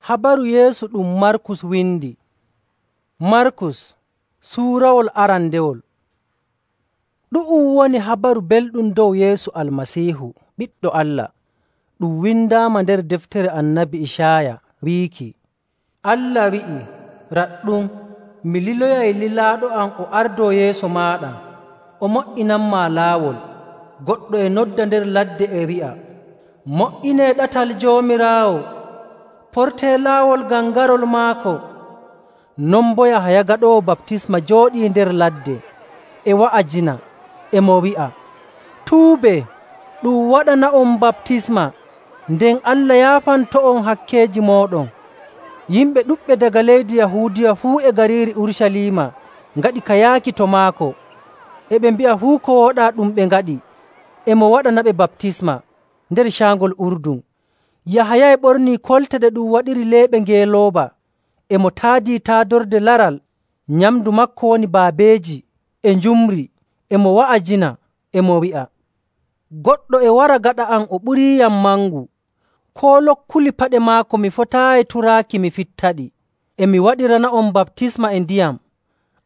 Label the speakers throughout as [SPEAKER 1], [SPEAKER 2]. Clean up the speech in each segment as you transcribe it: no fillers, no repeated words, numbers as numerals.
[SPEAKER 1] Habaru Yeesu ɗum Markus windi. Markus suurawol arandewol. Ɗu'um woni habaru belɗum dow Yeesu Almasiihu, Ɓiɗɗo Allah. Ɗum windaama nder deftere Annabi Icaaya wiiki, Allah wi'i, “Raɗɗum, mi liloyay lilaaɗo am o ardoo yeeso maaɗa, o mo''inanmaa laawol.” Goɗɗo e nodda nder ladde e wi'a, “Mo''inee ɗatal Joomiraawo, portee laawol ngam garol maako.” Non boo Yahaya Gaɗoowo Baptisma jooɗii nder ladde e wa'ajina, e mo wi'a, “Tuubee, ɗum waɗana'on baptisma, nden Allah yaafanto'on hakkeeji mooɗon.” Yimɓe ɗuɗɓe daga leydi Yahuudiya fuu e gariiri Urucaliima ngaɗi ka yaaki to maako. E ɓe mbi'a fuu ko wooɗaa ɗum ɓe ngaɗi, e mo waɗanaɓe baptisma nder caangol Urdun. Yahaya e ɓornii kolte ɗe ɗum waɗiri leeɓe ngeelooba, e mo taadii taadorde laral. Nyamndu maako woni baabeeji e njumri, e mo wa'ajina, e mo wi'a, “Goɗɗo e wara gaɗa am o ɓuriiyam mangu. Koo lokkuli paɗe maako mi fotaayi turaaki mi fittaɗi. E mi waɗirana'on baptisma e ndiyam,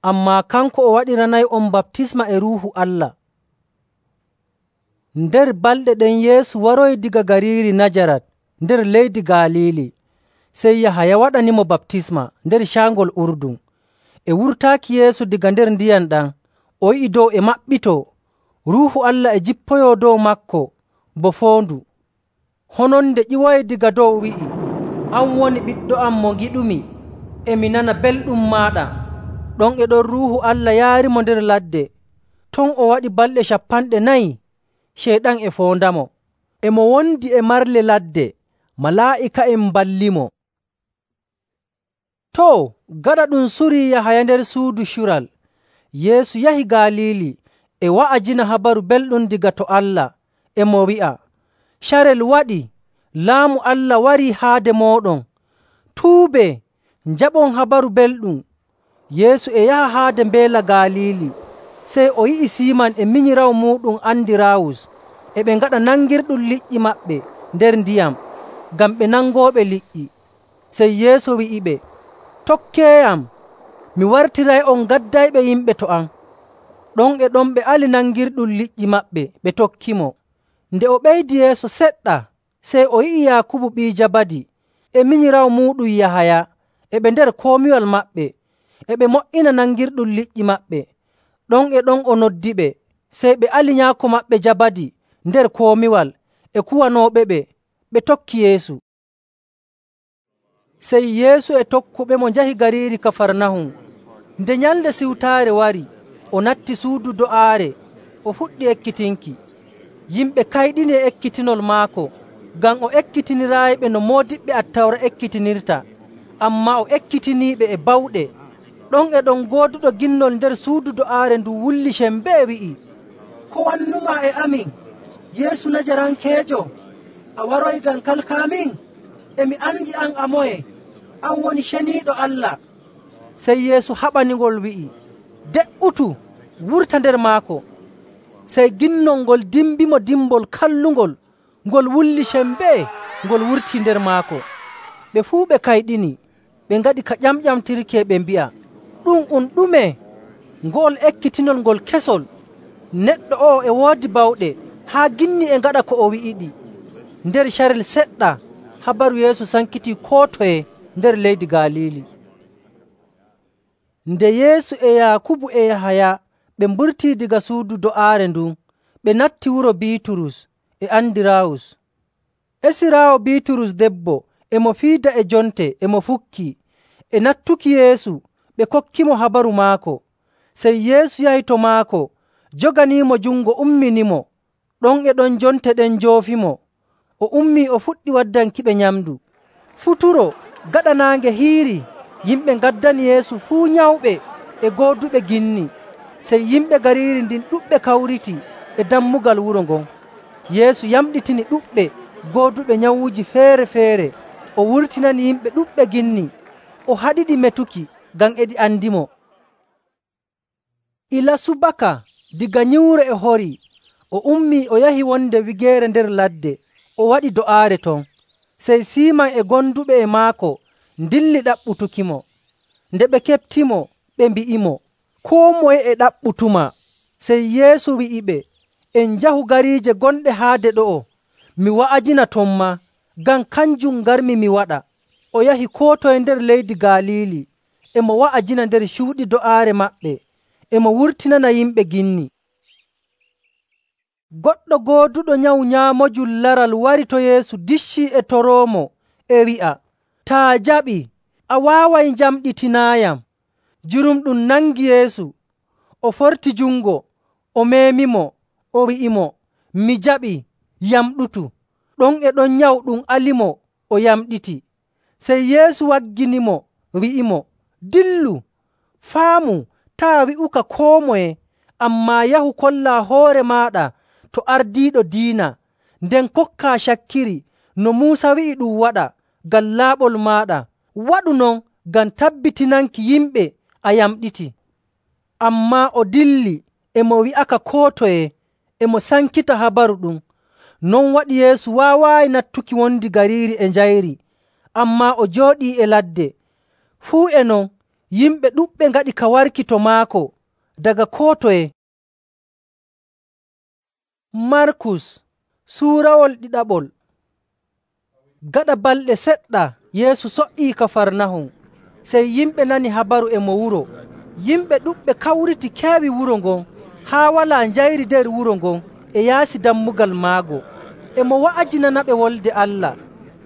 [SPEAKER 1] ammaa kanko o waɗiranay'on baptisma e Ruuhu Allah.” Nder balɗe ɗen Yeesu waroyi diga gariiri Najarat nder leydi Galiili. Sey Yahaya waɗanimo baptisma nder caangol Urdun. E wurtaaki Yeesu daga nder ndiyam ɗam, o yi'i dow e maɓɓitoo. Ruuhu Allah e jippoyoo dow maako bo foondu. Hononde ƴiwoyi daga dow wi'i, “An woni Ɓiɗɗo am mo ngiɗumi, e mi nana belɗum maaɗa.” Ɗon e ɗon Ruuhu Allah yaarimo nder ladde. Ton o waɗi balɗe 40 Ceyɗan e foondamo. E mo wondi e marle ladde, malaa'ika'en mballimo. Gaɗa ɗum surii Yahaya nder suudu cural, Yeesu yahi Galiili e wa'ajina habaru belɗum daga to Allah, e mo wi'a, “Carel waɗi, Laamu Allah warii haade mooɗon. Tuubee, njaɓon habaru belɗum.” Yeesu e yaha haade mbeela Galiili, sey o yi'i Siiman e minyiraawo muuɗum Andiraawus e ɓe ngaɗa nangirɗum liƴƴi maɓɓe nder ndiyam, ngam ɓe nangooɓe liƴƴi. Sey Yeesu wi'iɓe, “Tokkeeyam, mi wartiray'on ngaddayɓe yimɓe to am.” Ɗon e ɗon ɓe ali nangirɗum liƴƴi maɓɓe ɓe tokkimo. Nde o ɓeydi yeeso seɗɗa, sey o yi'i Yaakubu ɓii Jabadi e minyiraawo muuɗum Yahaya e ɓe nder komiwal maɓɓe, e ɓe mo''ina nangirɗum liƴƴi maɓɓe. Ɗon e ɗon o noddiɓe, sey ɓe ali nyaako maɓɓe Jabadi nder komiwal e kuwanooɓeɓe, ɓe tokki Yeesu. Sey Yeesu e tokkuɓemo njahi gariiri Kafarnahum. Nde Nyalnde Siwtaare wari, o natti suudu do'aare, o fuɗɗi ekkitinki. Yimɓe kayɗini e ekkitinol maako, ngam o ekkitiniraayiɓe no moodiɓɓe Attawra ekkitinirta, ammaa o ekkitiniiɓe e bawɗe. Ɗon e ɗon gooduɗo ginnol nder suudu do'aare ndun wulli sembee wi'i, “Ko wannumaa e amin, Yeesu Najarankeejo? A waroyi ngam kalkaamin? E mi andi an a moye, an woni Ceniiɗo Allah.” Sey Yeesu haɓaningol wi'i, “De''utu, wurta nder maako.” Sey ginnol ngol dimbimo dimbol kallungol, ngol wulli sembee, ngol wurtii nder maako. Ɓe fuu ɓe kayɗini, ɓe ngaɗi ka ƴamƴamtirki e ɓe mbi'a, “Ɗume? Ngo'ol ekkitinol ngol kesol! Neɗɗo o'o e woodi bawɗe haa ginni e ngaɗa ko o wi'iɗi.” Nder carel seɗɗa, habaru Yeesu sankitii koo toye nder leydi Galiili. Nde Yeesu e Yaakubu e Yahaya ɓe mburtii daga suudu do'aare ndun, ɓe natti wuro Biiturus e Andiraawus. Esiraawo Biiturus debbo e mo fiida e jonte e mo fukkii. E nattuki Yeesu ɓe kokkimo habaru maako. Sey Yeesu yahi to maako, joganiimo jungo umminimo. Ɗon e ɗon jonte ɗen njoofimo. O ummii o fuɗɗi waddankiɓe nyamndu. Futuro gaɗa naange hiirii, yimɓe ngaddani Yeesu fuu nyawɓe e gooduɓe ginni. Sey yimɓe gariiri ndin ɗuɗɓe kawriti e dammugal wuro ngon. Yeesu yamɗitini ɗuɗɓe gooduɓe nyawuuji feere‑feere. O wurtinani yimɓe ɗuɗɓe ginni. O haɗiɗi metuki ngam e ɗi andimo. Ila subaka diga nyiwre e horii, o ummii o yahi wonde wigeere nder ladde, o waɗi do'aare ton. Sey Siiman e gonduɓe e maako ndilli ɗaɓɓutukimo. Nde ɓe keɓtimo, ɓe mbi'imo, “Koo moye e ɗaɓɓutuma.” Sey Yeesu wi'iɓe, “En njahu gariije gonɗe haade ɗo'o, mi wa'ajina ton maa, ngam kanjum ngarmi mi waɗa.” O yahi koo toye nder leydi Galiili, e mo wa'ajina nder cuuɗi do'aare maɓɓe, e mo wurtinana yimɓe ginni. Goɗɗo gooduɗo nyawu nyaamojum laral wari to Yeesu diccii e toroomo, e wi'a, “Taa jaɓii, a waaway njamɗitinaayam.” Jurumɗum nangi Yeesu, o forti jungo, o meemimo, o wi'imo, “Mi jaɓii, yamɗutu.” Ɗon e ɗon nyawu ɗum alimo, o yamɗiti. Sey Yeesu wagginimo, wi'imo, “Dillu, faamu taa wi'uka koo moye, ammaa yahu kollaa hoore maaɗa to ardiiɗo diina, nden kokkaa cakkiri no Muusa wi'i ɗum waɗa ngam laaɓol maaɗa. Waɗu non ngam tabbitinanki yimɓe a yamɗiti.” Ammaa o dilli, e mo wi'aka koo toye, e mo sankita habaru ɗum. Non waɗi Yeesu waawaayi nattuki wondi gariiri e njayri, ammaa o jooɗii e ladde. Fuu e non, yimɓe ɗuɗɓe ngaɗi ka warki to maako daga koo toye. Markus suurawol ɗiɗaɓol. Gaɗa balɗe seɗɗa Yeesu so''ii Kafarnahum. Sey yimɓe nani habaru e mo wuro. Yimɓe ɗuɗɓe kawriti keewi wuro ngon, haa walaa njayri nder wuro ngon e yaasi dammugal maago. E mo wa'ajinanaɓe Wolde Allah.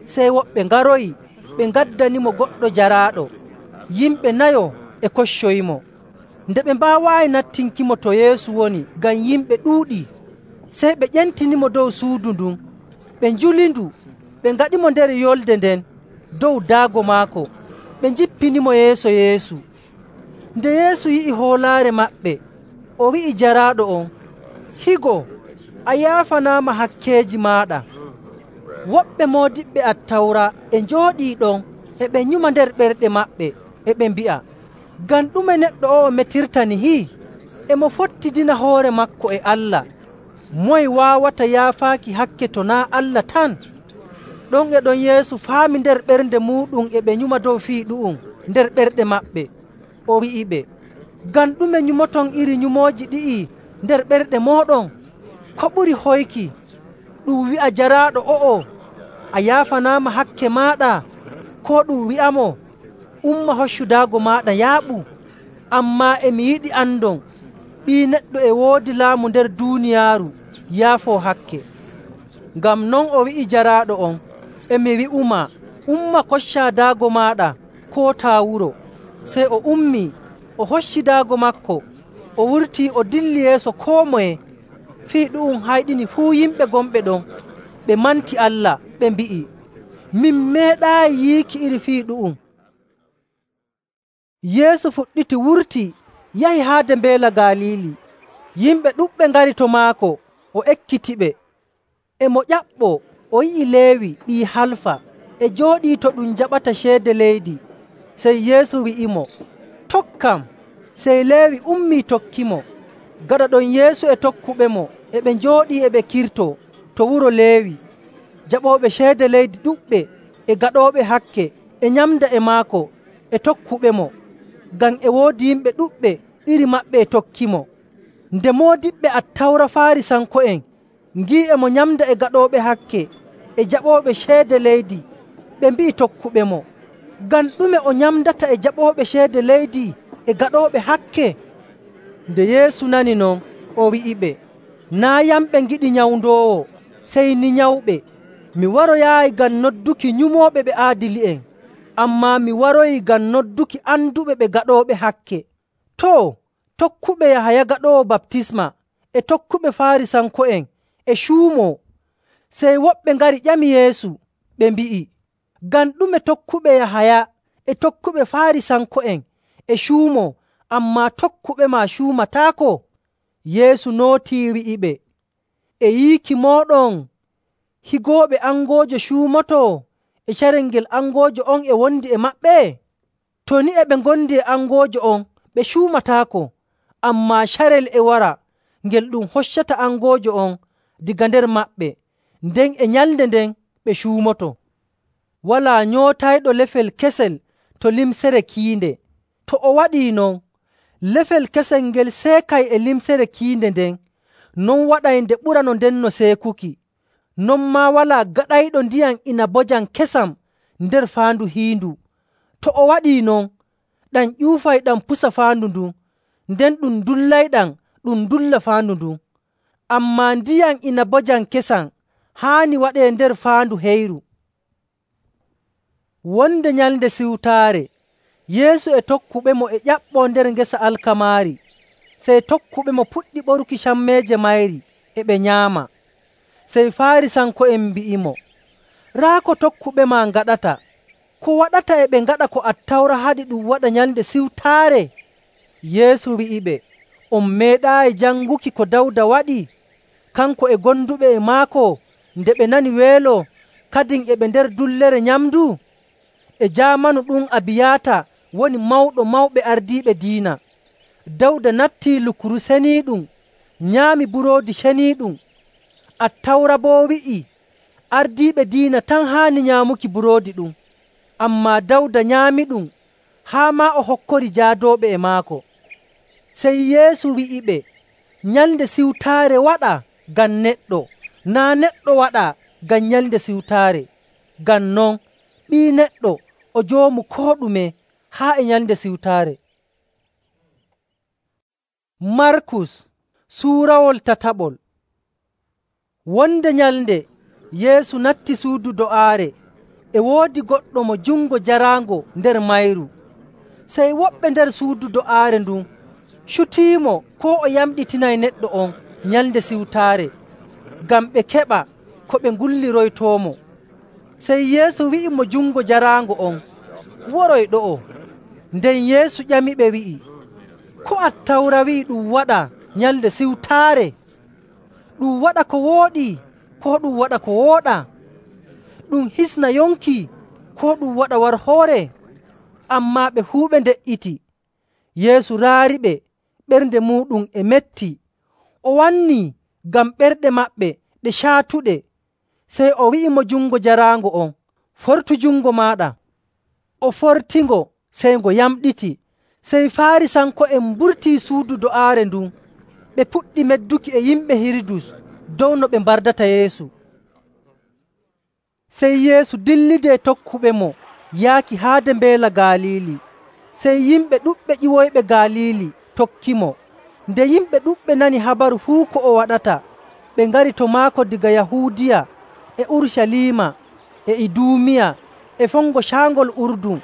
[SPEAKER 1] Sey woɓɓe ngaroyi, ɓe ngaddanimo goɗɗo jaraaɗo. Yimɓe nayo e koccoyimo. Nde ɓe mbaawaayi nattinkimo to Yeesu woni ngam yimɓe ɗuuɗii, sey ɓe ƴentinimo dow suudu ndun. Ɓe njulindu, ɓe ngaɗimo nder yolde nden dow daago maako, ɓe njippinimo yeeso Yeesu. Nde Yeesu yi'i hoolaare maɓɓe, o wi'i jaraaɗo on, “Higo, a yaafanaama hakkeeji maaɗa.” Woɓɓe moodiɓɓe Attawra e njooɗii ɗon, e ɓe nyuma nder ɓerɗe maɓɓe, e ɓe mbi'a, “Ngam ɗume neɗɗo o'o metirta nihi? E mo fottidina hoore maako e Allah. Moye waawata yaafaaki hakke to naa' Allah tan?” Ɗon e ɗon Yeesu faami nder ɓernde muuɗum e ɓe nyuma dow fii ɗu'um nder ɓerɗe maɓɓe. O wi'iɓe, “Ngam ɗume nyumoton iri nyumooji ɗi'i nder ɓerɗe mooɗon? Ko ɓuri hoyki, ɗum wi'a jaraaɗo o'o, ‘A yaafanaama hakke maaɗa,’ koo ɗum wi'amo, ‘Umma hoccu daago maaɗa yaaɓu?’ Ammaa e mi yiɗi andon, Ɓii Neɗɗo e woodi laamu nder duuniyaaru yaafoo hakke.” Ngam non o wi'i jaraaɗo on, “E mi wi'umaa, umma koccaa daago maaɗa kootaa wuro.” Sey o ummii, o hocci daago maako, o wurtii o dilli yeeso koo moye. Fii ɗu'um hayɗini fuu yimɓe gonɓe ɗon. Ɓe manti Allah, ɓe mbi'i, “Min meeɗaayi yiiki iri fii ɗu'um.” Yeesu fuɗɗiti wurti yahi haade mbeela Galiili. Yimɓe ɗuɗɓe ngari to maako, o ekkitiɓe. E mo ƴaɓɓoo, o yi'i Leewi ɓii Halfa e jooɗii to ɗum jaɓata ceede leydi. Sey Yeesu wi'imo, “Tokkam.” Sey Leewi ummii tokkimo. Gaɗa ɗon Yeesu e tokkuɓemo e ɓe njooɗii e ɓe kirtoo to wuro Leewi. Jaɓooɓe ceede leydi ɗuɗɓe e gaɗooɓe hakke e nyamda e maako e tokkuɓemo, ngam e woodi yimɓe ɗuɗɓe iri maɓɓe e tokkimo. Nde moodiɓɓe Attawra Faarisanko'en ngi'i e mo nyamda e gaɗooɓe hakke e jaɓooɓe ceede leydi, ɓe mbi'i tokkuɓemo, “Ngam ɗume o nyamdata e jaɓooɓe ceede leydi e gaɗooɓe hakke?” Nde Yeesu nani non, o wi'iɓe, “Naa' yamɓe ngiɗi nyawndoowo, sey ni nyawɓe. Mi waroyaayi ngam nodduki nyumooɓe ɓe aadili'en, ammaa mi waroyi ngam nodduki anduɓe ɓe gaɗooɓe hakke.” Too, tokkuɓe Yahaya Gaɗoowo Baptisma e tokkuɓe Faarisanko'en e cuumoo. Sey woɓɓe ngari ƴami Yeesu, ɓe mbi'i, “Ngam ɗume tokkuɓe Yahaya e tokkuɓe Faarisanko'en e cuumoo, ammaa tokkuɓe maa cuumataako?” Yeesu nootii wi'iɓe, “E yiiki mooɗon higooɓe angoojo cuumotoo e carel ngel angoojo on e wondi e maɓɓe? To ni e ɓe ngondi e angoojo on, ɓe cuumataako, ammaa carel e wara ngel ɗum hoccata angoojo on daga nder maɓɓe, nden e nyalnde nden ɓe cuumoto. Walaa nyootayɗo lefel kesel to limsere kiinde. To o waɗii non, lefel kesel ngel seekay e limsere kiinde nden, non waɗay nde ɓura no ndenno seekuki. Non maa walaa gaɗayɗo ndiyam inabojam kesam nder faandu hiindu. To o waɗii non, ɗam ƴuufay ɗam pusa faandu ndun, nden ɗum dullayɗam ɗum dulla faandu ndun. Ammaa ndiyam inabojam kesam haani waɗee nder faandu heyru.” Wonde Nyalnde Siwtaare, Yeesu e tokkuɓemo e ƴaɓɓoo nder ngesa alkamaari. Sey tokkuɓemo puɗɗi ɓoruki cammeeje mayri, e ɓe nyaama. Sey Faarisanko'en mbi'imo, “Raa ko tokkuɓema ngaɗata. Ko waɗata e ɓe ngaɗa ko Attawra haɗi ɗum waɗa Nyalnde Siwtaare?” Yeesu wi'iɓe, “On meeɗaayi janguki ko Dawda waɗi, kanko e gonduɓe e maako, nde ɓe nani weelo, kadin e ɓe nder dullere nyamndu? E jaamanu ɗum Abiyaata woni mawɗo mawɓe ardiiɓe diina. Dawda nattii lukuru seniiɗum, nyaami buroodi ceniiɗum. Attawra boo wi'ii ardiiɓe diina tan haani nyaamuki buroodi ɗum. Ammaa Dawda nyaamiɗum, haa maa o hokkori jaadooɓe e maako.” Sey Yeesu wi'iɓe, “Nyalnde Siwtaare waɗaa ngam neɗɗo, naa' neɗɗo waɗaa ngam Nyalnde Siwtaare. Ngam non, Ɓii Neɗɗo o joomu koo ɗume haa e Nyalnde Siwtaare.” Markus suurawol tataɓol. Wonde nyalnde Yeesu natti suudu do'aare. E woodi goɗɗo mo jungo jaraango nder mayru. Sey woɓɓe nder suudu do'aare ndun cutiimo koo o yamɗitinay neɗɗo on Nyalnde Siwtaare, ngam ɓe keɓa ko ɓe ngulliroytoomo. Sey Yeesu wi'i mo jungo jaraango on, “Woroy ɗo'o.” Nden Yeesu ƴamiɓe wi'i, “Ko Attawra wi'i ɗum waɗa Nyalnde Siwtaare? Ɗum waɗa ko wooɗi koo ɗum waɗa ko wooɗaa? Ɗum hisna yonki koo ɗum waɗa warhoore?” Ammaa ɓe fuu ɓe nde''iti. Yeesu raariɓe ɓernde muuɗum e metti. O wannii ngam ɓerɗe maɓɓe ɗe caatuɗe. Sey o wi'i mo jungo jaraango on, “Fortu jungo maaɗa.” O fortingo, sey ngo yamɗiti. Sey Faarisanko'en mburtii suudu do'aare ndun. Ɓe puɗɗi medduki e yimɓe Hirudus dow no ɓe mbardata Yeesu. Sey Yeesu dillidi e tokkuɓemo yaaki haade Mbeela Galiili. Sey yimɓe ɗuɗɓe ƴiwoyɓe Galiili tokkimo. Nde yimɓe ɗuɗɓe nani habaru fuu ko o waɗata, ɓe ngari to maako diga Yahuudiya e Urucaliima e Iduumiya e fongo caangol Urdun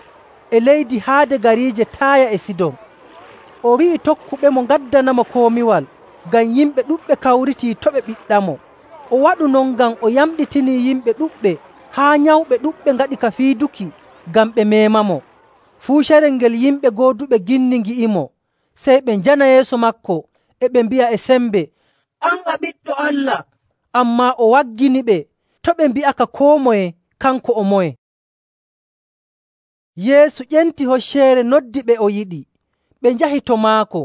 [SPEAKER 1] e leydi haade gariije Taaya e Sidon. O wi'i tokkuɓemo ngaddanamo komiwal, ngam yimɓe ɗuɗɓe kawritii to ɓe ɓiɗɗamo. O waɗu non ngam o yamɗitinii yimɓe ɗuɗɓe, haa nyawɓe ɗuɗɓe ngaɗi ka fiiduki ngam ɓe meemamo. Fuu carel ngel yimɓe gooduɓe ginni ngi'imo, sey ɓe njana yeeso maako, e ɓe mbi'a e sembe, “An a Ɓiɗɗo Allah!” Ammaa o wagginiɓe to' ɓe mbi'aka koo moye kanko o moye. Yeesu ƴenti hocceere noddi ɓe o yiɗi. Ɓe njahi to maako.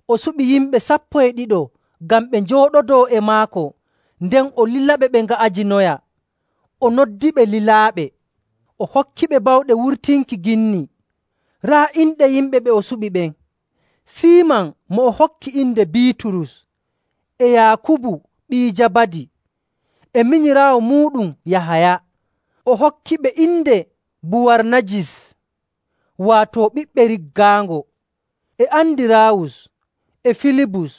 [SPEAKER 1] O suɓi yimɓe 12 ngam ɓe njooɗodoo e maako, nden o lilaɓe ɓe nga'ajinoya. O noddiɓe lilaaɓe. O hokkiɓe bawɗe wurtinki ginni. Raa inɗe yimɓe ɓe o suɓi ɓen: Siiman mo o hokki inde Biiturus, e Yaakubu ɓii Jabadi, e minyiraawo muuɗum Yahaya. O hokkiɓe inde Buwarnajis, waato ɓiɓɓe riggaango, e Andiraawus, e Filibus,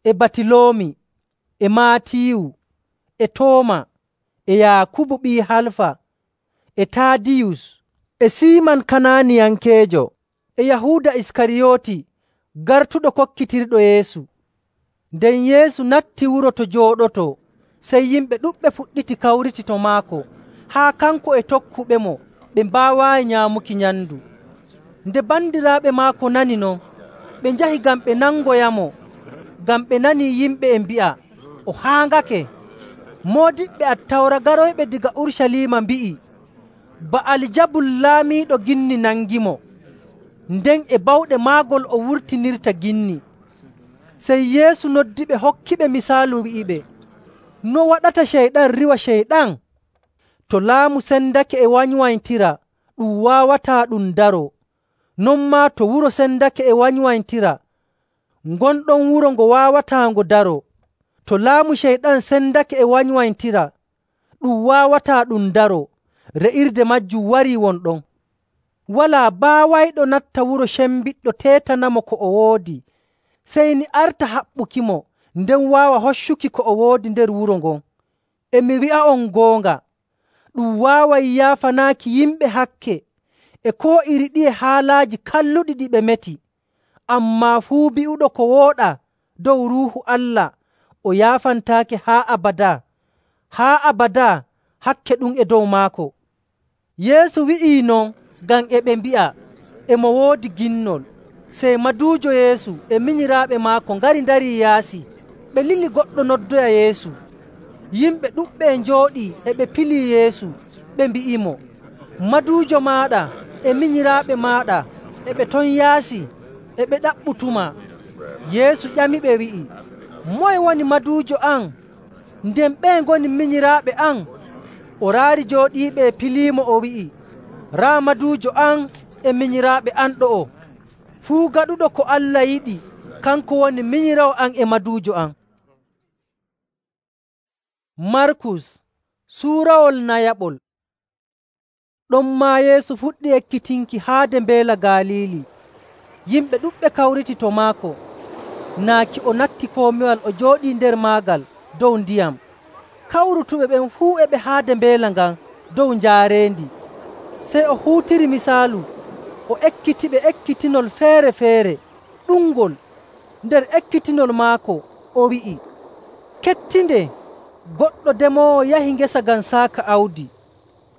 [SPEAKER 1] e Batiloomi, e Maatiyu, e Tooma, e Yaakubu ɓii Halfa, e Taadiyus, e Siiman Kanaaniyankeejo, e Yahuuda Iskariyooti, gartuɗo kokkitirɗo Yeesu. Nden Yeesu natti wuro to jooɗotoo, sey yimɓe ɗuɗɓe fuɗɗiti kawriti to maako, haa kanko e tokkuɓemo ɓe mbaawaayi nyaamuki nyamndu. Nde bandiraaɓe maako nani non, ɓe njahi ngam ɓe nangoyamo, ngam ɓe nanii yimɓe e mbi'a, “O haaŋake.” Moodiɓɓe Attawra garoyɓe daga Urucaliima mbi'i, “Ba'aljabul laamiiɗo ginni nangimo, nden e bawɗe maagol o wurtinirta ginni.” Sey Yeesu noddiɓe hokkiɓe misaalu wi'iɓe, “No waɗata ceyɗan riiwa ceyɗan? To laamu sendake e wanywanytira, ɗum waawataa ɗum daroo. Non maa to wuro sendake e wanywanytira, ngonɗon wuro ngo waawataa ngo daroo. To laamu Ceyɗan sendake e wanywanytira, ɗum waawataa ɗum daroo. Re'irde maajum warii wonɗon. Walaa baawayɗo natta wuro cembiɗɗo teetanamo ko o woodi, sey ni arta haɓɓukimo, nden waawa hoccuki ko o woodi nder wuro ngon. E mi wi'a'on goonga, ɗum waaway yaafanaaki yimɓe hakke e koo iri ɗiye haalaaji kalluɗi ɗi ɓe meti. Ammaa fuu bi'uɗo ko wooɗaa dow Ruuhu Allah o yaafantaake haa abadaa. Haa abadaa hakke ɗum e dow maako. Yeesu wi'ii non ngam e ɓe mbi'a e mo woodi ginnol. Sey maduujo Yeesu e minyiraaɓe maako ngari ndarii yaasi. Ɓe lili goɗɗo noddoya Yeesu. Yimɓe ɗuɗɓe e njooɗii e ɓe pilii Yeesu. Ɓe mbi'imo, “Maduujo maaɗa e minyiraaɓe maaɗa e ɓe ton yaasi e ɓe ɗaɓɓutumaa.” Yeesu ƴamiɓe wi'i, “Moye woni maduujo am, nden ɓeye ngoni minyiraaɓe am?” O raari jooɗiiɓe e piliimo o wi'i, “Raa maduujo am e minyiraaɓe am ɗo'o. Fuu gaɗuɗo ko Allah yiɗi, kanko woni minyiraawo am e maduujo am.” Markus suurawol nayaɓol. Ɗonmaa Yeesu fuɗɗi ekkitinki haade Mbeela Galiili. Yimɓe ɗuɗɓe kawriti to maako. Naaki o natti komiwal o jooɗii nder maagal dow ndiyam. Kawrutuɓe ɓen fuu e ɓe haade mbeela ngan dow njaareendi. Sey o huutiri misaalu, o ekkitiɓe ekkitinol feere‑feere ɗuɗngol. Nder ekkitinol maako o wi'i, “Kettinde, goɗɗo demoowo yahi ngesa ngam saaka awdi.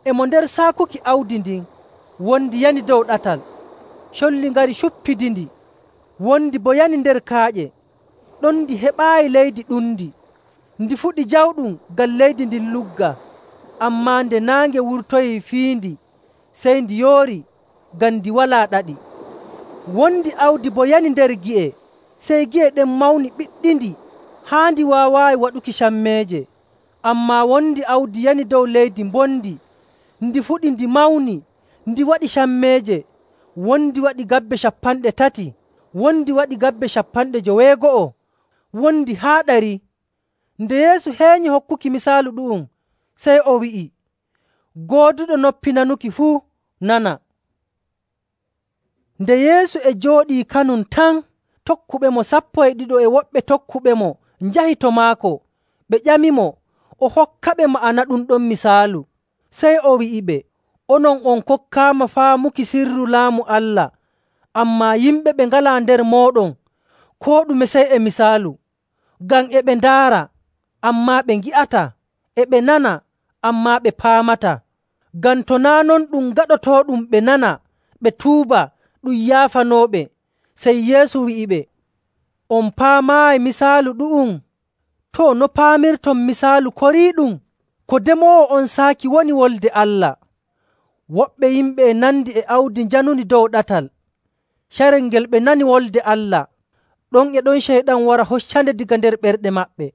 [SPEAKER 1] E mo nder saakuki awdi ndin, wondi yani dow ɗatal. Colli ngari cuppidindi, wondi boo yani nder kaaƴe. Ɗon ndi heɓaayi leydi ɗundi. Ndi fuɗi jawɗum ngam leydi ndin lugga. Ammaa nde naange wurtoyii fiindi, sey ndi yoori ngam ndi walaa ɗaɗi. Wondi awdi boo yani nder gi'e, sey gi'e ɗen mawni ɓiɗɗindi haa ndi waawaayi waɗuki cammeeje. Ammaa wondi awdi yani dow leydi mbondi, ndi fuɗi ndi mawni, ndi waɗi cammeeje. Wondi waɗi gabbe 30, wondi waɗi gabbe 90, wondi haa 100.” Nde Yeesu heenyi hokkuki misaalu ɗu'um, sey o wi'i, “Gooduɗo noppi nanuki fuu nana.” Nde Yeesu e jooɗii kanum tan, tokkuɓemo 12 e woɓɓe tokkuɓemo njahi to maako. Ɓe ƴamimo o hokkaɓe ma'ana ɗum ɗon misaalu. Sey o wi'iɓe, “Onon on kokkaama faamuki sirru Laamu Allah, ammaa yimɓe ɓe ngalaa nder mooɗon koo ɗume sey e misaalu. Ngam e ɓe ndaara, ammaa ɓe ngi'ataa, e ɓe nana, ammaa ɓe paamataa. Ngam to naa' non ɗum gaɗotooɗum ɓe nana, ɓe tuuba, ɗum yaafanooɓe.” Sey Yeesu wi'iɓe, “On paamaayi misaalu ɗu'um? Too, no paamirton misaalu koriiɗum? Ko demoowo on saaki woni Wolde Allah. Woɓɓe yimɓe e nandi e awdi njanundi dow ɗatal. Carel ngel ɓe nani wolde Allah, ɗon e ɗon Ceyɗan wara hoccande daga nder ɓerɗe maɓɓe.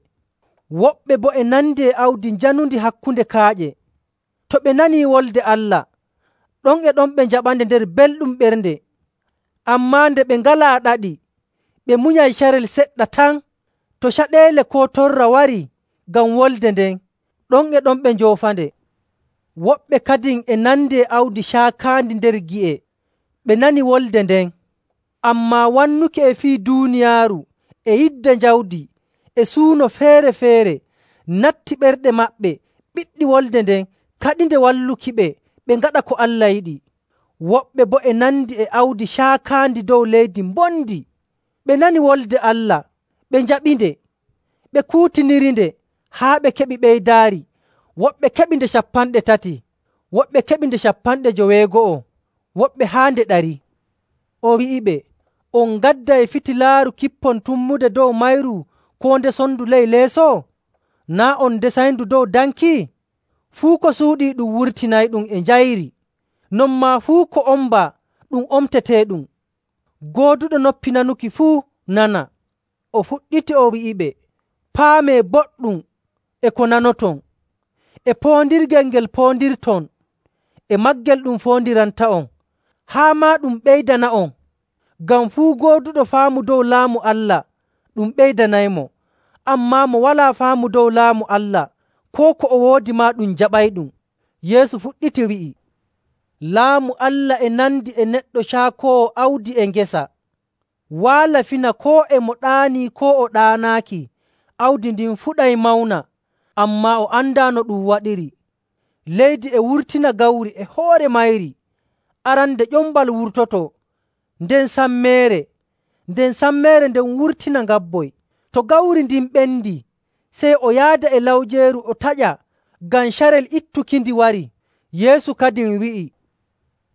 [SPEAKER 1] Woɓɓe boo e nandi e awdi njanundi hakkunde kaaƴe. To ɓe nanii wolde Allah, ɗon e ɗon ɓe njaɓande nder belɗum ɓernde. Ammaa nde ɓe ngalaa ɗaɗi, ɓe munyay carel seɗɗa tan. To caɗeele koo torra warii ngam wolde nden, ɗon e ɗon ɓe njoofande. Woɓɓe kadin e nandi e awdi caakaandi nder gi'e. Ɓe nani wolde nden, ammaa wannuki e fii duuniyaaru e yidde njawdi e suuno feere‑feere natti ɓerɗe maɓɓe, ɓiɗɗi wolde nden, kaɗinde wallukiɓe ɓe ngaɗa ko Allah yiɗi. Woɓɓe boo e nandi e awdi caakaandi dow leydi mbondi. Ɓe nani wolde Allah, ɓe njaɓinde, ɓe kuutinirinde haa ɓe keɓi ɓeydaari. Woɓɓe keɓi nde 30, woɓɓe keɓi nde 90, woɓɓe haa nde 100. O wi'iɓe, “On ngadday fitilaaru kippon tummude dow mayru koo nde sondu ley leeso? Naa' on ndesayndu dow danki? Fuu ko suuɗii ɗum wurtinayɗum e njayri. Non maa fuu ko ombaa ɗum omteteeɗum. Gooduɗo noppi nanuki fuu nana.” O fuɗɗiti o wi'iɓe, “Paamee boɗɗum e ko nanoton, e poondirgel ngel poondirton, e maggel ɗum foondiranta'on, haa maa ɗum ɓeydana'on. Ngam fuu gooduɗo faamu dow Laamu Allah ɗum ɓeydanaymo, ammaa mo walaa faamu dow Laamu Allah, koo ko o woodi maa ɗum jaɓayɗum.” Yeesu fuɗɗiti wi'i, “Laamu Allah e nandi e neɗɗo caakoowo awdi e ngesa. Waala fina koo e mo ɗaanii koo o ɗaanaaki, awdi ndin fuɗay mawna, ammaa o andaa no ɗum waɗiri. Leydi e wurtina gawri e hoore mayri. Arande ƴombal wurtoto, nden sammeere nden wurtina ngabboy. To gawri ndin ɓendi, sey o yaada e lawjeeru o taƴa, ngam carel ittukindi wari.” Yeesu kadin wi'i,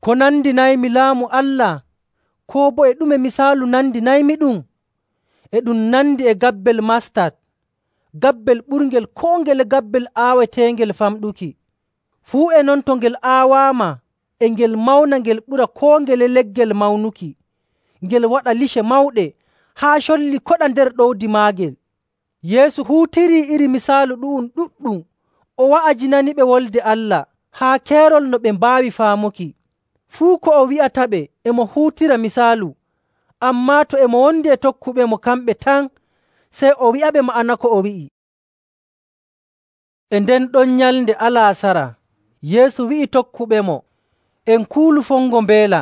[SPEAKER 1] “Ko nandinaymi Laamu Allah? Koo boo e ɗume misaalu nandinaymiɗum? E ɗum nandi e gabbel mastat, gabbel ɓurngel koo ngele gabbel aaweteengel famɗuki. Fuu e non to ngel aawaama, e ngel mawna ngel ɓura koo ngele leggel mawnuki. Ngel waɗa lice mawɗe haa colli koɗa nder ɗowdi maagel.” Yeesu huutirii iri misaalu ɗu'um ɗuɗɗum o wa'ajinaniɓe Wolde Allah haa keerol no ɓe mbaawi faamuki. Fuu ko o wi'ataɓe e mo huutira misaalu, ammaa to e mo wondi e tokkuɓemo kamɓe tan, sey o wi'aɓe ma'ana ko o wi'i. E nden ɗon nyalnde Alaasara, Yeesu wi'i tokkuɓemo, “En kuulu fongo mbeela.”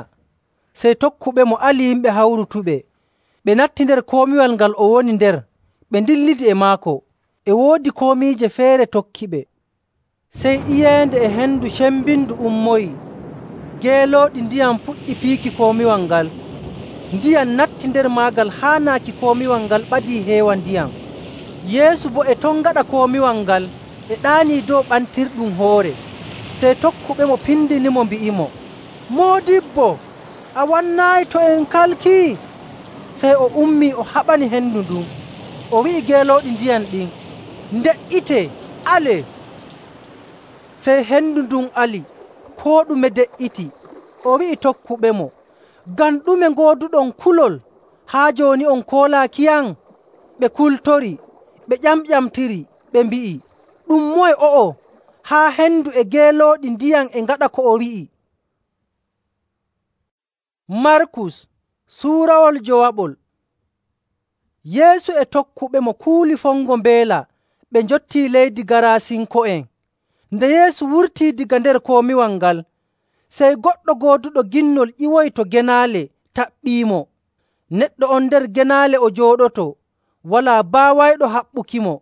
[SPEAKER 1] Sey tokkuɓemo ali yimɓe hawrutuɓe. Ɓe natti nder komiwal ngal o woni nder, ɓe ndillidi e maako. E woodi komiije feere tokkiɓe. Sey iyeende e hendu cembindu ummoyi. Geelooɗi ndiyam puɗɗi piiki komiwal ngal. Ndiyam natti nder maagal haa naaki komiwal ngal ɓadii heewa ndiyam. Yeesu boo e ton gaɗa komiwal ngal e ɗaanii dow ɓantirɗum hoore. Sey tokkuɓemo pindinimo mbi'imo, “Moodibbo, a wannaayi to en kalkii?” Sey o ummii o haɓani hendu ndun. O wi'i geelooɗi ndiyam ɗin, “Nde''itee, alee!” Sey hendu ndun ali, koo ɗume de''iti. O wi'i tokkuɓemo, “Ngam ɗume ngooduɗon kulol? Haa jooni on koolaakiyam?” Ɓe kultori, ɓe ƴamƴamtiri, ɓe mbi'i, “Ɗum moye o'o haa hendu e geelooɗi ndiyam e ngaɗa ko o wi'i?” Markus suurawol jowaɓol. Yeesu e tokkuɓemo kuuli fongo mbeela ɓe njottii leydi Garasinko'en. Nde Yeesu wurtii daga nder komiwal ngal, sey goɗɗo gooduɗo ginnol ƴiwoyi to genaale taɓɓiimo. Neɗɗo on nder genaale o jooɗoto, walaa baawayɗo haɓɓukimo,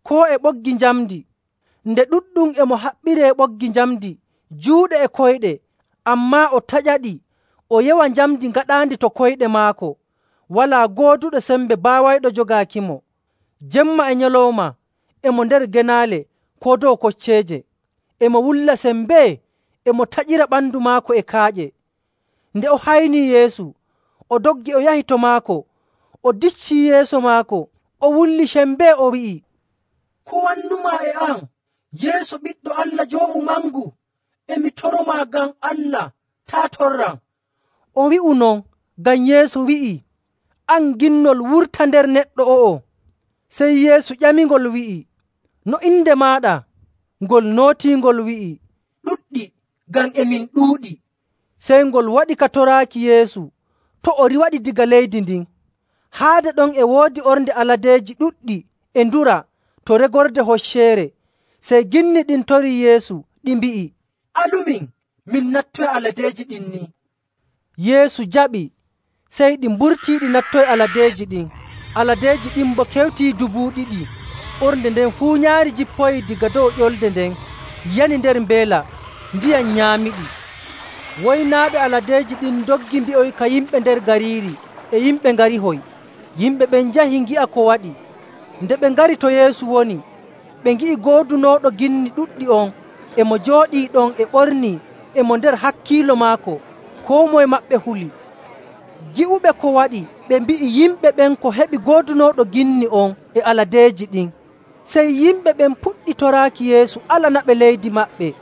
[SPEAKER 1] koo e ɓoggi njamndi. Nde ɗuɗɗum e mo haɓɓiree ɓoggi njamndi juuɗe e koyɗe, ammaa o taƴaɗi o yewa njamndi ngaɗaandi to koyɗe maako. Walaa gooduɗo sembe baawayɗo jogaakimo. Jemma e nyalawma e mo nder genaale koo dow kocceeje. E mo wulla sembee, e mo taƴira ɓandu maako e kaaƴe. Nde o haynii Yeesu, o doggi o yahi to maako, o diccii yeeso maako, o wulli sembee, o wi'i, “Ko wannumaa e am, Yeesu Ɓiɗɗo Allah Joomu Mangu? E mi toromaa ngam Allah, taa torram.” O wi'u non ngam Yeesu wi'i, “An ginnol, wurta nder neɗɗo o'o.” Sey Yeesu ƴamingol wi'i, “No inde maaɗa?” Ngol nootii ngol wi'i, “Ɗuɗɗi, ngam e min ɗuuɗi.” Sey ngol waɗi ka toraaki Yeesu to o riwaɗi daga leydi ndin. Haade ɗon e woodi ornde aladeeji ɗuɗɗi e ndura to regorde hocceere. Sey ginni ɗin torii Yeesu, ɗi mbi'i, “Alumin, min nattoya aladeeji ɗin ni.” Yeesu jaɓi, sey ɗi mburtii ɗi nattoyi aladeeji ɗin. Aladeeji ɗin boo kewtii 2,000. Ornde nden fuu nyaari jippoyi daga dow ƴolde nden, yani nder mbeela, ndiyam nyaamiɗi. Woynaaɓe aladeeji ɗin ndoggi mbi'oyi ka yimɓe nder gariiri, e yimɓe ngarihoy. Yimɓe ɓen njahi ngi'a ko waɗi. Nde ɓe ngari to Yeesu woni, ɓe ngi'i goodunooɗo ginni ɗuɗɗi on e mo jooɗii ɗon e ɓornii e mo nder hakkiilo maako, koo moye maɓɓe huli. Gi'uɓe ko waɗi, ɓe mbi'i yimɓe ɓen ko heɓi goodunooɗo ginni on e aladeeji ɗin. Sey yimɓe ɓen puɗɗi toraaki Yeesu alanaɓe leydi maɓɓe.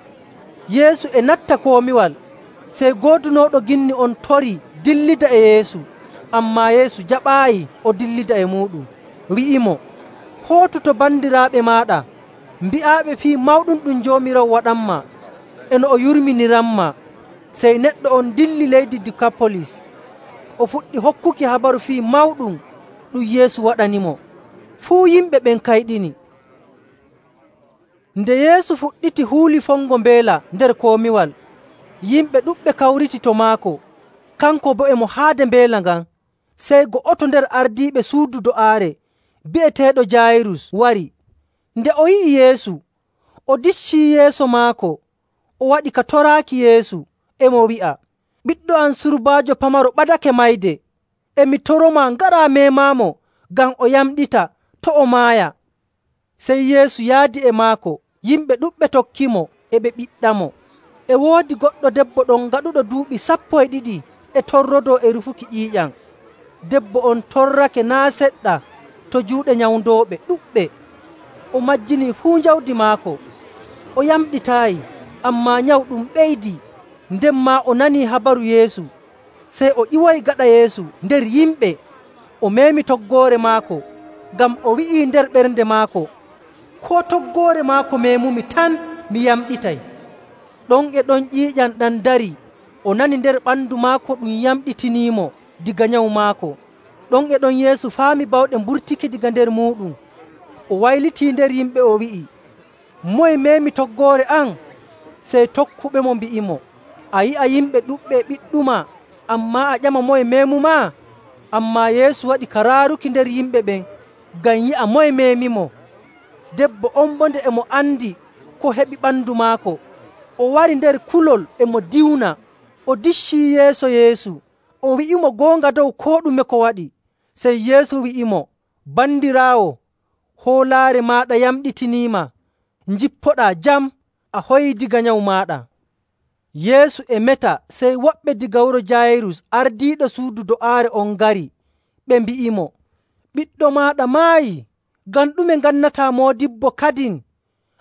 [SPEAKER 1] Yeesu e natta komiwal, sey goodunooɗo ginni on torii dillida e Yeesu. Ammaa Yeesu jaɓaayi o dillida e muuɗum, wi'imo, “Hootu to bandiraaɓe maaɗa, mbi'aaɓe fii mawɗum ɗum Joomiraawo waɗanmaa.” e no o yurminiranmaa. Sey neɗɗo on dilli leydi Dikapolis. O fuɗɗi hokkuki habaru fii mawɗum ɗum Yeesu waɗanimo. Fuu yimɓe ɓen kayɗini. Nde Yeesu fuɗɗiti huuli fongo mbeela nder komiwal, yimɓe ɗuɗɓe kawriti to maako, kanko boo e mo haade mbeela ngan. Sey go'oto nder ardiiɓe suudu do'aare bi'eteeɗo Jaayirus wari. Nde o yi'i Yeesu, o diccii yeeso maako, o waɗi ka toraaki Yeesu, e mo wi'a, “Ɓiɗɗo am surbaajo pamaro ɓadake mayde. E mi toromaa ngaraa meemaamo ngam o yamɗita to' o maaya.” Sey Yeesu yaadi e maako, yimɓe ɗuɗɓe tokkimo, e ɓe ɓiɗɗamo. E woodi goɗɗo debbo ɗon gaɗuɗo duuɓi 12 e torrodoo e rufuki ƴiiƴam. Debbo on torrake naa' seɗɗa to juuɗe nyawndooɓe ɗuɗɓe. O majjinii fuu jawdi maako. O yamɗitaayi, ammaa nyawu ɗum ɓeydii. Nden maa o nanii habaru Yeesu, sey o ƴiwoyi gaɗa Yeesu nder yimɓe. O meemi toggoore maako, ngam o wi'ii nder ɓernde maako, “Koo toggoore maako meemumi tan, mi yamɗitay.” Ɗon e ɗon ƴiiƴam ɗam darii. O nani nder ɓandu maako ɗum yamɗitiniimo diga nyawu maako. Ɗon e ɗon Yeesu faami bawɗe mburtiki daga nder muuɗum. O waylitii nder yimɓe o wi'i, “Moye meemi toggoore am?” Sey tokkuɓemo mbi'imo, “A yi'a yimɓe ɗuɗɓe e ɓiɗɗumaa, ammaa a ƴama moye meemumaa?” Ammaa Yeesu waɗi ka raaruki nder yimɓe ɓen ngam yi'a moye meemimo. Debbo on boo nde e mo andi ko heɓi ɓandu maako, o wari nder kulol e mo diwna. O diccii yeeso Yeesu, o wi'imo goonga dow koo ɗume ko waɗi. Sey Yeesu wi'imo, “Bandiraawo, hoolaare maaɗa yamɗitiniima. Njippoɗaa jam, a hoyii diga nyawu maaɗa.” Yeesu e meta, sey woɓɓe diga wuro Jaayirus ardiiɗo suudu do'aare on ngari. Ɓe mbi'imo, “Ɓiɗɗo maaɗa maayii. Ngam ɗume ngannataa moodibbo kadin?”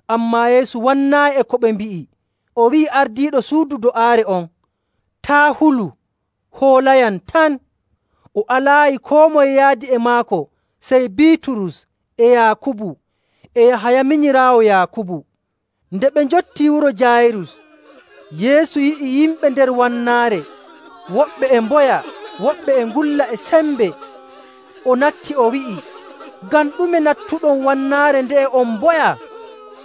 [SPEAKER 1] Ammaa Yeesu wannaayi e ko ɓe mbi'i. O wi'i ardiiɗo suudu do'aare on, “Taa' hulu, hoolayam tan.” O alaayi koo moye yaadi e maako sey Biiturus e Yaakubu e Yahaya minyiraawo Yaakubu. Nde ɓe njottii wuro Jaayirus, Yeesu yi'i yimɓe nder wannaare, woɓɓe e mboya, woɓɓe e ngulla e sembe. O natti o wi'i, “Ngam ɗume nattuɗon wannaare nde'e on mboya?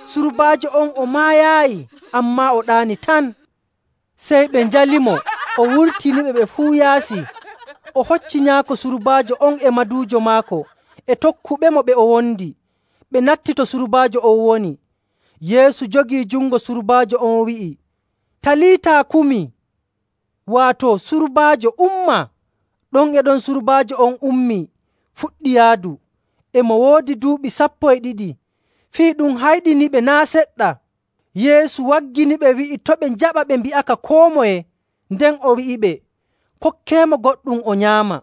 [SPEAKER 1] Surbaajo on o maayaayi, ammaa o ɗaani tan.” Sey ɓe njalimo, o wurtiniɓe ɓe fuu yaasi. O hocci nyaako surbaajo on e maduujo maako e tokkuɓemo ɓe o wondi. Ɓe natti to surbaajo on woni. Yeesu jogii jungo surbaajo on wi'i, “Taliita kumi,” waato surbaajo umma. Ɗon e ɗon surbaajo on ummii, fuɗɗi yaadu. E mo woodi duuɓi 12. Fii ɗum hayɗiniɓe naa' seɗɗa. Yeesu wagginiɓe wi'i to' ɓe njaɓa ɓe mbi'aka koo moye. Nden o wi'iɓe, “Kokkeemo goɗɗum o nyaama.”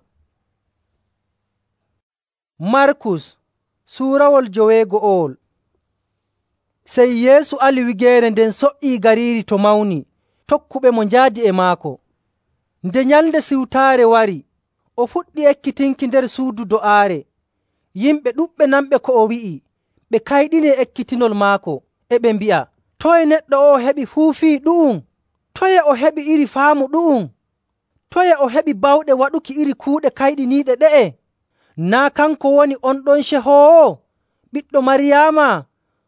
[SPEAKER 1] Markus suurawol 15. Sey Yeesu ali wigeere nden so''ii gariiri to mawni. Tokkuɓemo njaadi e maako. Nde Nyalnde Siwtaare wari, o fuɗɗi ekkitinki nder suudu do'aare. Yimɓe ɗuɗɓe nanɓe ko o wi'i, ɓe kayɗini e ekkitinol maako, e ɓe mbi'a, “Toye neɗɗo o'o heɓi fuu fii ɗu'um? Toye o heɓi iri faamu ɗu'um? Toye o heɓi bawɗe waɗuki iri kuuɗe kayɗiniiɗe ɗe'e? Naa' kanko woni on ɗon cehoowo, ɓiɗɗo Maryaama,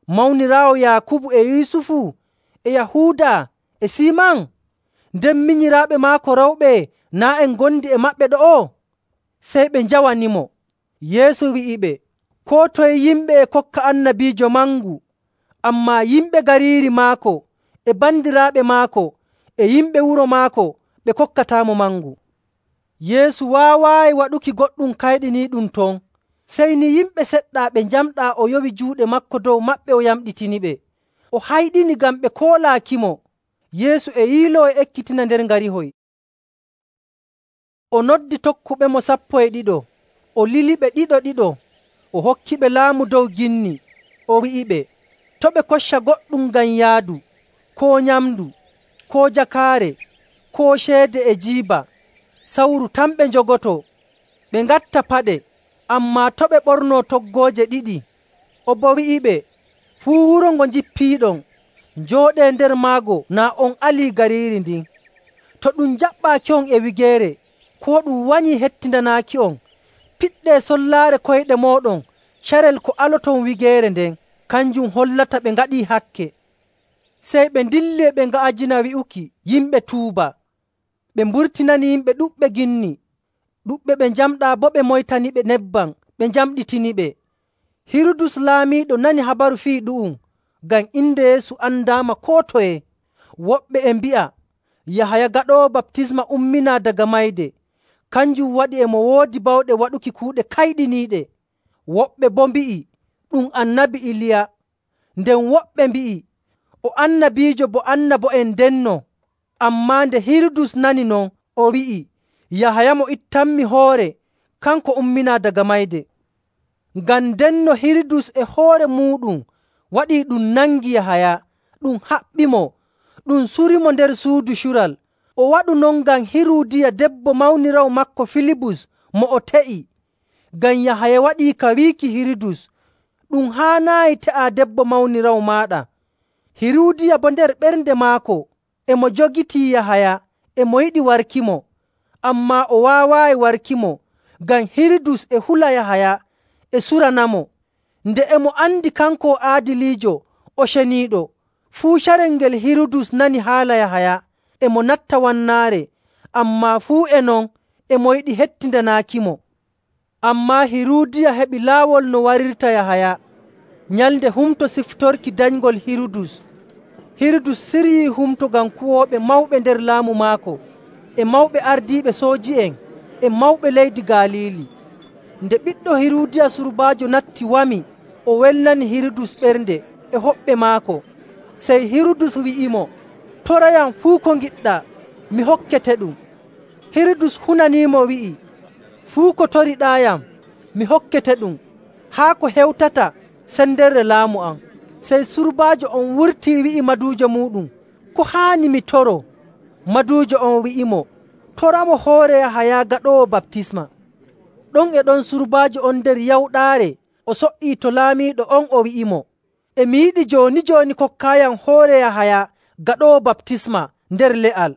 [SPEAKER 1] mawniraawo Yaakubu e Yusufu e Yahuuda e Siiman? Nden minyiraaɓe maako rewɓe naa' en ngondi e maɓɓe ɗo'o?” Sey ɓe njawanimo. Yeesu wi'iɓe, “Koo toye yimɓe e kokka annabiijo mangu, ammaa yimɓe gariiri maako e bandiraaɓe maako e yimɓe wuro maako ɓe kokkataamo mangu.” Yeesu waawaayi waɗuki goɗɗum kayɗiniiɗum ton. Sey ni yimɓe seɗɗa ɓe njamɗaa o yowi juuɗe maako dow maɓɓe o yamɗitiniɓe. O hayɗini ngam ɓe koolaakimo. Yeesu e yiiloo e ekkitina nder ngarihoy. O noddi tokkuɓemo 12, o liliɓe ɗiɗo-ɗiɗo, o hokkiɓe laamu dow ginni. O wi'iɓe, to' ɓe kocca goɗɗum ngam yaadu, koo nyamndu, koo jakaare, koo ceede e jiiba. Sawru tan ɓe njogotoo. Ɓe ngatta paɗe, ammaa to' ɓe ɓornoo toggooje 2. O boo wi'iɓe, “Fuu wuro ngo njippiiɗon, njooɗee nder maago naa on alii gariiri ndin. To ɗum jaɓɓaaki on e wigeere, koo ɗum wanyii hettindanaaki on, piɗɗee sollaare koyɗe mooɗon carel ko aloton wigeere nden, kanjum hollata ɓe ngaɗii hakke. Sey ɓe ndilli e ɓe nga'ajina wi'uki yimɓe tuuba. Ɓe mburtinani yimɓe ɗuɗɓe ginni. Ɗuɗɓe ɓe njamɗaa boo ɓe moytaniɓe nebbam, ɓe njamɗitiniɓe. Hirudus laamiiɗo nani habaru fii ɗu'um, ngam inde Yeesu andaama koo toye. Woɓɓe e mbi'a Yahaya Gaɗoowo Baptisma umminaa daga mayde, kanjum waɗi e mo woodi bawɗe waɗuki kuuɗe kayɗiniiɗe. Woɓɓe boo mbi'i ɗum Annabi Iliya. Nden woɓɓe mbi'i o annabiijo bo annabo'en ndenno. Ammaa nde Hirudus nani non, o wi'i, Yahaya mo ittanmi hoore, kanko umminaa daga mayde. Ngam ndenno Hirudus e hoore muuɗum waɗii ɗum nangi Yahaya, ɗum haɓɓimo, ɗum surimo nder suudu cural. O waɗu non ngam Hiruudiya debbo mawniraawo maako Filibus mo o te'i. Ngam Yahaya waɗii ka wiiki Hirudus, ɗum haanaayi te'aa debbo mawniraawo maaɗa. Hiruudiya boo nder ɓernde maako e mo jogitii Yahaya, e mo yiɗi warkimo. Ammaa o waawaayi warkimo ngam Hirudus e hula Yahaya e suranamo. Nde e mo andi kanko o aadiliijo, o ceniiɗo, fuu carel ngel Hirudus nani haala Yahaya, e mo natta wannaare, ammaa fuu e non e mo yiɗi hettindanaakimo. Ammaa Hiruudiya heɓi laawol no warirta Yahaya. Nyalnde Humto Siftorki danyngol Hirudus. Hirudus siryii humto ngam kuwooɓe mawɓe nder laamu maako, e mawɓe ardiiɓe sooji'en, e mawɓe leydi Galiili. Nde ɓiɗɗo Hiruudiya surbaajo natti wami, o welnani Hirudus ɓernde e hoɓɓe maako. Sey Hirudus wi'imo, torayam fuu ko ngiɗɗaa, mi hokkete ɗum. Hirudus hunaniimo wi'i, fuu ko toriɗaayam, mi hokkete ɗum, haa ko hewtata sendere laamu am. Sey surbaajo on wurtii wi'i maduujo muuɗum, ko haani mi toro? Maduujo on wi'imo, toramo hoore Yahaya Gaɗoowo Baptisma. Ɗon e ɗon surbaajo on nder yawɗaare o so''ii to laamiiɗo on o wi'imo, e mi yiɗi jooni kokkaayam hoore Yahaya Gaɗoowo Baptisma nder le'al.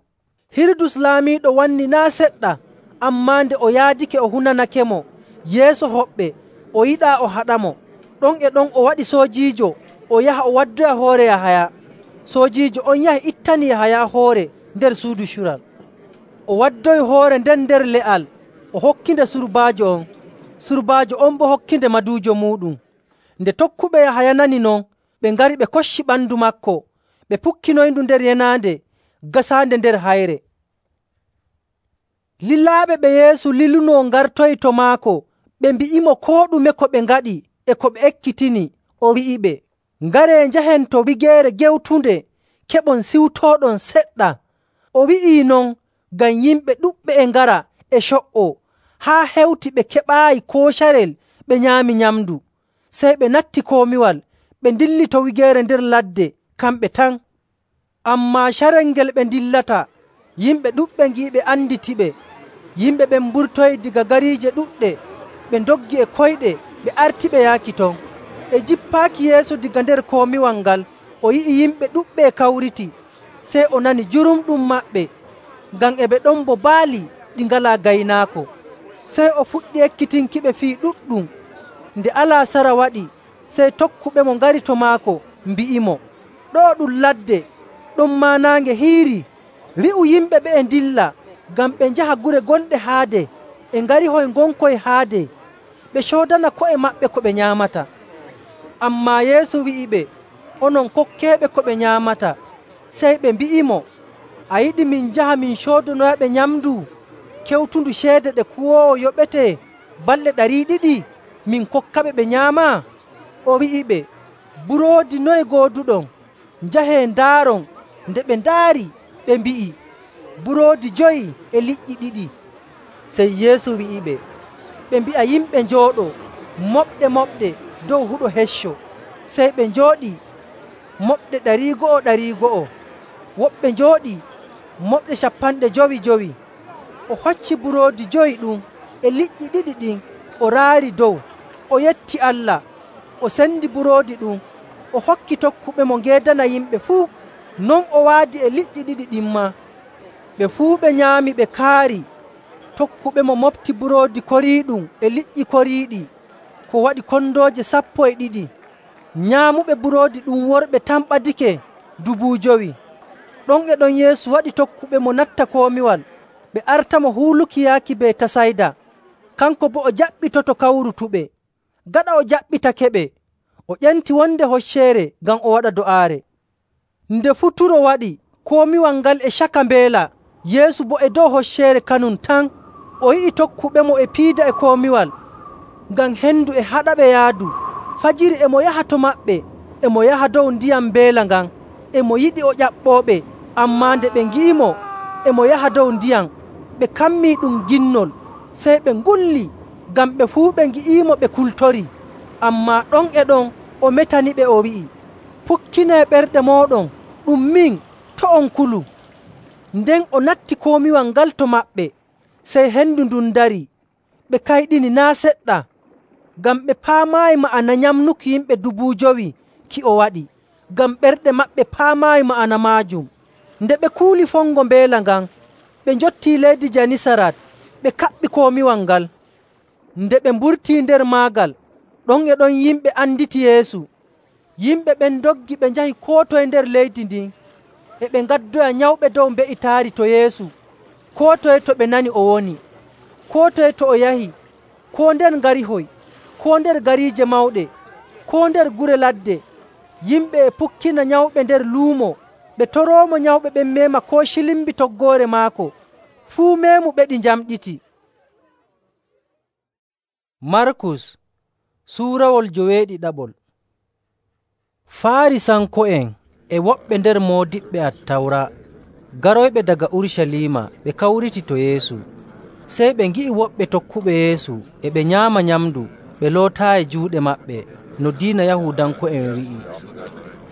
[SPEAKER 1] Hirudus laamiiɗo wanni naa' seɗɗa, ammaa nde o yaadake o hunanakemo yeeso hoɓɓe, o yiɗaa o haɗamo. Ɗon e ɗon o waɗi soojiijo o yaha o waddoya hoore Yahaya. Soojiijo on yahi ittani Yahaya hoore nder suudu cural. O waddoyi hoore nden nder le'al, o hokkinde surbaajo on. Surbaajo on boo hokkinde maduujo muuɗum. Nde tokkuɓe Yahaya nani non, ɓe ngari ɓe kocci ɓandu maako, ɓe pukkinoyndu nder yenaande gasaande nder hayre. Lilaaɓe ɓe Yeesu lilunoo ngartoyi to maako, ɓe mbi'imo koo ɗume ko ɓe ngaɗi e ko ɓe ekkitini. O wi'iɓe, ngaree njahen to wigeere gewtunde keɓon siwtooɗon seɗɗa. O wi'ii non ngam yimɓe ɗuɗɓe e ngara e co''oo, haa hewti ɓe keɓaayi koo carel ɓe nyaami nyamndu. Sey ɓe natti komiwal, ɓe ndilli to wigeere nder ladde kamɓe tan. Ammaa carel ngel ɓe ndillata, yimɓe ɗuɗɓe ngi'iɓe anditiɓe. Yimɓe ɓen mburtoyi diga gariije ɗuɗɗe, ɓe ndoggi e koyɗe ɓe artiɓe yaaki ton. E jippaaki Yeesu diga nder komiwal ngal, o yi'i yimɓe ɗuɗɓe e kawriti. Sey o nani jurumɗum maɓɓe, ngam e ɓe ɗon bo baali ɗi ngalaa gaynaako. Sey o fuɗɗi ekkitinkiɓe fii ɗuɗɗum. Nde alaasara waɗi, sey tokkuɓemo ngari to maako mbi'imo, ɗoo ɗum ladde, ɗon maa naange hiirii. Wi'u yimɓe ɓe'e ndilla, ngam ɓe njaha gure gonɗe haade, e ngarihoy ngonkoy haade, ɓe coodana ko'e maɓɓe ko ɓe nyaamata. Ammaa Yeesu wi'iɓe, onon kokkeeɓe ko ɓe nyaamata. Sey ɓe mbi'imo, a yiɗi min njaha min coodanoyaɓe nyamndu kewtundu ceede ɗe kuwoowo yoɓetee balɗe 200 min kokkaɓe ɓe nyaama? O wi'iɓe, buroodi noye gooduɗon? Njahee ndaaron. Nde ɓe ndaari, ɓe mbi'i, buroodi 5 e liƴƴi 2. Sey Yeesu wi'iɓe, ɓe mbi'a yimɓe njooɗoo moɓɗe dow huɗo hecco. Sey ɓe njooɗii moɓɗe 100. Woɓɓe njooɗii moɓɗe 50. O hocci buroodi 5 ɗum e liƴƴi 2 ɗin, o raari dow, o yetti Allah, o sendi buroodi ɗum, o hokki tokkuɓemo ngeedana yimɓe fuu. Non o waadi e liƴƴi ɗiɗi ɗin maa. Ɓe fuu ɓe nyaami ɓe kaari. Tokkuɓemo mofti buroodi koriiɗum e liƴƴi koriiɗi ko waɗi kondooje 12. Nyaamuɓe buroodi ɗum worɓe tan ɓadike 5,000. Ɗon e ɗon Yeesu waɗi tokkuɓemo natta komiwal ɓe artamo huuluki yaaki Betasayda. Kanko boo o jaɓɓitoto kawrutuɓe. Gaɗa o jaɓɓitakeɓe, o ƴenti wonde hocceere ngam o waɗa do'aare. Nde futuro waɗi, komiwal ngal e caka mbeela, Yeesu boo e dow hocceere kanum tan. O yi'i tokkuɓemo e piida e komiwal, ngam hendu e haɗaɓe yaadu. Fajiri e mo yaha to maɓɓe, e mo yaha dow ndiyam mbeela ngan. E mo yiɗi o ƴaɓɓooɓe, ammaa nde ɓe ngi'imo e mo yaha dow ndiyam, ɓe kammii ɗum ginnol, sey ɓe ngulli, ngam ɓe fuu ɓe ngi'iimo ɓe kultori. Ammaa ɗon e ɗon o metaniɓe o wi'i, “Pukkinee ɓerɗe mooɗon, ɗum min, to' on kulu.” Nden o natti komiwal ngal to maɓɓe, sey hendu ndun darii. Ɓe kayɗini naa' seɗɗa, ngam ɓe paamaayi ma'ana nyamnuki yimɓe 5,000 ki o waɗi, ngam ɓerɗe maɓɓe paamaayi ma'ana maajum. Nde ɓe kuuli fongo mbeela ngan, ɓe njottii leydi Janisarat, ɓe kaɓɓi komiwal ngal. Nde ɓe mburtii nder maagal, ɗon e ɗon yimɓe anditi Yeesu. Yimɓe ɓen ndoggi ɓe njahi koo toye nder leydi ndin, e ɓe ngaddoya nyawɓe dow mbe'itaari to Yeesu, koo toye to ɓe nani o woni, koo toye to o yahi, koo nder ngarihoy, koo nder gariije mawɗe, koo nder gure ladde. Yimɓe e pukkina nyawɓe nder luumo, ɓe toroomo nyawɓe ɓen meema koo cilimbi toggoore maako. Fuu meemu ɓe ɗi njamɗiti. Markus suurawol 7. Faarisanko'en e woɓɓe nder moodiɓɓe Attawra garoyɓe daga Urucaliima ɓe kawriti to Yeesu. Sey ɓe ngi'i woɓɓe tokkuɓe Yeesu e ɓe nyaama nyamndu ɓe lootaayi juuɗe maɓɓe no diina Yahuudanko'en wi'i.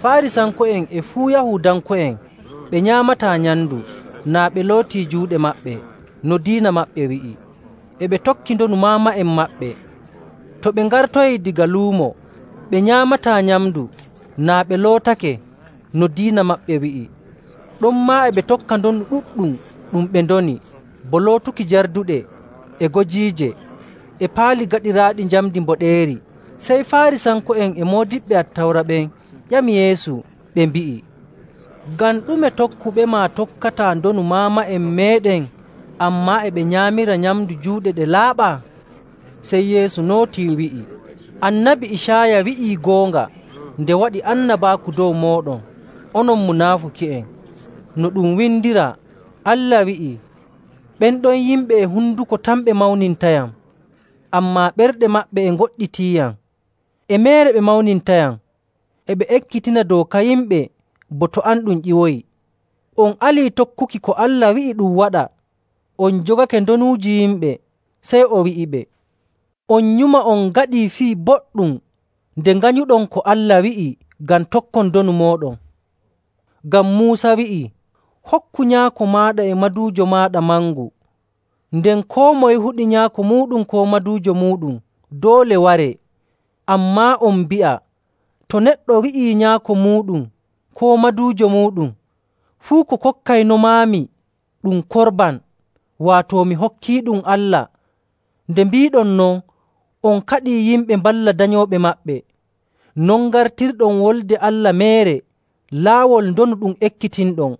[SPEAKER 1] Faarisanko'en e fuu Yahuudanko'en ɓe nyaamataa nyamndu naa ɓe lootii juuɗe maɓɓe no diina maɓɓe wi'i. E ɓe tokki ndonu maama'en maɓɓe. To ɓe ngartoyii daga luumo, ɓe nyaamataa nyamndu naa ɓe lootake no diina maɓɓe wi'i. Ɗonmaa e ɓe tokka ndonu ɗuɗɗum ɗum ɓe ndoni, bo lootuki jarduɗe e gojiije e paali gaɗiraaɗi njamndi mboɗeeri. Sey Faarisanko'en e moodiɓɓe Attawra ɓen ƴami Yeesu, ɓe mbi'i, “Ngam ɗume tokkuɓema tokkataa ndonu maama'en meeɗen, ammaa e ɓe nyaamira nyamndu juuɗe ɗe laaɓaa?” Sey Yeesu nootii wi'i, “Annabi Icaaya wi'ii goonga nde waɗi annabaaku dow mooɗon, onon munaafuki'en. No ɗum windiraa, Allah wi'ii, ‘Ɓen ɗon yimɓe e hunduko tan ɓe mawnintayam, ammaa ɓerɗe maɓɓe e ngoɗɗitiiyam. E meere ɓe mawnintayam, e ɓe ekkitina dooka yimɓe bo to an ɗum ƴiwoyi. On alii tokkuki ko Allah wi'i ɗum waɗa, on jogake ndonuuji yimɓe.’ Sey o wi'iɓe, ‘On nyuma on ngaɗii fii boɗɗum nde nganyuɗon ko Allah wi'i ngam tokkon ndonu mooɗon. Ngam Muusa wi'ii, “Hokku nyaako maaɗa e maduujo maaɗa mangu.” Nden koo moye huɗi nyaako muuɗum koo maduujo muuɗum doole waree. Ammaa on mbi'a, to neɗɗo wi'ii nyaako muuɗum koo maduujo muuɗum, ‘Fuu ko kokkaynomaami ɗum korban,’ waato mi hokkiiɗum Allah. Nde mbiiɗon non, on kaɗii yimɓe mballa danyooɓe maɓɓe. Non ngartirɗon wolde Allah meere, laawol ndonu ɗum ekkitinɗon.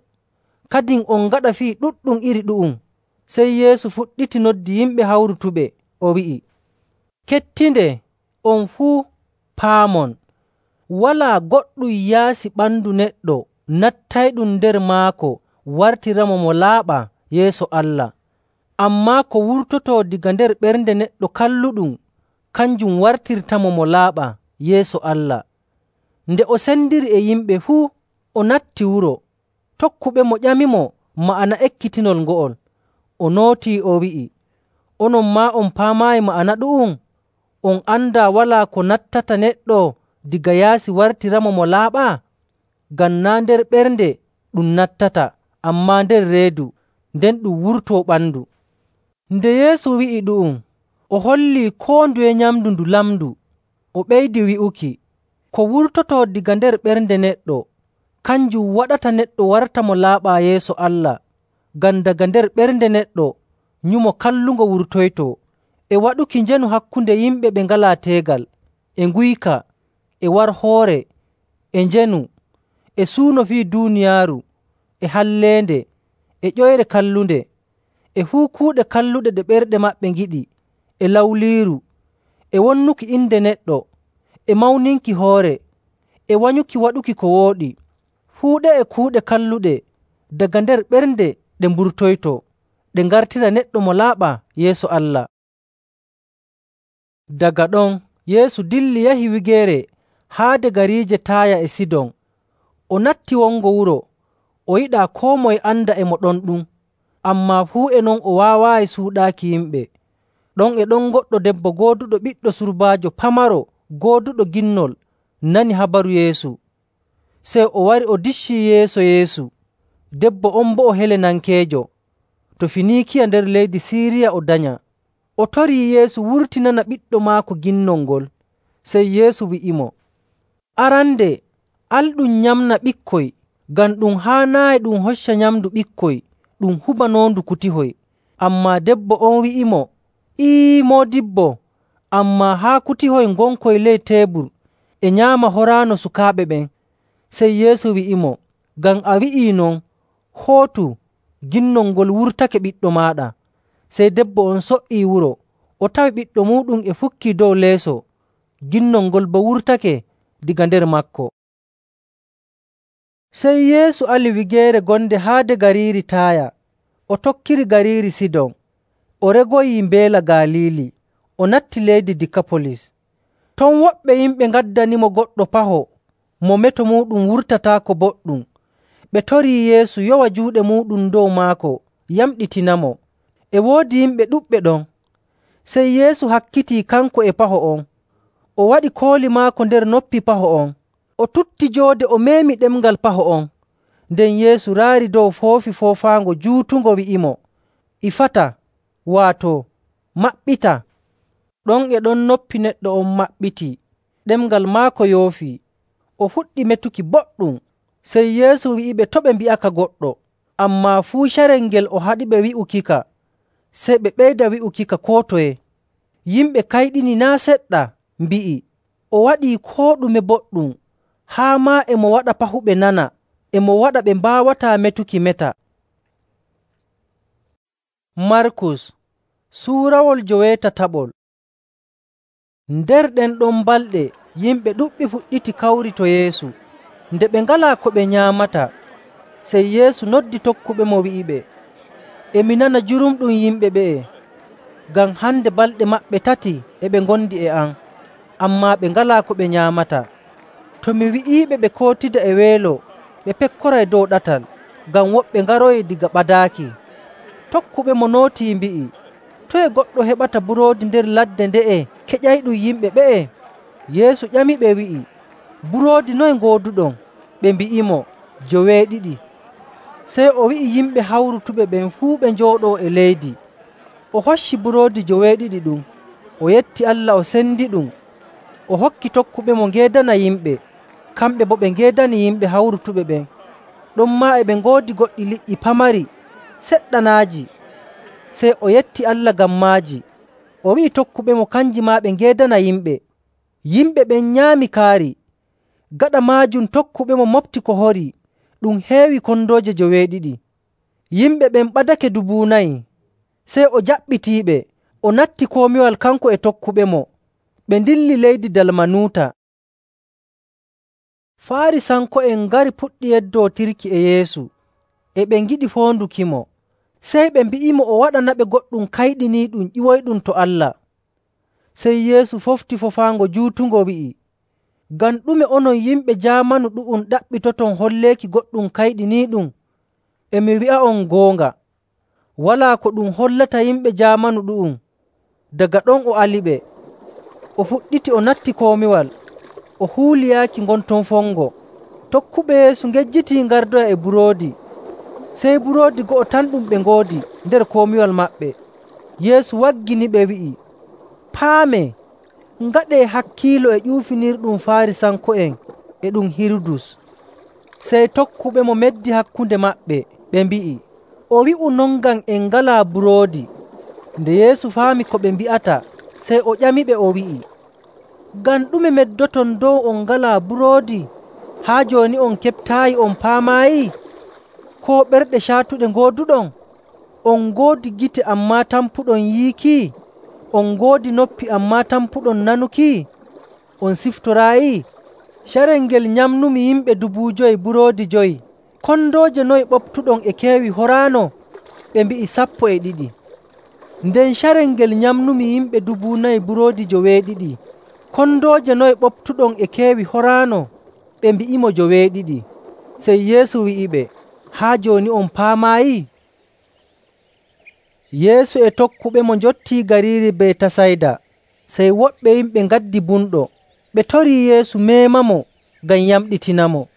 [SPEAKER 1] Kadin on ngaɗa fii ɗuɗɗum iri ɗu'um.” Sey Yeesu fuɗɗiti noddi yimɓe hawrutuɓe, o wi'i, “Kettinde, on fuu paamon, walaa goɗɗum yaasi ɓandu neɗɗo nattayɗum nder maako wartiramo mo laaɓaa yeeso Allah. Ammaa ko wurtotoo daga nder ɓernde neɗɗo kalluɗum, kanjum wartirtamo mo laaɓaa yeeso Allah.” Nde o sendiri e yimɓe fuu, o natti wuro. Tokkuɓemo ƴamimo ma'ana ekkitinol ngo'ol. O nootii o wi'i, “Onon maa on paamaayi ma'ana ɗu'um? On andaa walaa ko nattata neɗɗo diga yaasi wartiramo mo laaɓaa? Ngam naa' nder ɓernde ɗum nattata, ammaa nder reedu, nden ɗum wurtoo ɓandu.” Nde Yeesu wi'i ɗu'um, o hollii koo nduye nyamndu ndu lamndu. O ɓeydi wi'uki, Ko wurtotoo daga nder ɓernde neɗɗo, kanjum waɗata neɗɗo warta mo laaɓaa yeeso Allah. Ngam daga nder ɓernde neɗɗo nyumo kallungo wurtoytoo, e waɗuki njeenu hakkunde yimɓe ɓe ngalaa teegal, e nguyka, e warhoore, e njeenu, e suuno fii duuniyaaru, e halleende, e ƴoyre kallunde, e fuu kuuɗe kalluɗe ɗe ɓerɗe maɓɓe ngiɗi, e lawliiru, e wonnuki inde neɗɗo, e mawninki hoore, e wanyuki waɗuki ko wooɗi. Fuu ɗe'e kuuɗe kalluɗe daga nder ɓernde ɗe mburtoytoo, ɗe ngartira neɗɗo mo laaɓaa yeeso Allah. Daga ɗon Yeesu dilli yahi wigeere haade gariije Taaya e Sidon. O natti wongo wuro, o yiɗaa koo moye anda e mo ɗon ɗum, ammaa fuu e non o waawaayi suuɗaaki yimɓe. Ɗon e ɗon goɗɗo debbo gooduɗo ɓiɗɗo surbaajo pamaro gooduɗo ginnol nani habaru Yeesu. Sey o wari o diccii yeeso Yeesu. Debbo on boo o Helenankeejo, to Finiikiya nder leydi Siiriya o danya. O torii Yeesu wurtinana ɓiɗɗo maako ginnol ngol. Sey Yeesu wi'imo, “Arande, al ɗum nyamna ɓikkoy, ngam ɗum haanaayi ɗum hocca nyamndu ɓikkoy ɗum hubanoondu kutihoy.” Ammaa debbo on wi'imo, “Moodibbo, ammaa haa kutihoy ngonkoy ley teebur e nyaama horaano sukaaɓe ɓen.” Sey Yeesu wi'imo, “Ngam a wi'ii non, hootu, ginnol ngol wurtake ɓiɗɗo maaɗa.” Sey debbo on so''ii wuro, o tawi ɓiɗɗo muuɗum e fukkii dow leeso, ginnol ngol boo wurtake daga nder maako. Sey Yeesu ali wigeere gonde haade gariiri Taaya, o tokkiri gariiri Sidon. O regoyii mbeela Galiili, o natti leydi Dikapolis. Ton woɓɓe yimɓe ngaddanimo goɗɗo paho mo meto muuɗum wurtataako boɗɗum. Ɓe torii Yeesu yowa juuɗe muuɗum dow maako yamɗitinamo. E woodi yimɓe ɗuɗɓe ɗon. Sey Yeesu hakkitii kanko e paho on. O waɗi kooli maako nder noppi paho on. O tutti joode o meemi ɗemngal paho on. Nden Yeesu raari dow foofi foofaango juutungo wi'imo, “Ifata,” waato, “Maɓɓita.” Ɗon e ɗon noppi neɗɗo on maɓɓitii, ɗemngal maako yoofii. O fuɗɗi metuki boɗɗum. Sey Yeesu wi'iɓe to' ɓe mbi'aka goɗɗo, ammaa fuu carel ngel o haɗiɓe wi'ukika. Sey ɓe ɓeyda wi'ukika koo toye. Yimɓe kayɗini naa' seɗɗa, mbi'i, “O waɗii koo ɗume boɗɗum, haa maa e mo waɗa pahuɓe nana, e mo waɗa ɓe mbaawataa metuki meta.” Markus suurawol 17. Nder ɗen ɗon balɗe yimɓe ɗuɗɓe fuɗɗiti kawri to Yeesu. Nde ɓe ngalaa ko ɓe nyaamata, sey Yeesu noddi tokkuɓemo wi'iɓe, “E mi nana jurumɗum yimɓe ɓe'e, ngam hande balɗe maɓɓe 3 e ɓe ngondi e am, ammaa ɓe ngalaa ko ɓe nyaamata. To mi wi'iiɓe ɓe kootida e weelo, ɓe pekkoray dow ɗatal, ngam woɓɓe ngaroyi daga ɓadaaki.” Tokkuɓemo nootii mbi'i, “Toye goɗɗo heɓata buroodi nder ladde nde'e keƴayɗum yimɓe ɓe'e?” Yeesu ƴamiɓe wi'i, “Buroodi noye ngooduɗon?” Ɓe mbi'imo, “2.” Sey o wi'i yimɓe hawrutuɓe ɓen fuu ɓe njooɗoo e leydi. O hocci buroodi 2 ɗum, o yetti Allah o sendiɗum, o hokki tokkuɓemo ngeedana yimɓe, kamɓe boo ɓe ngeedani yimɓe hawrutuɓe ɓen. Ɗonmaa e ɓe ngoodi goɗɗi liƴƴi pamari seɗɗanaaji. Sey o yetti Allah ngam maaji. O wi'i tokkuɓemo kanji maa ɓe ngeedana yimɓe. Yimɓe ɓen nyaami kaari. Gaɗa maajum tokkuɓemo mofti ko horii, ɗum heewi kondooje 2. Yimɓe ɓen ɓadake 4,000. Sey o jaɓɓitiiɓe, o natti komiwal kanko e tokkuɓemo. Ɓe ndilli leydi Dalmanuuta. Faarisanko'en ngari puɗɗi yeddootirki e Yeesu, e ɓe ngiɗi foondukimo. Sey ɓe mbi'imo o waɗanaɓe goɗɗum kayɗiniiɗum ƴiwoyɗum to Allah. Sey Yeesu fofti foofaango juutungo wi'i, “Ngam ɗume onon yimɓe jaamanu ɗu'um ɗaɓɓitoton holleeki goɗɗum kayɗiniiɗum? E mi wi'a'on goonga, walaa ko ɗum hollata yimɓe jaamanu ɗu'um.” Daga ɗon o aliɓe. O fuɗɗiti o natti komiwal, o huuli yaaki ngon ton fongo. Tokkuɓe Yeesu ngejjitii ngardoya e buroodi. Sey buroodi go'o tan ɗum ɓe ngoodi nder komiwal maɓɓe. Yeesu wagginiɓe wi'i, “Paamee, ngaɗee hakkiilo e ƴuufinirɗum Faarisanko'en e ɗum Hirudus.” Sey tokkuɓemo meddi hakkunde maɓɓe, ɓe mbi'i, “O wi'u non ngam en ngalaa buroodi.” Nde Yeesu faami ko ɓe mbi'ata, sey o ƴamiɓe o wi'i, “Ngam ɗume meddoton dow on ngalaa buroodi? Haa jooni on keɓtaayi on paamaayi? Koo ɓerɗe caatuɗe ngooduɗon? On ngoodi gite ammaa tampuɗon yiiki? On ngoodi noppi ammaa tampuɗon nanuki? On siftoraayi? Carel ngel nyamnumi yimɓe 5,000 buroodi 5. Kondooje noye ɓoftuɗon e keewi horaano?” Ɓe mbi'i, “2. Nden carel ngel nyamnumi yimɓe 4,000 buroodi 2. Kondooje noye ɓoftuɗon e keewi horaano?” Ɓe mbi'imo 2. Sey Yeesu wi'iɓe, “Haa jooni on paamaayi?” Yeesu e tokkuɓemo njottii gariiri Betasayda. Sey woɓɓe yimɓe ngaddi bumɗo, ɓe torii Yeesu meemamo ngam yamɗitinamo.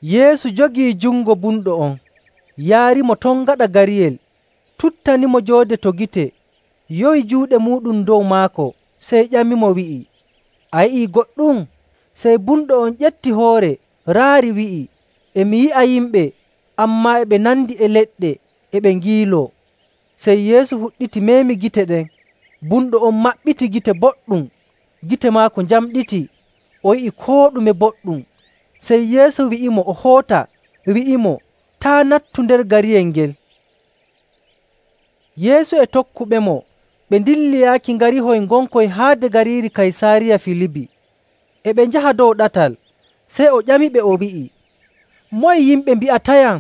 [SPEAKER 1] Yeesu jogii jungo bumɗo on, yaarimo ton gaɗa gariyel, tuttanimo joode to gite, yowi juuɗe muuɗum dow maako, sey ƴamimo wi'i, “A yi'ii goɗɗum?” Sey bumɗo on ƴetti hoore, raari wi'i, “E mi yi'a yimɓe, ammaa e ɓe nandi e leɗɗe, e ɓe ngiiloo.” Sey Yeesu fuɗɗiti meemi gite ɗen. Bumɗo on maɓɓiti gite boɗɗum, gite maako njamɗiti, o yi'i koo ɗume boɗɗum. Sey Yeesu wi'imo o hoota, wi'imo, “Taa' nattu nder gariyel ngel.” Yeesu e tokkuɓemo ɓe ndilli yaaki ngarihoy ngonkoy haade gariiri Kaysaariya Filibi. E ɓe njaha dow ɗatal, sey o ƴamiɓe o wi'i, “Moye yimɓe mbi'atayam?”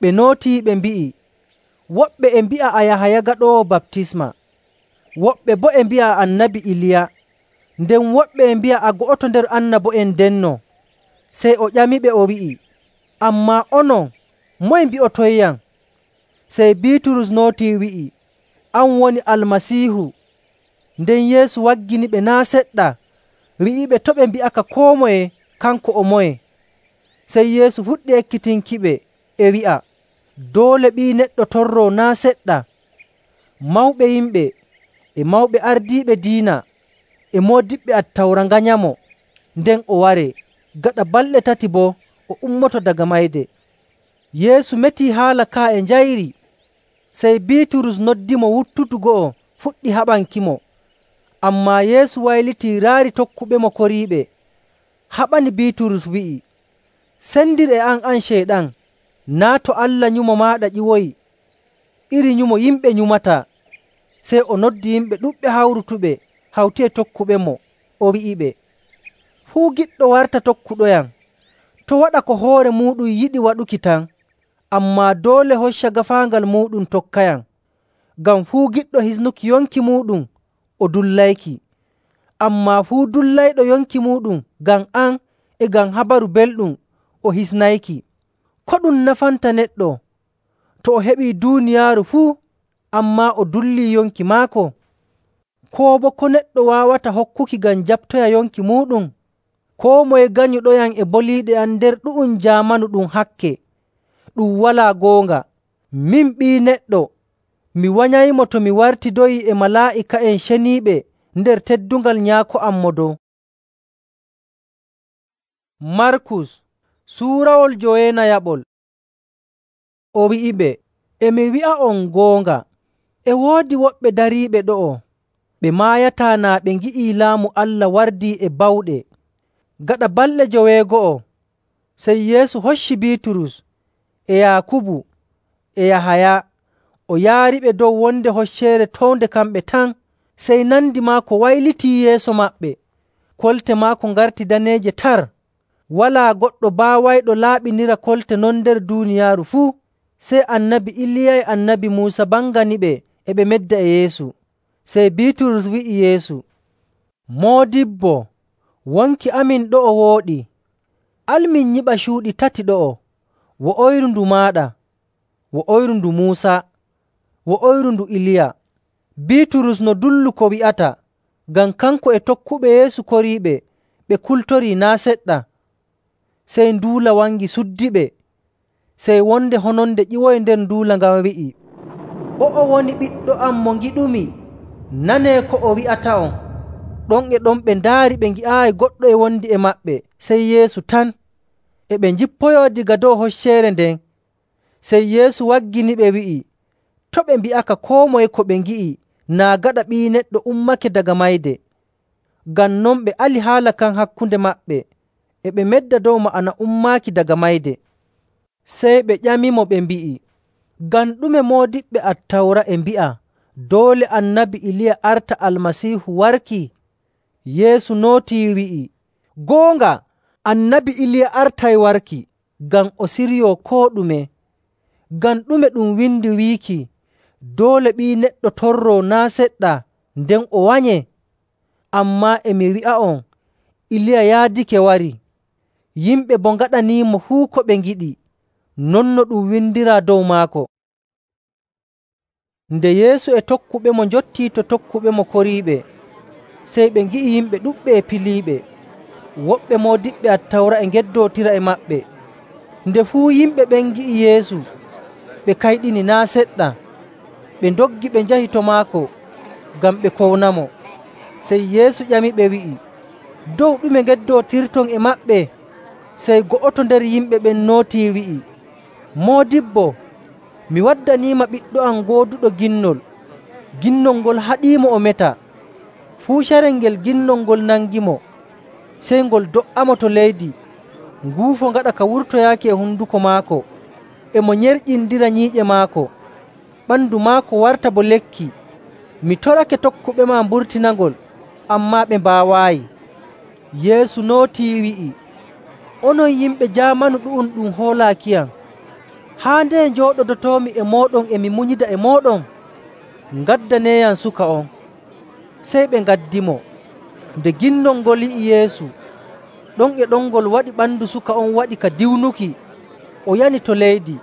[SPEAKER 1] Ɓe nootii ɓe mbi'i, “Woɓɓe e mbi'a a Yahaya Gaɗoowo Baptisma, woɓɓe boo e mbi'a Annabi Iliya, nden woɓɓe e mbi'a a go'oto nder annabo'en ndenno.” Sey o ƴamiɓe o wi'i, “Ammaa onon, moye mbi'otoyyam?” Sey Biiturus nootii wi'i, “An woni Almasiihu.” Nden Yeesu wagginiɓe naa' seɗɗa, wi'iɓe to' ɓe mbi'aka koo moye kanko o moye. Sey Yeesu fuɗɗi ekkitinkiɓe e wi'a, “Doole Ɓii Neɗɗo torroo naa' seɗɗa. Mawɓe yimɓe e mawɓe ardiiɓe diina e moodiɓɓe Attawra nganyamo, nden o waree. Gaɗa balɗe 3 boo o ummoto daga mayde.” Yeesu metii haala ka e njayri. Sey Biiturus noddimo wuttudu go'o fuɗɗi haɓankimo. Ammaa Yeesu waylitii raari tokkuɓemo koriiɓe. Haɓani Biiturus wi'i, “Sendir e an Ceyɗan! Naa' to Allah nyumo maaɗa ƴiwoyi, iri nyumo yimɓe nyumataa.” Sey o noddi yimɓe ɗuɗɓe hawrutuɓe hawti e tokkuɓemo, o wi'iɓe, “Fuu giɗɗo warta tokkuɗoyam, to' waɗa ko hoore muuɗum yiɗi waɗuki tan, ammaa doole hocca gaafaangal muuɗum tokkayam. Ngam fuu giɗɗo hisnuki yonki muuɗum o dullayki, ammaa fuu dullayɗo yonki muuɗum ngam am e ngam Habaru Belɗum o hisnayki. Ko ɗum nafanta neɗɗo to o heɓii duuniyaaru fuu, ammaa o dullii yonki maako? Koo boo ko neɗɗo waawata hokkuki ngam jaɓtoya yonki muuɗum? Koo moye ganyuɗoyam e boliiɗe am nder ɗu'um jaamanu ɗum hakke, ɗum walaa goonga. Min Ɓii Neɗɗo, mi wanyaymo to mi wartidoyii e malaa'ika'en ceniiɓe nder teddungal Nyaako am Mo Dow. Markus suurawol 9. O wi'iɓe, “E mi wi'a'on goonga, e woodi woɓɓe dariiɓe ɗo'o, ɓe maayataa naa ɓe ngi'ii Laamu Allah wardii e bawɗe.” Gaɗa balɗe 9, sey Yeesu hocci Biiturus e Yaakubu e Yahaya o yaariɓe dow wonde hocceere townde kamɓe tan. Sey nandi maako waylitii yeeso maɓɓe, kolte maako ngarti daneeje tar. Walaa goɗɗo baawayɗo laaɓinira kolte non nder duuniyaaru fuu. Sey Annabi Iliya e Annabi Muusa banganiɓe e ɓe medda e Yeesu. Sey Biiturus wi'i Yeesu, “Moodibbo, wonki amin ɗo'o wooɗi. Al min nyiɓa cuuɗi 3 ɗo'o, wo'oyru ndu maaɗa, wo'oyru ndu Muusa, wo'oyru ndu Iliya.” Biiturus no dullu ko wi'ata, ngam kanko e tokkuɓe Yeesu koriiɓe ɓe kultorii naa' seɗɗa. Sey nduula wangi suddiɓe. Sey wonde hononde ƴiwoyi nder nduula ngan wi'i, “O'o woni Ɓiɗɗo am mo ngiɗumi, nanee ko o wi'ata'on.” Ɗon e ɗon ɓe ndaari ɓe ngi'aayi goɗɗo e wondi e maɓɓe, sey Yeesu tan. E ɓe njippoyoo daga dow hocceere nden. Sey Yeesu wagginiɓe wi'i, to' ɓe mbi'aka koo moye ko ɓe ngi'i naa gaɗa Ɓii Neɗɗo ummake daga mayde. Ngam non ɓe ali haala kan hakkunde maɓɓe, e ɓe medda dow ma'ana ummaaki daga mayde. Sey ɓe ƴamimo ɓe mbi'i, “Ngam ɗume moodiɓɓe Attawra e mbi'a doole Annabi Iliya arta Almasiihu warki?” Yeesu nootii wi'i, “Goonga, Annabi Iliya artay warki ngam o siryoo koo ɗume. Ngam ɗume ɗum windi wiiki, ‘Doole Ɓii Neɗɗo torroo naa' seɗɗa nden o wanyee?’ Ammaa e mi wi'a'on, Iliya yaadake warii, yimɓe boo ngaɗaniimo fuu ko ɓe ngiɗi, non no ɗum windiraa dow maako.” Nde Yeesu e tokkuɓemo njottii to tokkuɓemo koriiɓe, sey ɓe ngi'i yimɓe ɗuɗɓe e piliiɓe. Woɓɓe moodiɓɓe Attawra e ngeddootira e maɓɓe. Nde fuu yimɓe ɓen ngi'i Yeesu, ɓe kayɗini naa' seɗɗa. Ɓe ndoggi ɓe njahi to maako ngam ɓe kownamo. Sey Yeesu ƴamiɓe wi'i, “Dow ɗume ngeddootirton e maɓɓe?” Sey go'oto nder yimɓe ɓen nootii wi'i, “Moodibbo, mi waddaniima ɓiɗɗo am gooduɗo ginnol. Ginnol ngol haɗiimo o meta. Fuu carel ngel ginnol ngol nangimo, sey ngol do''amo to leydi, nguufo gaɗa ka wurtoyaaki e honduko maako. E mo nyerƴindira nyiiƴe maako, ɓandu maako warta bo lekki. Mi torake tokkuɓe maa mburtinangol, ammaa ɓe mbaawaayi.” Yeesu nootii wi'i, “Onon yimɓe jaamanu ɗu'um ɗum hoolaakiyam, haa nde njooɗodotoomi e mooɗon e mi munyida e mooɗon? Ngaddaneeyam suka on.” Sey ɓe ngaddimo. Nde ginnol ngol yi'i Yeesu, ɗon e ɗon ngol waɗi ɓandu suka on waɗi ka diwnuki, o yani to leydi,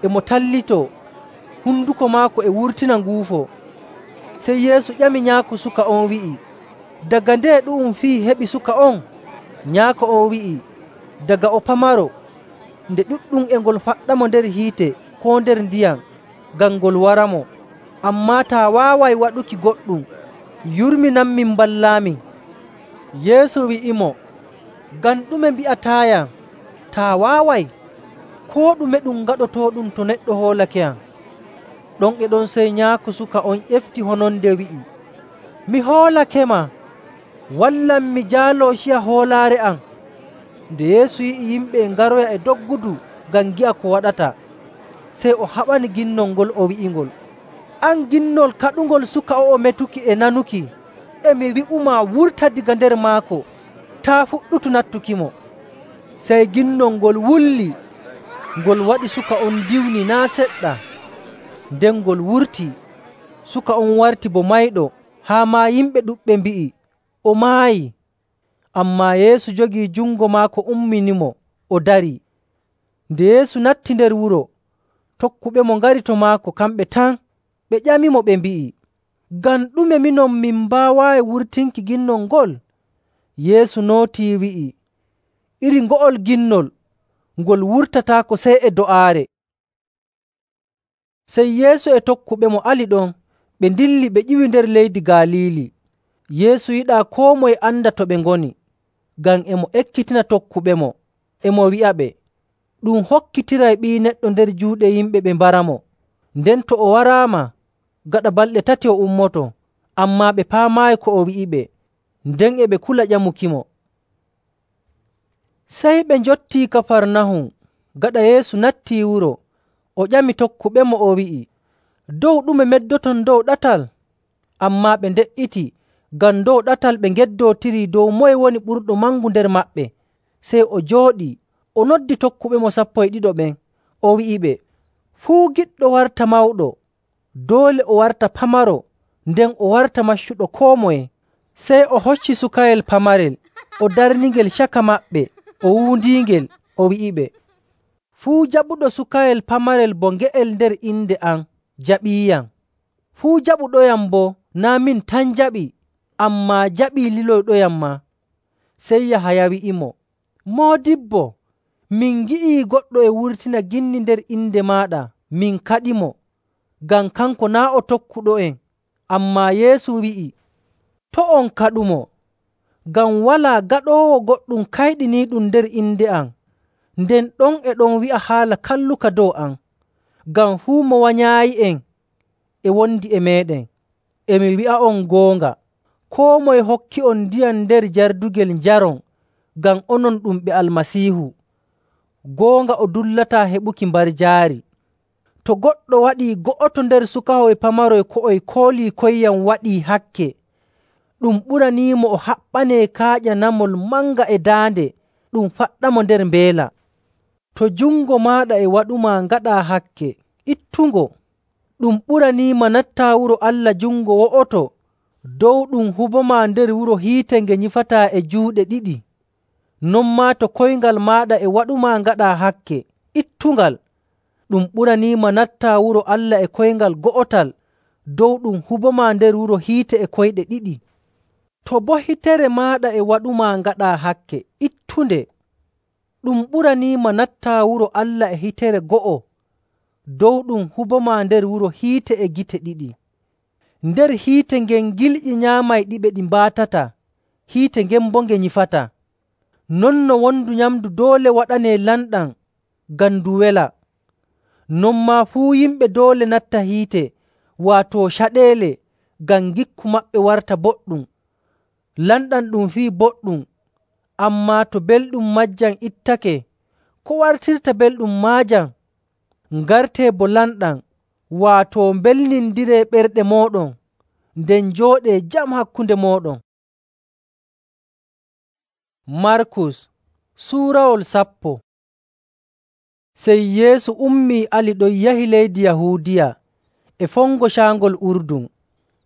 [SPEAKER 1] e mo tallitoo, hunduko maako e wurtina nguufo. Sey Yeesu ƴami nyaako suka on wi'i, “Daga nde ɗu'um fii heɓi suka on?” Nyaako on wi'i, “Daga o pamaro, nde ɗuɗɗum e ngol faɗɗamo nder hiite koo nder ndiyam ngam ngol waramo. Ammaa taa waaway waɗuki goɗɗum, yurminanmin mballaamin.” Yeesu wi'imo, “Ngam ɗume mbi'ataayam, taa waaway? Koo ɗume ɗum gaɗotooɗum to neɗɗo hoolakeyam.” Ɗon e ɗon sey nyaako suka on ƴefti hononde wi'i, “Mi hoolakema. Wallam mi jaaloo ciya hoolaare am.” Nde Yeesu yi'i yimɓe e ngaroya e doggudu ngam ngi'a ko waɗata, sey o haɓani ginnol ngol o wi'ingol, “An ginnol kaɗungol suka o'o metuki e nanuki, e mi wi'umaa wurta daga nder maako, taa' fuɗɗutu nattukimo.” Sey ginnol ngol wulli, ngol waɗi suka on diwni naa' seɗɗa. Nden ngol wurtii, suka on warti bo mayɗo, haa maa yimɓe ɗuɗɓe mbi'i, “O maayii.” Ammaa Yeesu jogii jungo maako umminimo, o darii. Nde Yeesu natti nder wuro, tokkuɓemo ngari to maako kamɓe tan. Ɓe ƴamimo ɓe mbi'i, “Ngam ɗume minon min mbaawaayi wurtinki ginnol ngol?” Yeesu nootii wi'i, “Iri ngo'ol ginnol, ngol wurtataako sey e do'aare.” Sey Yeesu e tokkuɓemo ali ɗon, ɓe ndilli ɓe ƴiwi nder leydi Galiili. Yeesu yiɗaa koo moye anda to ɓe ngoni, ngam e mo ekkitina tokkuɓemo, e mo wi'aɓe, “Ɗum hokkitiray Ɓii Neɗɗo nder juuɗe yimɓe ɓe mbaramo. Nden to o waraama, gaɗa balɗe 3 o ummoto.” Ammaa ɓe paamaayi ko o wi'iɓe, nden e ɓe kula ƴamukimo. Sey ɓe njottii Kafarnahum. Gaɗa Yeesu nattii wuro, o ƴami tokkuɓemo o wi'i, “Dow ɗume meddoton dow ɗatal?” Ammaa ɓe nde''iti, ngam dow ɗatal ɓe ngeddootirii dow moye woni ɓurɗo mangu nder maɓɓe. Sey o jooɗii, o noddi tokkuɓemo 12 ɓen, o wi'iɓe, “Fuu giɗɗo warta mawɗo, doole o warta pamaro, nden o warta maccuɗo koo moye.” Sey o hocci sukayel pamarel, o darningel caka maɓɓe, o wuundiingel, o wi'iɓe, “Fuu jaɓuɗo sukayel pamarel bo nge'el nder inde am, jaɓiiyam. Fuu jaɓuɗoyam boo, naa' min tan jaɓi, ammaa jaɓii liloyɗoyam maa.” Sey Yahaya wi'imo, “Moodibbo, min ngi'ii goɗɗo e wurtina ginni nder inde maaɗa, min kaɗimo, ngam kanko naa' o tokkuɗo'en.” Ammaa Yeesu wi'i, To' on kaɗumo, ngam walaa gaɗoowo goɗɗum kayɗiniiɗum nder inde am, nden ɗon e ɗon wi'a haala kalluka dow am. Ngam fuu mo wanyaayi'en e wondi e meeɗen. E mi wi'a'on goonga, koo moye hokki'on ndiyam nder jardugel njaron ngam onon ɗum ɓe Almasiihu. Goonga o dullataa heɓuki mbarjaari. To goɗɗo waɗii go'oto nder sukahoy pamaroy ko o koolii koyyam waɗii hakke, ɗum ɓuraniimo o haɓɓanee kaaƴa namol manga e daande ɗum faɗɗamo nder mbeela. To jungo maaɗa e waɗumaa ngaɗaa hakke, ittungo. Ɗum ɓuraniima nattaa wuro Allah jungo wo'oto dow ɗum hubomaa nder wuro hiite nge nyifataa e juuɗe ɗiɗi. Non maa to koyngal maaɗa e waɗumaa ngaɗaa hakke, ittungal. Ɗum ɓuraniima nattaa wuro Allah e koyngal go'otal dow ɗum hubomaa nder wuro hiite e koyɗe ɗiɗi. To boo hitere maaɗa e waɗumaa ngaɗaa hakke, ittunde. Ɗum ɓuraniima nattaa wuro Allah e hitere go'o dow ɗum hubomaa nder wuro hiite e gite ɗiɗi. Nder hiite ngen gilƴi nyaamayɗiɓe ɗi mbaatata, hiite ngen boo nge nyifataa. Non no wondu nyamndu doole waɗanee lamɗam ngam ndu wela, non maa fuu yimɓe doole natta hiite, waato caɗeele, ngam ngikku maɓɓe warta boɗɗum. Lamɗam ɗum fii boɗɗum, ammaa to belɗum maajam ittake, ko wartirta belɗum maajam? Ngartee bo lamɗam, waato mbelnindiree ɓerɗe mooɗon, nden njooɗee jam hakkunde mooɗon. Markus suurawol 10. Sey Yeesu ummii ali ɗon yahi leydi Yahuudiya e fongo caangol Urdun.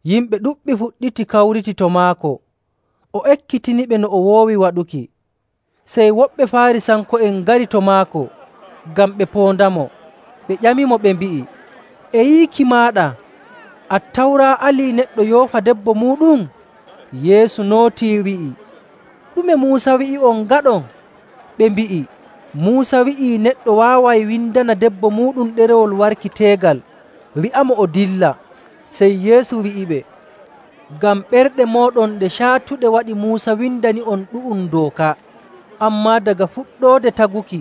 [SPEAKER 1] Yimɓe ɗuɗɓe fuɗɗiti kawriti to maako. O ekkitiniɓe no o woowi waɗuki. Sey woɓɓe Faarisanko'en ngari to maako ngam ɓe poondamo. Ɓe ƴamimo ɓe mbi'i, “E yiiki maaɗa, Attawra alii neɗɗo yoofa debbo muuɗum?” Yeesu nootii wi'i, “Ɗume Muusa wi'i'on ngaɗon?” Ɓe mbi'i, “Muusa wi'ii neɗɗo waaway windana debbo muuɗum ɗerewol warki teegal, wi'amo o dilla.” Sey Yeesu wi'iɓe, “Ngam ɓerɗe mooɗon ɗe caatuɗe waɗi Muusa windani'on ɗu'um dooka. Ammaa daga fuɗɗoode taguki,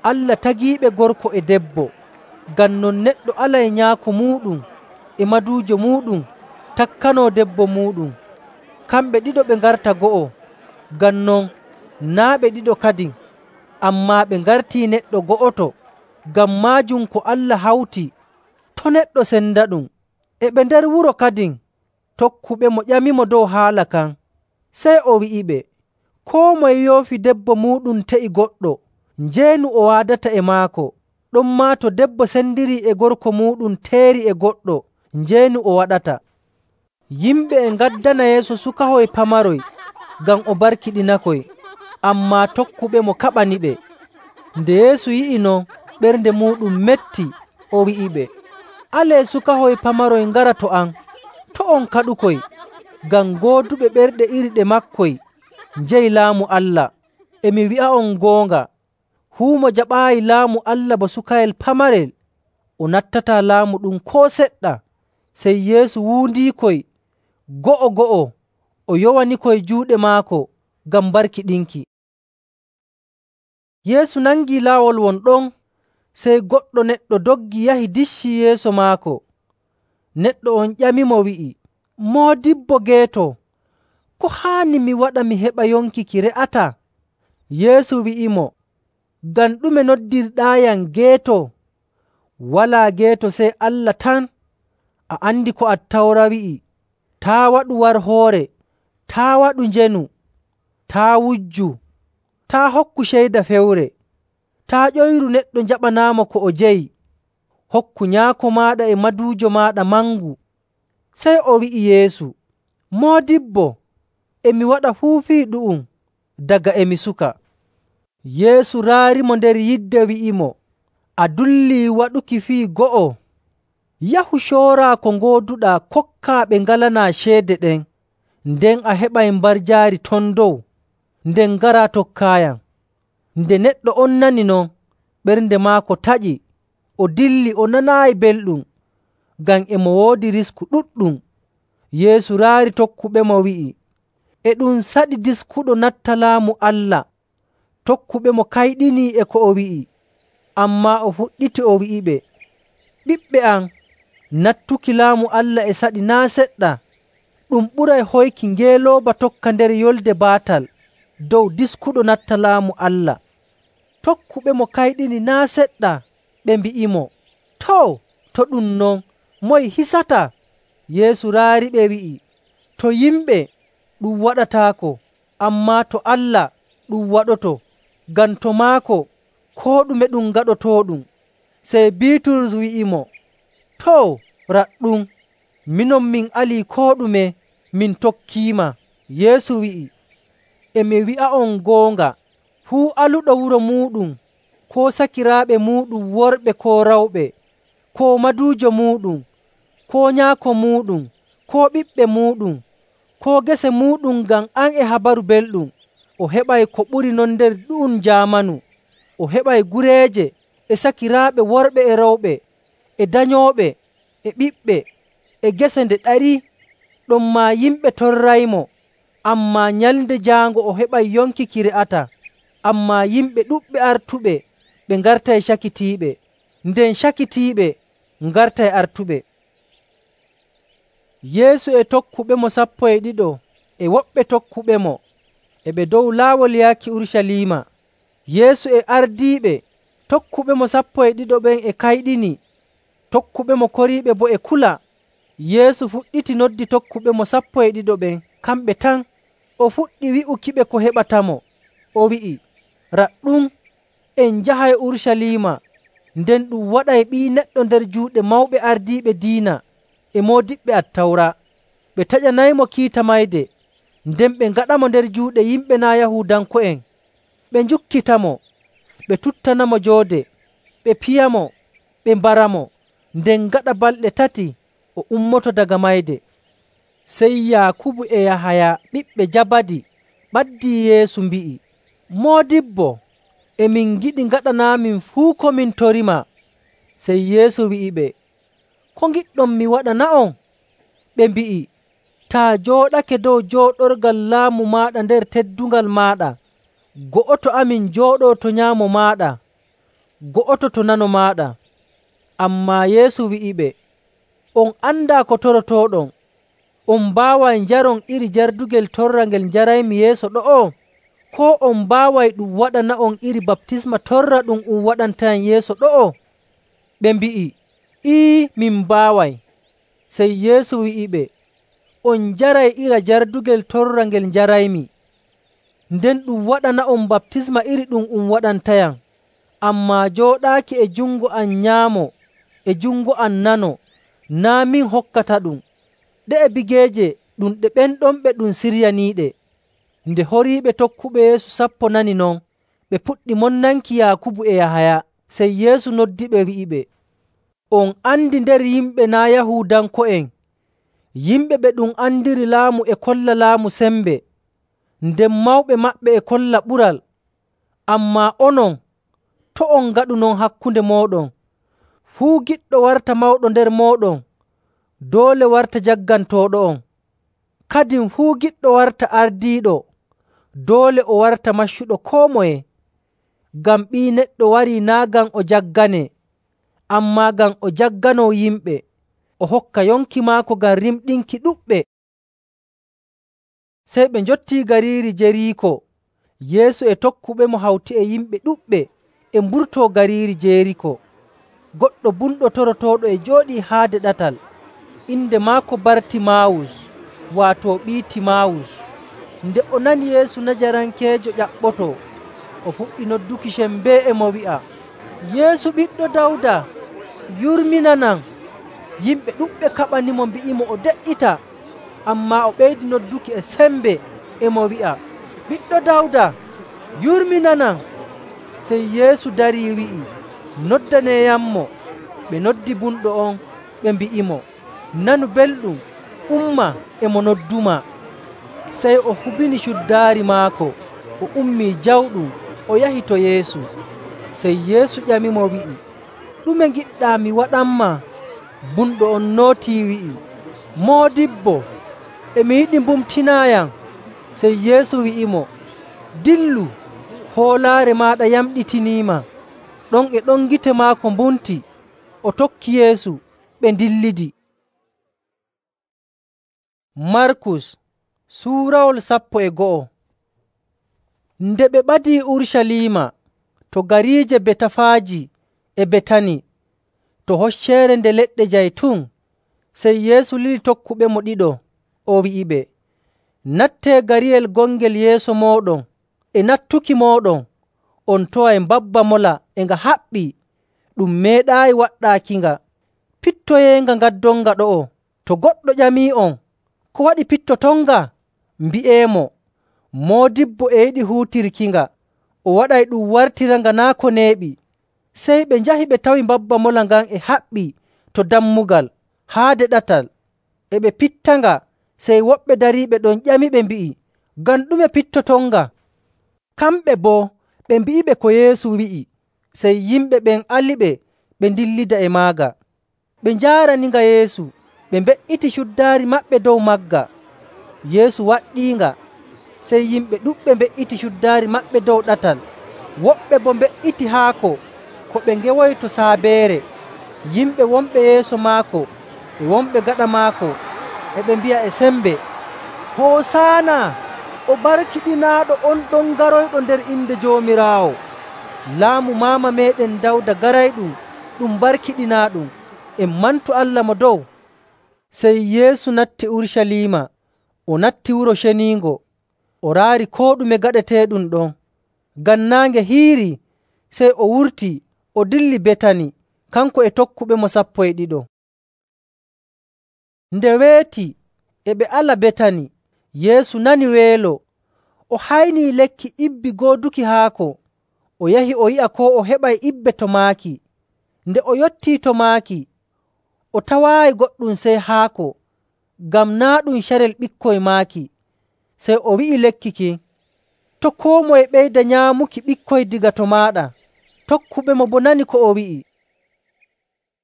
[SPEAKER 1] Allah tagiiɓe gorko e debbo. Ngam non neɗɗo alay nyaako muuɗum e maduujo muuɗum, takkanoo debbo muuɗum. Kamɓe ɗiɗo ɓe ngarta go'o. Ngam non naa' ɓe ɗiɗo kadin, ammaa ɓe ngartii neɗɗo go'oto. Ngam maajum ko Allah hawti, to' neɗɗo sendaɗum.” E ɓe nder wuro kadin, tokkuɓemo ƴamimo dow haala kan. Sey o wi'iɓe, “Koo moye yoofi debbo muuɗum te'i goɗɗo, njeenu o waadata e maako. Ɗonmaa to debbo sendirii e gorko muuɗum teeri e goɗɗo, njeenu o waɗata.” Yimɓe e ngaddana Yeesu sukahoy pamaroy ngam o barkiɗinakoy, ammaa tokkuɓemo kaɓaniɓe. Nde Yeesu yi'i non, ɓernde muuɗum metti, o wi'iɓe, “Alee sukahoy pamaroy ngara to am, to' on kaɗukoy, ngam gooduɓe ɓerɗe iri ɗe maakoy njeyi Laamu Allah. E mi wi'a'on goonga, fuu mo jaɓaayi Laamu Allah ba sukayel pamarel, o nattataa laamu ɗum koo seɗɗa.” Sey Yeesu wuundiikoy go'o, o yowanikoy juuɗe maako ngam barkiɗinki. Yeesu nangii laawol won ɗon, sey goɗɗo neɗɗo doggi yahi diccii yeeso maako. Neɗɗo on ƴamimo wi'i, “Moodibbo geeto, ko haani mi waɗa mi heɓa yonki ki re'ataa?” Yeesu wi'imo, “Ngam ɗume noddirɗaayam geeto? Walaa geeto sey Allah tan. A andi ko Attawra wi'i, ‘Taa' waɗu warhoore, taa' waɗu njeenu, taa' wujju, taa' hokku ceyda fewre, taa' ƴoyru neɗɗo njaɓanaamo ko o jeyi, hokku nyaako maaɗa e maduujo maaɗa mangu.’” Sey o wi'i Yeesu, “Moodibbo, e mi waɗa fuu fii ɗu'um daga e mi suka.” Yeesu raarimo nder yidde wi'imo, “A dullii waɗuki fii go'o. Yahu cooraa ko ngooduɗaa kokkaa ɓe ngalanaa ceede ɗen, nden a heɓay mbarjaari ton dow. Nden ngaraa tokkaayam.” Nde neɗɗo on nani non, ɓernde maako taƴi, o dilli o nanaayi belɗum, ngam e mo woodi risku ɗuɗɗum. Yeesu raari tokkuɓemo wi'i, “E ɗum saɗi diskuɗo natta Laamu Allah.” Tokkuɓemo kayɗinii e ko o wi'i, ammaa o fuɗɗiti o wi'iɓe, “Ɓiɓɓe am, nattuki Laamu Allah e saɗi naa' seɗɗa. Ɗum ɓuray hoyki ngeelooba tokka nder yolde baatal dow diskuɗo natta Laamu Allah.” Tokkuɓemo kayɗini naa' seɗɗa, ɓe mbi'imo, “Too, to ɗum non, moye hisata?” Yeesu raariɓe wi'i, “To yimɓe, ɗum waɗataako, ammaa to Allah ɗum waɗoto, ngam to maako koo ɗume ɗum gaɗotooɗum.” Sey Biiturus wi'imo, “Too, raɗɗum, minon min alii koo ɗume, min tokkiima.” Yeesu wi'i, “E mi wi'a'on goonga, fuu aluɗo wuro muuɗum, koo sakiraaɓe muuɗum worɓe koo rewɓe, koo maduujo muuɗum, koo nyaako muuɗum, koo ɓiɓɓe muuɗum, koo gese muuɗum ngam am e Habaru Belɗum, o heɓay ko ɓuri non nder ɗu'um jaamanu. O heɓay gureeje e sakiraaɓe worɓe e rewɓe, e danyooɓe, e ɓiɓɓe, e gese nde ɗarii. Ɗonmaa yimɓe torraymo, ammaa Nyalnde Jaango o heɓay yonki ki re'ataa. Ammaa yimɓe ɗuɗɓe artuɓe ɓe ngartay cakitiiɓe, nden cakitiiɓe ngartay artuɓe.” Yeesu e tokkuɓemo 12 e woɓɓe tokkuɓemo e ɓe dow laawol yaaki Urucaliima. Yeesu e ardiiɓe tokkuɓemo 12 ɓen e kayɗini, tokkuɓemo koriiɓe boo e kula. Yeesu fuɗɗiti noddi tokkuɓemo 12 ɓen kamɓe tan. O fuɗɗi wi'ukiɓe ko heɓatamo. O wi'i, “Raɗɗum, en njahay Urucaliima, nden ɗum waɗay Ɓii Neɗɗo nder juuɗe mawɓe ardiiɓe diina e moodiɓɓe Attawra. Ɓe taƴanaymo kiita mayde, nden ɓe ngaɗamo nder juuɗe yimɓe naa' Yahuudanko'en. Ɓe njukkitamo, ɓe tuttanamo joode, ɓe piyamo, ɓe mbaramo, nden gaɗa balɗe 3 o ummoto daga mayde.” Sey Yaakubu e Yahaya ɓiɓɓe Jabadi ɓaddii Yeesu mbi'i, “Moodibbo, e min ngiɗi ngaɗanaamin fuu ko min torima.” Sey Yeesu wi'iɓe, “Ko ngiɗɗon mi waɗana'on?” Ɓe mbi'i, “Taa jooɗake dow jooɗorgal laamu maaɗa nder teddungal maaɗa, go'oto amin jooɗoo to nyaamo maaɗa, go'oto to nano maaɗa.” Ammaa Yeesu wi'iɓe, “On andaa ko torotooɗon. On mbaaway njaron iri jardugel torra ngel njaraymi yeeso ɗo'o? Koo on mbaaway ɗum waɗana'on iri baptisma torra ɗum waɗantayam yeeso ɗo'o?” Ɓe mbi'i, “Ii, min mbaaway.” Sey Yeesu wi'iɓe, “On njaray iri jardugel torra ngel njaraymi, nden ɗum waɗana'on baptisma iri ɗum waɗantayam. Ammaa jooɗaaki e jungo am nyaamo e jungo am nano, naa' min hokkataɗum. Ɗe'e bigeeje ɗum ɗe ɓen ɗon ɓe ɗum siryaniiɗe.” Nde horiiɓe tokkuɓe Yeesu 10 nani non, ɓe puɗɗi monnanki Yaakubu e Yahaya. Sey Yeesu noddiɓe wi'iɓe, “On andi nder yimɓe naa' Yahuudanko'en, yimɓe ɓe ɗum andiri laamu e kolla laamu sembe, nden mawɓe maɓɓe e kolla ɓural. Ammaa onon, to' on ngaɗu non hakkunde mooɗon. Fuu giɗɗo warta mawɗo nder mooɗon, doole warta jaggantooɗo'on. Kadin fuu giɗɗo warta ardiiɗo, doole o warta maccuɗo koo moye. Ngam Ɓii Neɗɗo warii naa' ngam o jagganee, ammaa ngam o jagganoo yimɓe, o hokka yonki maako ngam rimɗinki ɗuɗɓe.” Sey ɓe njottii gariiri Jeriiko. Yeesu e tokkuɓemo hawti e yimɓe ɗuɗɓe e mburtoo gariiri Jeriiko. Goɗɗo bumɗo torotooɗo e jooɗii haade ɗatal. Inde maako Bartimaawus, waato ɓii Timaawus. Nde o nani Yeesu Najarankeejo ƴaɓɓotoo, o fuɗɗi nodduki sembee e mo wi'a, “Yeesu ɓiɗɗo Dawda, yurminanam!” Yimɓe ɗuɗɓe kaɓanimo mbi'imo o de''ita. Ammaa o ɓeydi nodduki e sembe e mo wi'a, “Ɓiɗɗo Dawda, yurminanam!” Sey Yeesu darii wi'i, “Noddaneeyammo.” Ɓe noddi bumɗo on, ɓe mbi'imo, “Nanu belɗum, umma e mo noddumaa.” Sey o hubini cuddaari maako, o ummii jawɗum, o yahi to Yeesu. Sey Yeesu ƴamimo wi'i, “Ɗume ngiɗɗaa mi waɗanmaa?” Bumɗo on nootii wi'i, “Moodibbo, e mi yiɗi mbumtinaayam.” Sey Yeesu wi'imo, “Dillu, hoolaare maaɗa yamɗitiniima.” Ɗon e ɗon gite maako mbumti, o tokki Yeesu, ɓe ndillidi. Markus suurawol 11. Nde ɓe ɓadii Urucaliima to gariije Betafaaji e Betani to Hocceere Nde Leɗɗe Jaytun, sey Yeesu lili tokkuɓemo ɗiɗo, o wi'iɓe, “Nattee gariyel gongel yeeso mooɗon. E nattuki mooɗon, on taway mbabba mola e nga haɓɓii, ɗum meeɗaayi waɗɗaakinga. Pittoyeenga ngaddonga ɗo'o. To goɗɗo ƴamii'on, ‘Ko waɗi pittotonga?’ mbi'eemo, ‘Moodibbo e yiɗi huutirkinga, o waɗay ɗum wartiranga naa' ko neeɓi.’ Sey ɓe njahi ɓe tawi mbabba mola ngan e haɓɓii to dammugal haade ɗatal, e ɓe pittanga. Sey woɓɓe dariiɓe ɗon ƴamiɓe mbi'i, ‘Ngam ɗume pittotonga?’ Kamɓe boo ɓe mbi'iɓe ko Yeesu wi'i. Sey yimɓe ɓen aliɓe ɓe ndillida e maaga. Ɓe njaaraninga Yeesu, ɓe mbe''iti cuddaari maɓɓe dow magga. Yeesu waɗɗiinga. Sey yimɓe ɗuɗɓe mbe''iti cuddaari maɓɓe dow ɗatal. Woɓɓe boo mbe''iti haako ko ɓe ngewoyi to saabeere. Yimɓe wonɓe yeeso maako e wonɓe gaɗa maako e ɓe mbi'a e sembe, “Hoosaana! O barkiɗinaaɗo on ɗon garoyɗo nder inde Joomiraawo! Laamu maama meeɗen Dawda garayɗum ɗum barkiɗinaaɗum! En mantu Allah mo dow!” Sey Yeesu natti Urucaliima, o natti Wuro Ceniingo. O raari koo ɗume gaɗeteeɗum ɗon. Ngam naange hiirii, sey o wurtii, o dilli Betani, kanko e tokkuɓemo 12. Nde weeti e ɓe ala Betani, Yeesu nani weelo. O haynii lekki ibbi gooduki haako. O yahi o yi'a koo o heɓay ibbe to maaki. Nde o yottii to maaki, o tawaayi goɗɗum sey haako, ngam naa' ɗum carel ɓikkoy maaki. Sey o wi'i lekki kin, “To' koo moye ɓeyda nyaamuki ɓikkoy daga to maaɗa.” Tokkuɓemo boo nani ko o wi'i.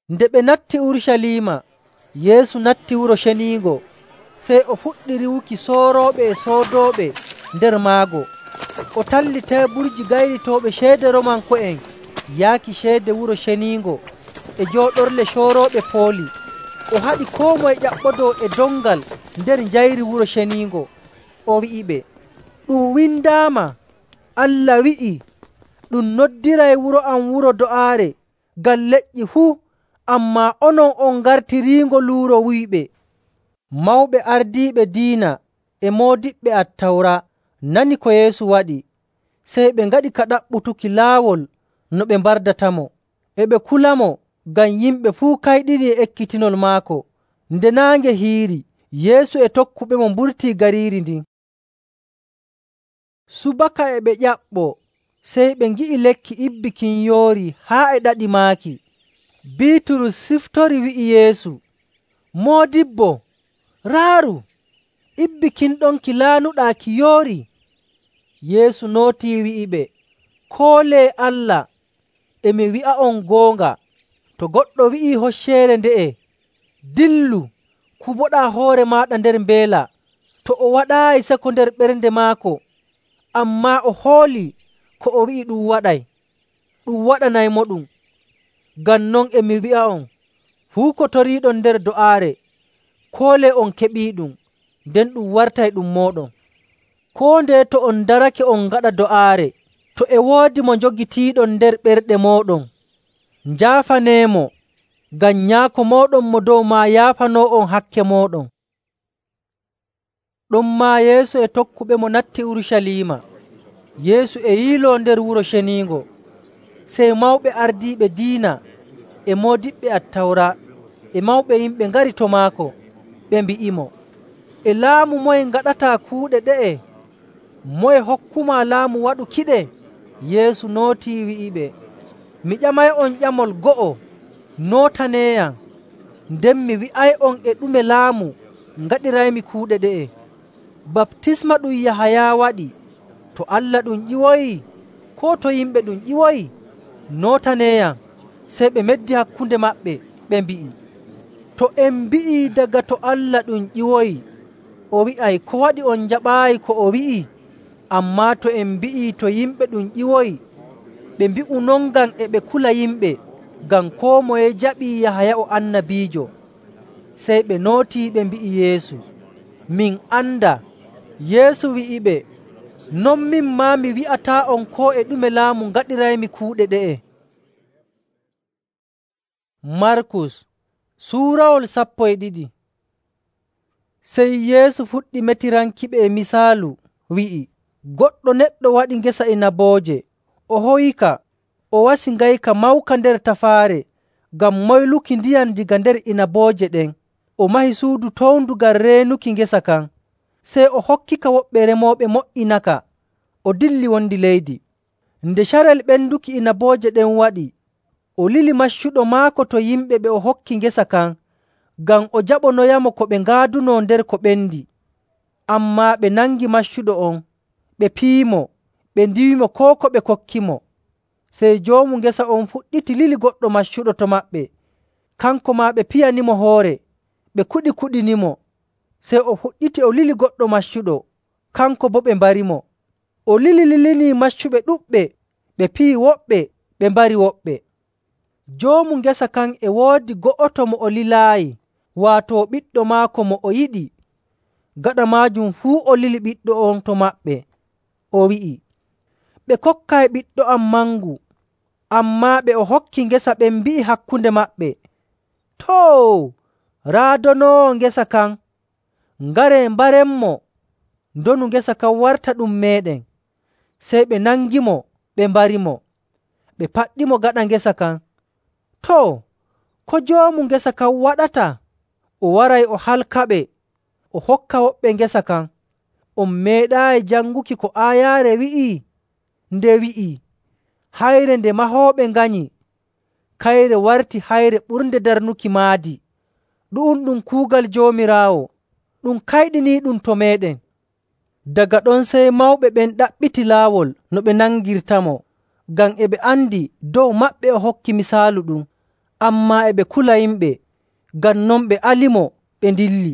[SPEAKER 1] Nde ɓe natti Urucaliima, Yeesu natti Wuro Ceniingo. Sey o fuɗɗi riiwuki soorooɓe e soodooɓe nder maago. O talli teeburji gaylitooɓe ceede Roomanko'en yaaki ceede Wuro Ceniingo e jooɗorle coorooɓe pooli. O haɗi koo moye ƴaɓɓodoo e dongal nder njayri Wuro Ceniingo. O wi'iɓe, “Ɗum windaama, Allah wi'ii, ‘Ɗum noddiray wuro am wuro do'aare ngam leƴƴi fuu,’ ammaa onon on ngartiriingo luuro wuyɓe.” Mawɓe ardiiɓe diina e moodiɓɓe Attawra nani ko Yeesu waɗi, sey ɓe ngaɗi ka ɗaɓɓutuki laawol no ɓe mbardatamo. E ɓe kulamo ngam yimɓe fuu kayɗinii e ekkitinol maako. Nde naange hiiri, Yeesu e tokkuɓemo mburtii gariiri ndin. Subaka e ɓe ƴaɓɓoo, sey ɓe ngi'i lekki ibbi kin yoori haa e ɗaɗi maaki. Biiturus siftori wi'i Yeesu, “Moodibbo, raaru! Ibbi kin ɗon ki laanuɗaa ki yoori.” Yeesu nootii wi'iɓe, “Koolee Allah, e mi wi'a'on goonga, to goɗɗo wi'ii hocceere nde'e, ‘Dillu, kuboɗaa hoore maaɗa nder mbeela,’ to o waɗaayi seko nder ɓernde maako, ammaa o hoolii ko o wi'i ɗum waɗay, ɗum waɗanaymoɗum. Ngam non e mi wi'a'on, fuu ko toriiɗon nder do'aare, koolee on keɓiiɗum, nden ɗum wartay ɗum mooɗon. Koo ndeye to on darake on ngaɗa do'aare, to e woodi mo njogitiiɗon nder ɓerɗe mooɗon, njaafaneemo, ngam Nyaako mooɗon mo dow maa yaafanoo'on hakke mooɗon.” Ɗonmaa Yeesu e tokkuɓemo natti Urucaliima. Yeesu e yiiloo nder Wuro Ceniingo. Sey mawɓe ardiiɓe diina e moodiɓɓe Attawra e mawɓe yimɓe ngari to maako. Ɓe mbi'imo, “E laamu moye ngaɗataa kuuɗe ɗe'e? Moye hokkumaa laamu waɗukiɗe?” Yeesu nootii wi'iɓe, “Mi ƴamay'on ƴamol go'o, nootaneeyam, nden mi wi'ay'on e ɗume laamu ngaɗiraymi kuuɗe ɗe'e. Baptisma ɗum Yahaya waɗi, to Allah ɗum ƴiwoyi, koo to yimɓe ɗum ƴiwoyi? Nootaneeyam.” Sey ɓe meddi hakkunde maɓɓe, ɓe mbi'i, “To en mbi'ii daga to Allah ɗum ƴiwoyi, O wi'ay, “Ko waɗi on njaɓaayi ko o wi'i?” Ammaa to en mbi'ii to yimɓe ɗum ƴiwoyi, ɓe mbi'u non ngam e ɓe kula yimɓe, ngam koo moye jaɓii Yahaya o annabiijo. Sey ɓe nootii ɓe mbi'i Yeesu, “Min andaa.” Yeesu wi'iɓe, “Non min maa mi wi'ataa'on koo e ɗume laamu ngaɗiraymi kuuɗe ɗe'e.” Markus suurawol 12. Sey Yeesu fuɗɗi metirankiɓe e misaalu, wi'i, “Goɗɗo neɗɗo waɗi ngesa inabooje. O hoyika, o wasi ngayka mawka nder tafaare ngam moyluki ndiyam daga nder inabooje ɗen. O mahi suudu towndu ngam reenuki ngesa kan. Sey o hokkika woɓɓe remooɓe mo''inaka, o dilli wondi leydi. Nde carel ɓenduki inabooje ɗen waɗi, o lili maccuɗo maako to yimɓe ɓe o hokki ngesa kan, ngam o jaɓonoyamo ko ɓe ngaadunoo nder ko ɓendi. Ammaa ɓe nangi maccuɗo on, ɓe piyimo, ɓe ndiiwimo koo ko ɓe kokkimo. Sey joomu ngesa on fuɗɗiti lili goɗɗo maccuɗo to maɓɓe. Kanko maa ɓe piyanimo hoore, ɓe kuɗinimo. Sey o fuɗɗiti o lili goɗɗo maccuɗo, kanko boo ɓe mbarimo. O lilinii maccuɓe ɗuɗɓe, ɓe piyi woɓɓe, ɓe mbari woɓɓe. Joomu ngesa kan e woodi go'oto mo o lilaayi, waato ɓiɗɗo maako mo o yiɗi. Gaɗa maajum fuu o lili ɓiɗɗo on to maɓɓe. O wi'i, “Ɓe kokkay ɓiɗɗo am mangu.” Ammaa ɓe o hokki ngesa ɓen mbi'i hakkunde maɓɓe, “Too, raadonoowo ngesa kan, ngaree mbarenmo, ndonu ngesa kan warta ɗum meeɗen.” Sey ɓe nangimo, ɓe mbarimo, ɓe paɗɗimo gaɗa ngesa kan. Too, ko joomu ngesa kan waɗata? O waray o halkaɓe, o hokka woɓɓe ngesa kan. On meeɗaayi janguki ko aayaare wi'i? Nde wi'ii, “Hayre nde mahooɓe nganyi, kayre warti hayre ɓurnde darnuki maadi.” Ɗu'um ɗum kuugal Joomiraawo, ɗum kayɗiniiɗum to meeɗen. Daga ɗon sey mawɓe ɓen ɗaɓɓiti laawol no ɓe nangirtamo, ngam e ɓe andi dow maɓɓe o hokki misaalu ɗum. Ammaa e ɓe kula yimɓe, ngam non ɓe alimo, ɓe ndilli.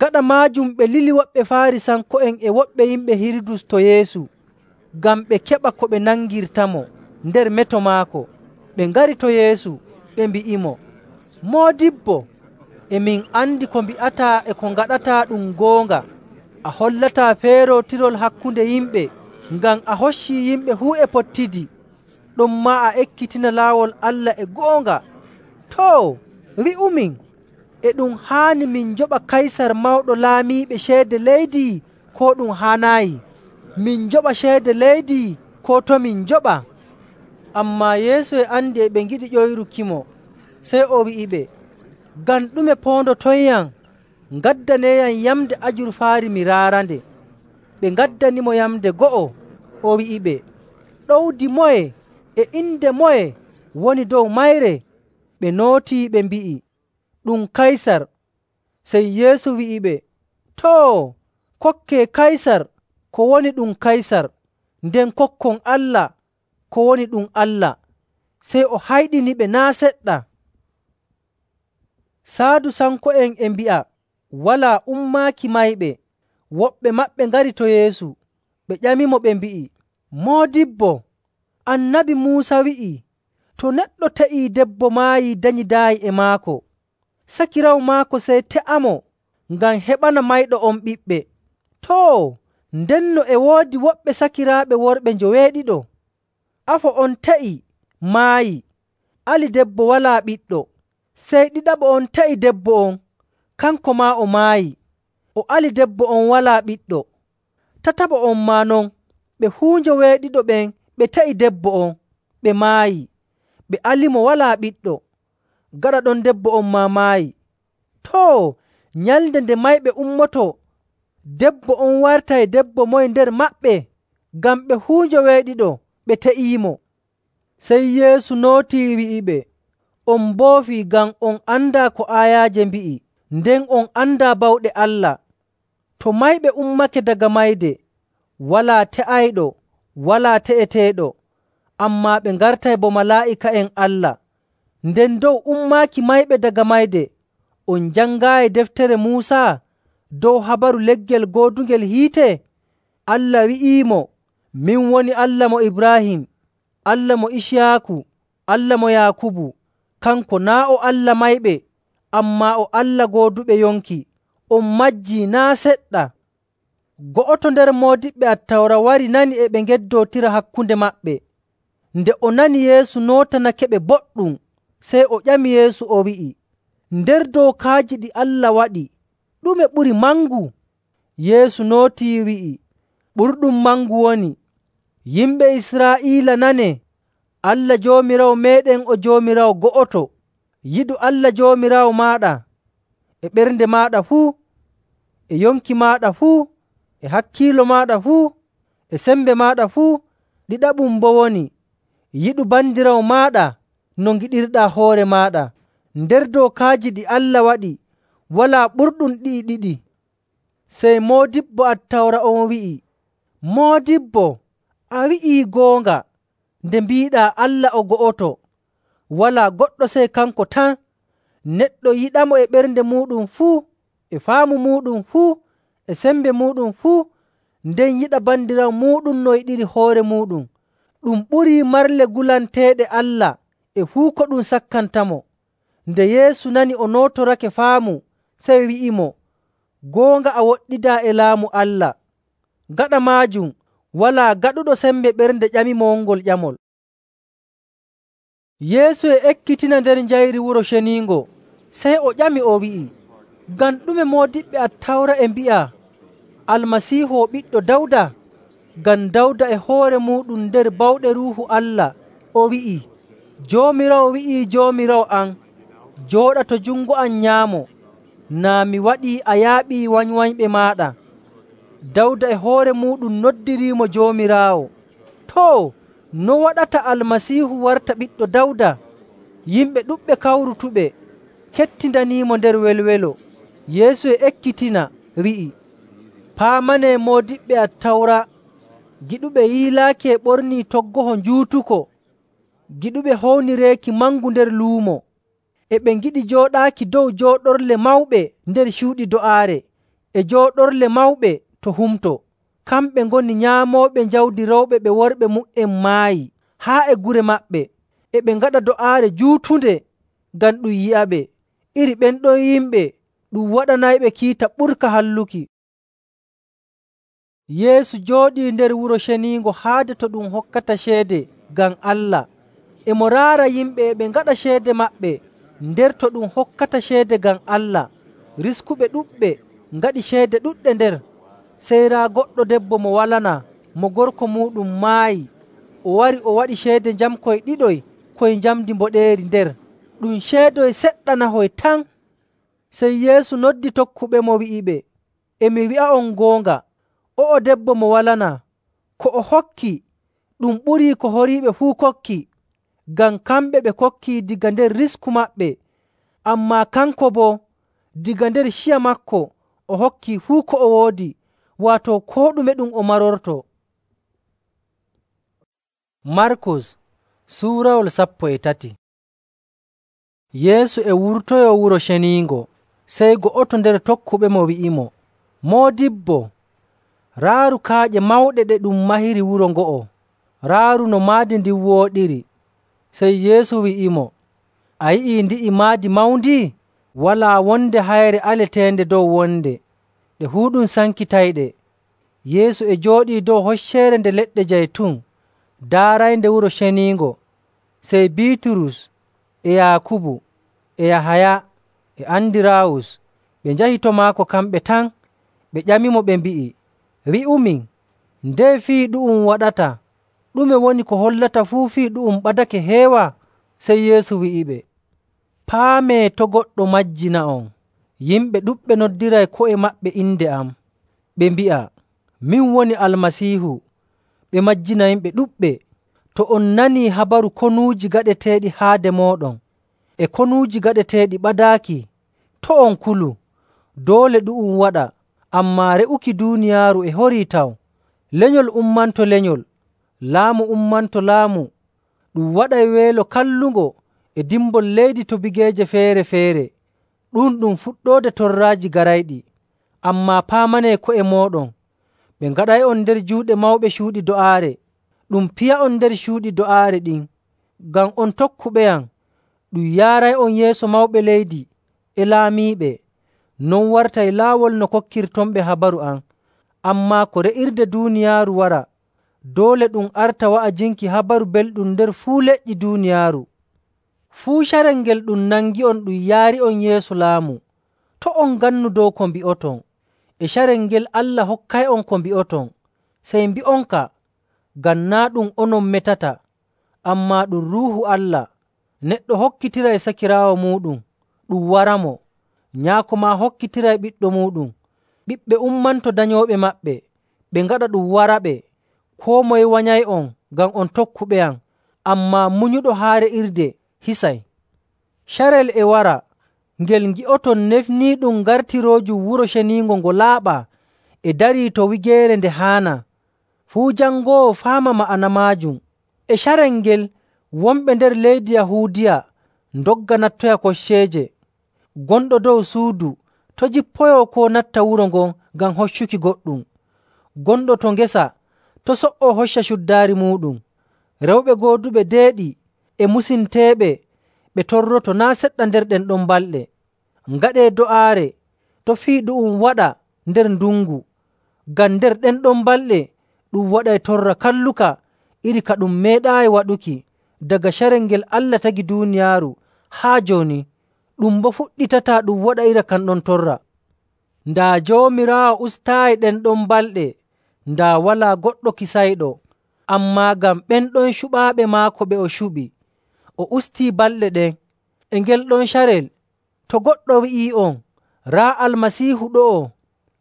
[SPEAKER 1] Gaɗa maajum ɓe lili woɓɓe Faarisanko'en e woɓɓe yimɓe Hirudus to Yeesu, ngam ɓe keɓa ko ɓe nangirtamo nder meto maako. Ɓe ngari to Yeesu, ɓe mbi'imo, “Moodibbo, e min andi ko mbi'ataa e ko ngaɗataa ɗum goonga. A hollataa feerootirol hakkunde yimɓe, ngam a hoccii yimɓe fuu e pottidi, ɗonmaa a ekkitina laawol Allah e goonga. Too, wi'umin, e ɗum haani min njoɓa Kaysar mawɗo laamiiɓe ceede leydi, koo ɗum haanaayi? Min njoɓa ceede leydi, koo to min njoɓa?” Ammaa Yeesu e andi e ɓe ngiɗi ƴoyrukimo, sey o wi'iɓe, “Ngam ɗume poondotonyam? Ngaddaneeyam yamnde ajurfaari mi raarande.” Ɓe ngaddanimo yamnde go'o. O wi'iɓe, “Ɗowdi moye e inde moye woni dow mayre?” Ɓe nootii ɓe mbi'i, “Ɗum Kaysar.” Sey Yeesu wi'iɓe, “Too, kokkee Kaysar ko woni ɗum Kaysar, nden kokkon Allah ko woni ɗum Allah.” Sey o hayɗiniɓe naa' seɗɗa. Saadusanko'en e mbi'a walaa ummaaki mayɓe. Woɓɓe maɓɓe ngari to Yeesu, ɓe ƴamimo ɓe mbi'i, “Moodibbo, Annabi Muusa wi'ii, to neɗɗo te'ii debbo maayii danyidaayi e maako, sakiraawo maako sey te'amo ngam heɓana mayɗo on ɓiɓɓe. Too, ndenno e woodi woɓɓe sakiraaɓe worɓe njoweeɗiɗo. Afo on te'i, maayi, ali debbo walaa ɓiɗɗo. Sey ɗiɗaɓo on te'i debbo on, kanko maa o maayi, o ali debbo on walaa ɓiɗɗo. Tataɓo on maa non, ɓe fuu njoweeɗiɗo ɓen ɓe te'i debbo on, ɓe maayi, ɓe alimo walaa ɓiɗɗo. Gaɗa ɗon debbo on maa maayi. Too, nyalnde nde mayɓe ummoto, debbo on wartay debbo moye nder maɓɓe? Ngam ɓe fuu njoweeɗiɗo, ɓe te'iimo.” Sey Yeesu nootii wi'iɓe, “On mboofii ngam on andaa ko aayaaje mbi'i, nden on andaa bawɗe Allah. To mayɓe ummake daga mayde, walaa te'ayɗo, walaa te'eteeɗo, ammaa ɓe ngartay bo malaa'ika'en Allah. Nden dow ummaaki mayɓe daga mayde, On jangaayi deftere Muusa dow habaru leggel goodungel hiite? Allah wi'iimo, ‘Min woni Allah mo Ibraahim, Allah mo Iciyaaku, Allah mo Yaakubu.’ Kanko naa' o Allah mayɓe, ammaa o Allah gooduɓe yonki. On majjii naa' seɗɗa.” Go'oto nder moodiɓɓe Attawra wari nani e ɓe ngeddootira hakkunde maɓɓe. Nde o nani Yeesu nootanakeɓe boɗɗum, sey o ƴami Yeesu o wi'i, “Nder dookaaji ɗi Allah waɗi, ɗume ɓuri mangu?” Yeesu nootii wi'i, “Ɓurɗum mangu woni, ‘Yimɓe Israa'iila nanee! Allah Joomiraawo meeɗen o Joomiraawo go'oto. Yiɗu Allah Joomiraawo maaɗa e ɓernde maaɗa fuu, e yonki maaɗa fuu, e hakkiilo maaɗa fuu, e sembe maaɗa fuu.’ Ɗiɗaɓum boo woni, ‘Yiɗu bandiraawo maaɗa no ngiɗirɗaa hoore maaɗa.’ Nder dookaaji ɗi Allah waɗi, walaa ɓurɗum ɗi'i ɗiɗi.” Sey moodibbo Attawra on wi'i, “Moodibbo, a wi'ii goonga nde mbiiɗaa Allah o go'oto. Walaa goɗɗo sey kanko tan. Neɗɗo yiɗamo e ɓernde muuɗum fuu, e faamu muuɗum fuu, e sembe muuɗum fuu, nden yiɗa bandiraawo muuɗum no yiɗiri hoore muuɗum. Ɗum ɓurii marle gulanteeɗe Allah e fuu ko ɗum sakkantamo.” Nde Yeesu nani o nootorake faamu, sey wi'imo, “Goonga a woɗɗidaa e laamu Allah.” Gaɗa maajum walaa gaɗuɗo sembe ɓernde ƴamimo wongol ƴamol. Yeesu e ekkitina nder njayri Wuro Ceniingo, sey o ƴami o wi'i, “Ngam ɗume moodiɓɓe Attawra e mbi'a Almasiihu o ɓiɗɗo Dawda? Ngam Dawda e hoore muuɗum nder bawɗe Ruuhu Allah o wi'ii, ‘Joomiraawo wi'ii Joomiraawo am, jooɗa to jungo am nyaamo, naa mi waɗii a yaaɓii wanywanyɓe maaɗa.’ Dawda e hoore muuɗum noddiriimo Joomiraawo. Too, no waɗata Almasiihu warta ɓiɗɗo Dawda?” Yimɓe ɗuɗɓe kawrutuɓe kettindaniimo nder welwelo. Yeesu e ekkitina wi'i, “Paamanee moodiɓɓe Attawra, giɗuɓe yiilaaki e ɓornii toggoho njuutuko, giɗuɓe hownireeki mangu nder luumo, e ɓe ngiɗi jooɗaaki dow jooɗorle mawɓe nder cuuɗi do'aare, e jooɗorle mawɓe to humto. Kamɓe ngoni nyaamooɓe jawdi rewɓe ɓe worɓe mu''en maayi haa e gure maɓɓe, e ɓe ngaɗa do'aare juutunde ngam ɗum yi'aɓe. Iri ɓen ɗon yimɓe ɗum waɗanayɓe kiita ɓurka halluki.” Yeesu jooɗii nder Wuro Ceniingo haade to ɗum hokkata ceede ngam Allah. E mo raara yimɓe e ɓe ngaɗa ceede maɓɓe nder to ɗum hokkata ceede ngam Allah. Riskuɓe ɗuɗɓe ngaɗi ceede ɗuɗɗe nder. Sey raa goɗɗo debbo mo walanaa, mo gorko muuɗum maayi. O wari o waɗi ceede njamkoy ɗiɗoy koy njamndi mboɗeeri nder, ɗum ceedoy seɗɗa nahoy tan. Sey Yeesu noddi tokkuɓemo wi'iɓe, “E mi wi'a'on goonga, o'o debbo mo walanaa, ko o hokki ɗum ɓurii ko horiiɓe fuu kokki, ngam kamɓe ɓe kokkii daga nder risku maɓɓe. Ammaa kanko boo daga nder ciya maako o hokkii fuu ko o woodi, waato koo ɗume ɗum o marorto.” Markus Suurawol 13. Yeesu e wurtoyoo Wuro Ceniingo, sey go'oto nder tokkuɓemo wi'imo, “Moodibbo, raaru kaaƴe mawɗe ɗe ɗum mahiri wuro ngo'o. Raaru no maadi ndin wooɗiri.” Sey Yeesu wi'imo, “A yi'ii ndi'i maadi mawndi? Walaa wonde hayre aleteende dow wonde, ɗe fuu ɗum sankitayɗe.” Yeesu e jooɗii dow hocceere nde leɗɗe jaytun daaraynde Wuro Ceniingo. Sey Biiturus e Yaakubu e Yahaya e Andiraawus ɓe njahi to maako kamɓe tan. Ɓe ƴamimo ɓe mbi'i, “Wi'umin, ndeye fii ɗu'um waɗata? Ɗume woni ko hollata fuu fii ɗu'um ɓadake heewa?” Sey Yeesu wi'iɓe, “Paamee to' goɗɗo majjina'on. Yimɓe ɗuɗɓe noddiray ko'e maɓɓe inde am. Ɓe mbi'a, ‘Min woni Almasiihu.’ Ɓe majjina yimɓe ɗuɗɓe. To on nanii habaru konuuji gaɗeteeɗi haade mooɗon, e konuuji gaɗeteeɗi ɓadaaki, to' on kulu. Doole ɗu'um waɗa, ammaa re'uki duuniyaaru e horii taw. Lenyol ummanto lenyol, laamu ummanto laamu. Ɗum waɗay weelo kallungo e dimbol leydi to bigeeje feere‑feere. ɗum fuɗɗoode torraaji garayɗi. Ammaa paamanee ko'e mooɗon, ɓe ngaɗay'on nder juuɗe mawɓe cuuɗi do'aare, ɗum piya'on nder cuuɗi do'aare ɗin. Ngam on tokkuɓeyam, ɗum yaaray'on yeeso mawɓe leydi e laamiiɓe. Non wartay laawol no kokkirtonɓe habaru am. Ammaa ko re'irde duuniyaaru wara, doole ɗum arta wa'ajinki Habaru Belɗum nder fuu leƴƴi duuniyaaru. Fuu carel ngel ɗum nangi'on ɗum yaari'on yeeso laamu, to' on ngannu dow ko mbi'oton. E carel ngel Allah hokkay'on ko mbi'oton, sey mbi'onka, ngam naa' ɗum onon metata, ammaa ɗum Ruuhu Allah. Neɗɗo hokkitiray sakiraawo muuɗum, ɗum waramo. Nyaako maa hokkitiray ɓiɗɗo muuɗum. Ɓiɓɓe ummanto danyooɓe maɓɓe, ɓe ngaɗa ɗum waraɓe. Koo moye wanyay'on ngam on tokkuɓeyam, ammaa munyuɗo haa re'irde hisay. Carel e wara, ngel ngi'oton nefniiɗum gartiroojum Wuro Ceniingo ngo laaɓaa e darii to wigeere nde haanaa. Fuu jangoowo faama ma'ana maajum. E carel ngel wonɓe nder leydi Yahuudiya ndogga nattoya kocceeje. Gonɗo dow suudu to' jippoyoo koo natta wuro ngon ngam hoccuki goɗɗum. Gonɗo to ngesa to' so''oo hocca cuddaari muuɗum. Rewɓe gooduɓe deeɗi e musinteeɓe ɓe torroto naa' seɗɗa nder ɗen ɗon balɗe. Ngaɗee do'aare to' fii ɗu'um waɗa nder ndungu, ngam nder ɗen ɗon balɗe ɗum waɗay torra kalluka iri ka ɗum meeɗaayi waɗuki daga carel ngel Allah tagi duuniyaaru haa jooni, ɗum boo fuɗɗitataa ɗum waɗa iri kan ɗon torra. Daa Joomiraawo ustaayi ɗen ɗon balɗe, daa walaa goɗɗo kisayɗo. Ammaa ngam ɓen ɗon cuɓaaɓe maako ɓe o cuɓi, o ustii balɗe ɗen. E ngel ɗon carel, to goɗɗo wi'ii'on, “Raa Almasiihu ɗo'o,”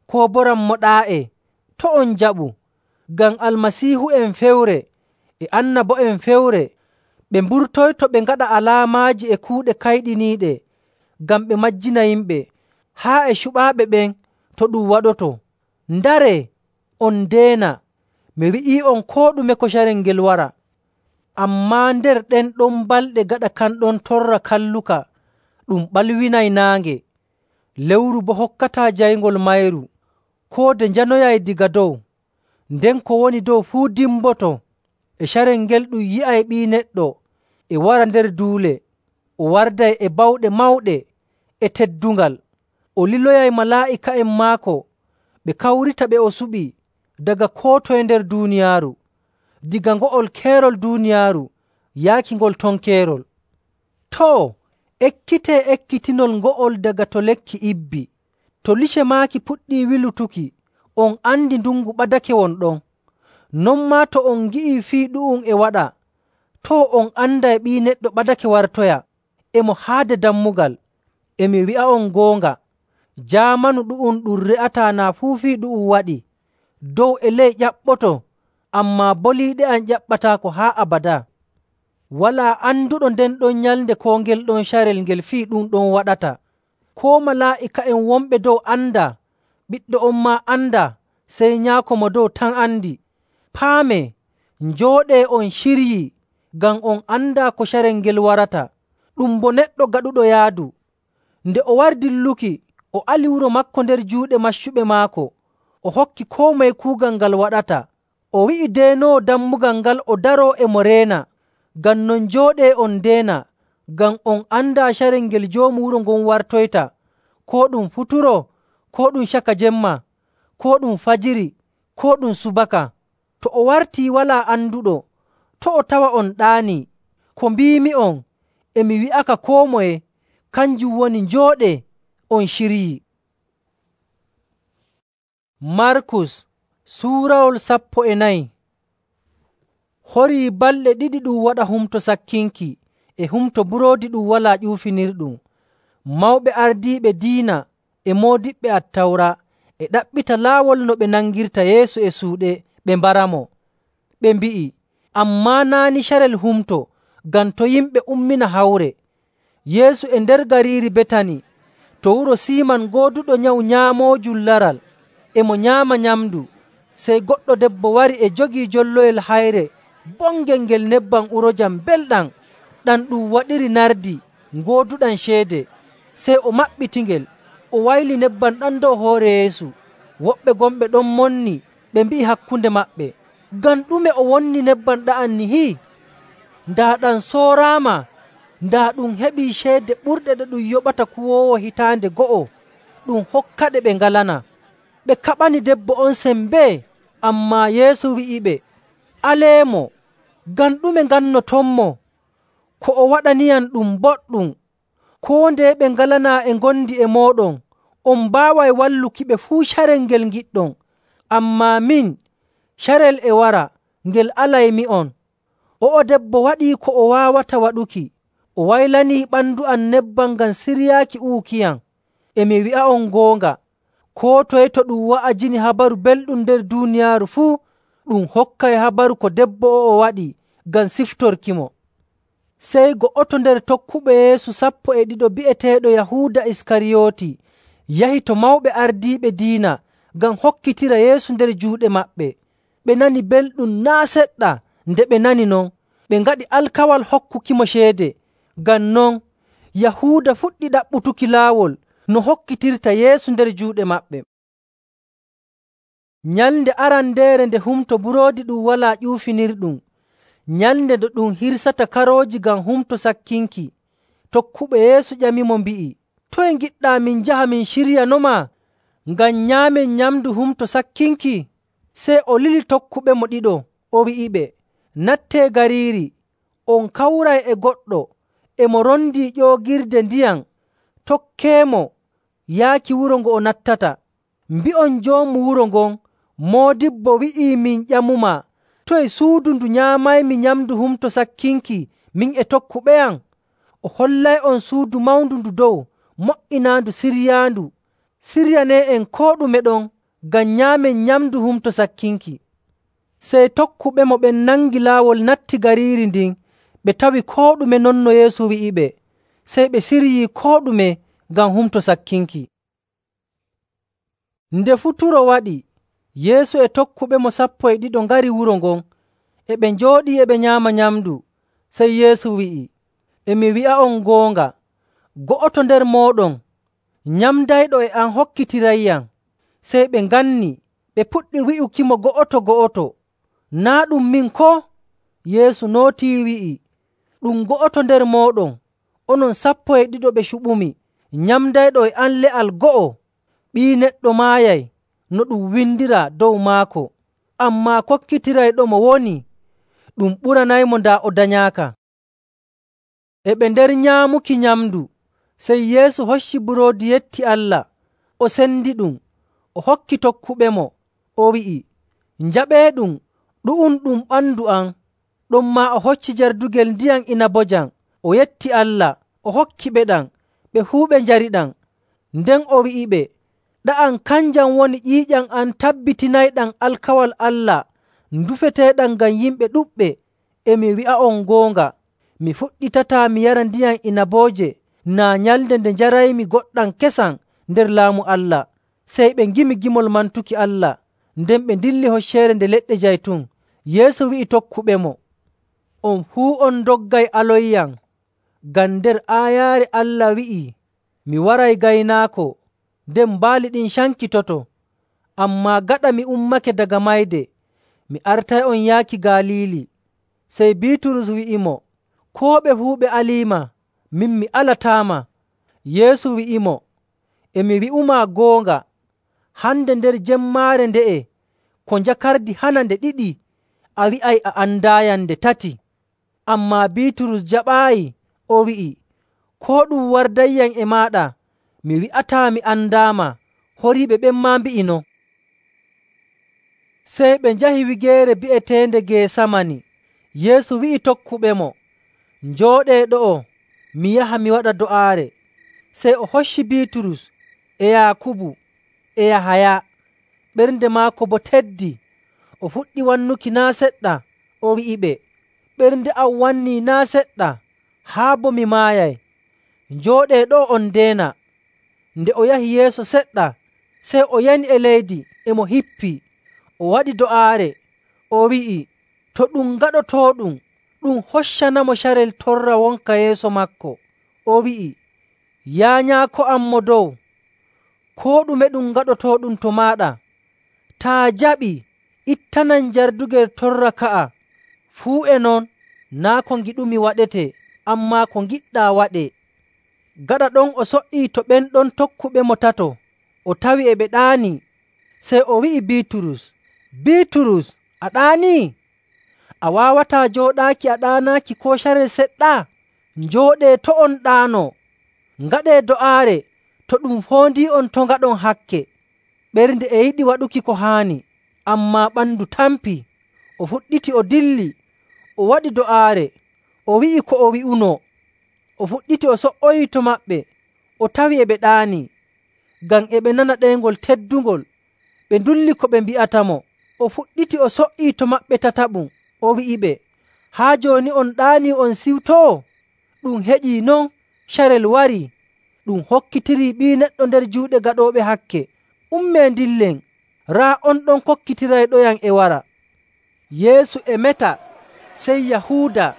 [SPEAKER 1] koo boo “Rammoɗaa'e,” to' on njaɓu. Ngam almasiihu'en fewre e annabo'en fewre ɓe mburtoyto ɓe ngaɗa alaamaaji e kuuɗe kayɗiniiɗe ngam ɓe majjina yimɓe, haa e cuɓaaɓe ɓen to ɗum waɗoto. Ndaree, on ndeena, mi wi'ii'on koo ɗume ko carel ngel wara. Ammaa nder ɗen ɗon balɗe gaɗa kan ɗon torra kalluka, ɗum ɓalwinay naange. Lewru boo hokkataa jayngol mayru, koo nde njanoyay daga dow, nden ko woni dow fuu dimboto. E carel ngel ɗum yi'ay Ɓii Neɗɗo e wara nder duule, o warday e bawɗe mawɗe e teddungal. O liloyay malaa'ika'en maako ɓe kawrita ɓe o suɓi daga koo toye nder duuniyaaru, diga ngo'ol keerol duuniyaaru yaaki ngol ton keerol. Too, ekkitee ekkitinol ngo'ol daga to lekki ibbi. To lice maaki puɗɗii wilutuki, on andi ndungu ɓadake won ɗon. Non maa to on ngi'ii fii ɗu'um e waɗa, too on anday Ɓii Neɗɗo ɓadake wartoya, e mo haade dammugal. E mi wi'a'on goonga, jaamanu ɗu'um ɗum re'ataa naa fuu fii ɗu'um waɗi. Dow e ley ƴaɓɓoto, ammaa boliiɗe am ƴaɓɓataako haa abadaa. Walaa anduɗo nden ɗon nyalnde koo ngel ɗon carel ngel fii ɗum ɗon waɗata. Koo malaa'ika'en wonɓe dow andaa, Ɓiɗɗo on maa andaa, sey Nyaako mo dow tan andi. Paamee, njooɗee on ciryii, ngam on andaa ko carel ngel warata. Ɗum bo neɗɗo gaɗuɗo yaadu. Nde o wari dilluki, o ali wuro maako nder juuɗe maccuɓe maako, o hokki koo moye kuugal ngal waɗata. O wi'i deenoowo dammugal ngal o daroo e mo reena. Ngam non njooɗee on ndeena, ngam on andaa carel ngel joomu wuro ngon wartoyta, koo ɗum futuro, koo ɗum caka jemma, koo ɗum fajiri, koo ɗum subaka. To o wartii walaa anduɗo, to' o tawa on ɗaanii. Ko mbiimi'on e mi wi'aka koo moye, kanjum woni njooɗee on ciryii. Markus suurawol 14. Horii balɗe ɗiɗi ɗum waɗa humto sakkinki e humto buroodi ɗum walaa ƴuufinirɗum. Mawɓe ardiiɓe diina e moodiɓɓe Attawra e ɗaɓɓita laawol no ɓe nangirta Yeesu e suuɗe ɓe mbaramo. Ɓe mbi'i, ammaa naa' ni carel humto ngam to' yimɓe ummina hawre. Yeesu e nder gariiri Betani, to wuro Siiman gooduɗo nyawu nyaamoojum laral, e mo nyaama nyamndu. Sey goɗɗo debbo wari e jogii jolloyel hayre bongel ngel nebbam urojam belɗam, ɗam ɗum waɗiri nardi ngooduɗam ceede. Sey o maɓɓitingel, o wayli nebbam ɗam dow hoore Yeesu. Woɓɓe gonɓe ɗon monni, ɓe mbi'i hakkunde maɓɓe, “Ngam ɗume o wonni nebbam ɗa'am nihi? Daa ɗam sooraama, daa ɗum heɓii ceede ɓurɗe ɗe ɗum yoɓata kuwoowo hitaande go'o ɗum hokkaɗe ɓe ngalanaa.” Ɓe kaɓani debbo on sembee, ammaa Yeesu wi'iɓe, “Aleemo! Ngam ɗume ngannotonmo? Ko o waɗaniyam ɗum boɗɗum. Koo ndeye ɓe ngalanaa e ngondi e mooɗon, on mbaaway wallukiɓe fuu carel ngel ngiɗɗon. Ammaa min, carel e wara ngel alaymi'on. O'o debbo waɗii ko o waawata waɗuki. O waylanii ɓandu am nebbam ngam siryaaki uukiyam. E mi wi'a'on goonga, koo toye to ɗum wa'ajini Habaru Belɗum nder duuniyaaru fuu, ɗum hokkay habaru ko debbo o'o waɗi ngam siftorkimo.” Sey go'oto nder tokkuɓe Yeesu 12 bi'eteeɗo Yahuuda Iskariyooti yahi to mawɓe ardiiɓe diina ngam hokkitira Yeesu nder juuɗe maɓɓe. Ɓe nani belɗum naa' seɗɗa. Nde ɓe nani non, ɓe ngaɗi alkawal hokkukimo ceede. Ngam non, Yahuuda fuɗɗi ɗaɓɓutuki laawol no hokkitirta Yeesu nder juuɗe maɓɓe. Nyalnde arandeere nde Humto Buroodi Ɗum Walaa Ƴuufinirɗum, nyalnde nde ɗum hirsata karooji ngam Humto Sakkinki, tokkuɓe Yeesu ƴamimo mbi'i, “Toye ngiɗɗaa min njaha min ciryanoma ngam nyaamen nyamndu Humto Sakkinki?” Sey o lili tokkuɓemo ɗiɗo, o wi'iɓe, “Nattee gariiri, on kawray e goɗɗo e mo rondii ƴoogirde ndiyam. Tokkeemo yaaki wuro ngo o nattata. Mbi'on joomu wuro ngon, ‘Moodibbo wi'ii min ƴamumaa, toye suudu ndu nyaamaymi nyamndu Humto Sakkinki min e tokkuɓeyam?’ O hollay'on suudu mawndu ndu dow, mo''inaandu siryaandu. Siryanee'en koo ɗume ɗon ngam nyaamen nyamndu Humto Sakkinki.” Sey tokkuɓemo ɓen nangi laawol natti gariiri ndin. Ɓe tawi koo ɗume non no Yeesu wi'iɓe, sey ɓe siryii koo ɗume ngam Humto Sakkinki. Nde futuro waɗi, Yeesu e tokkuɓemo 12 ngari wuro ngon. E ɓe njooɗii e ɓe nyaama nyamndu. Sey Yeesu wi'i, “E mi wi'a'on goonga, go'oto nder mooɗon nyamdayɗo e am hokkitirayyam.” Sey ɓe nganni, ɓe puɗɗi wi'ukimo go'oto go'oto, “Naa' ɗum min koo?” Yeesu nootii wi'i, “Ɗum go'oto nder mooɗon, onon 12 ɓe cuɓumi, nyamdayɗo e am le'al go'o. Ɓii Neɗɗo maayay no ɗum windiraa dow maako, ammaa kokkitirayɗomo woni. Ɗum ɓuranaymo daa o danyaaka.” E ɓe nder nyaamuki nyamndu, sey Yeesu hocci buroodi yetti Allah, o sendiɗum, o hokki tokkuɓemo, o wi'i, “Njaɓeeɗum, ɗu'um ɗum ɓandu am.” Ɗonmaa o hocci jardugel ndiyam inabojam, o yetti Allah, o hokkiɓe ɗam, ɓe fuu ɓe njariɗam. Nden o wi'iɓe, “Ɗa'am kanjam woni ƴiiƴam am tabbitinayɗam alkawal Allah ndufeteeɗam ngam yimɓe ɗuɗɓe. E mi wi'a'on goonga, mi fuɗɗitataa mi yara ndiyam inabooje naa nyalnde nde njaraymi goɗɗam kesam nder Laamu Allah.” Sey ɓe ngimi gimol mantuki Allah, nden ɓe ndilli Hocceere Nde Leɗɗe Jaytun. Yeesu wi'i tokkuɓemo, “On fuu on ndoggay aloyyam, ngam nder aayaare Allah wi'ii, ‘Mi waray gaynaako, nden baali ɗin cankitoto.’ Ammaa gaɗa mi ummake daga mayde, mi artay'on yaaki Galiili.” Sey Biiturus wi'imo, “Koo ɓe fuu ɓe aliima, min mi alataama.” Yeesu wi'imo, “E mi wi'umaa goonga, hande nder jemmaare nde'e ko njakardi hana nde ɗiɗi, a wi'ay a andaayam nde tati.” Ammaa Biiturus jaɓaayi, o wi'i, “Koo ɗum wardayyam e maaɗa, mi wi'ataa mi andaama.” Horiiɓe ɓen maa mbi'i non. Sey ɓe njahi wigeere bi'eteende Geesamani. Yeesu wi'i tokkuɓemo, “Njooɗee ɗo'o, mi yaha mi waɗa do'aare.” Sey o hocci Biiturus e Yaakubu e Yahaya. Ɓernde maako boo teddi. O fuɗɗi wannuki naa' seɗɗa, o wi'iɓe, “Ɓernde am wannii naa' seɗɗa, haa boo mi maayay. Njooɗee ɗo'o on ndeena.” Nde o yahi yeeso seɗɗa, sey o yani e leydi e mo hippii. O waɗi do'aare, o wi'i, to ɗum gaɗotooɗum, ɗum hoccanamo carel torra wonka yeeso maako. O wi'i, Yaa Nyaako am mo dow, koo ɗume ɗum gaɗotooɗum to maaɗa. Taa jaɓii, ittanam jardugel torra ka'a. Fuu e non, naa' ko ngiɗumi waɗetee, ammaa ko ngiɗɗaa waɗee.” Gaɗa ɗon o so''ii to ɓen ɗon tokkuɓemo tato, o tawi e ɓe ɗaanii. Sey o wi'i Biiturus, “Biiturus, a ɗaanii? A waawataa jooɗaaki a ɗaanaaki koo carel seɗɗa? Njooɗee to' on ɗaanoo. Ngaɗee do'aare to ɗum foondii'on to' ngaɗon hakke.” Ɓernde e yiɗi waɗuki ko haani, ammaa ɓandu tampii. O fuɗɗiti o dilli, o waɗi do'aare, o wi'i ko o wi'unoo. O fuɗɗiti o so''oyii to maɓɓe, o tawi e ɓe ɗaanii, ngam e ɓe nana ɗeyngol teddungol. Ɓe ndulli ko ɓe mbi'atamo. O fuɗɗiti o so''ii to maɓɓe tataɓum, o wi'iɓe, “Haa jooni on ɗaanii on siwtoo? Ɗum heƴii non, carel warii. Ɗum hokkitirii Ɓii Neɗɗo nder juuɗe gaɗooɓe hakke. Ummee ndillen, raa on ɗon kokkitirayɗoyam e wara.” Yeesu e meta, sey Yahuuda,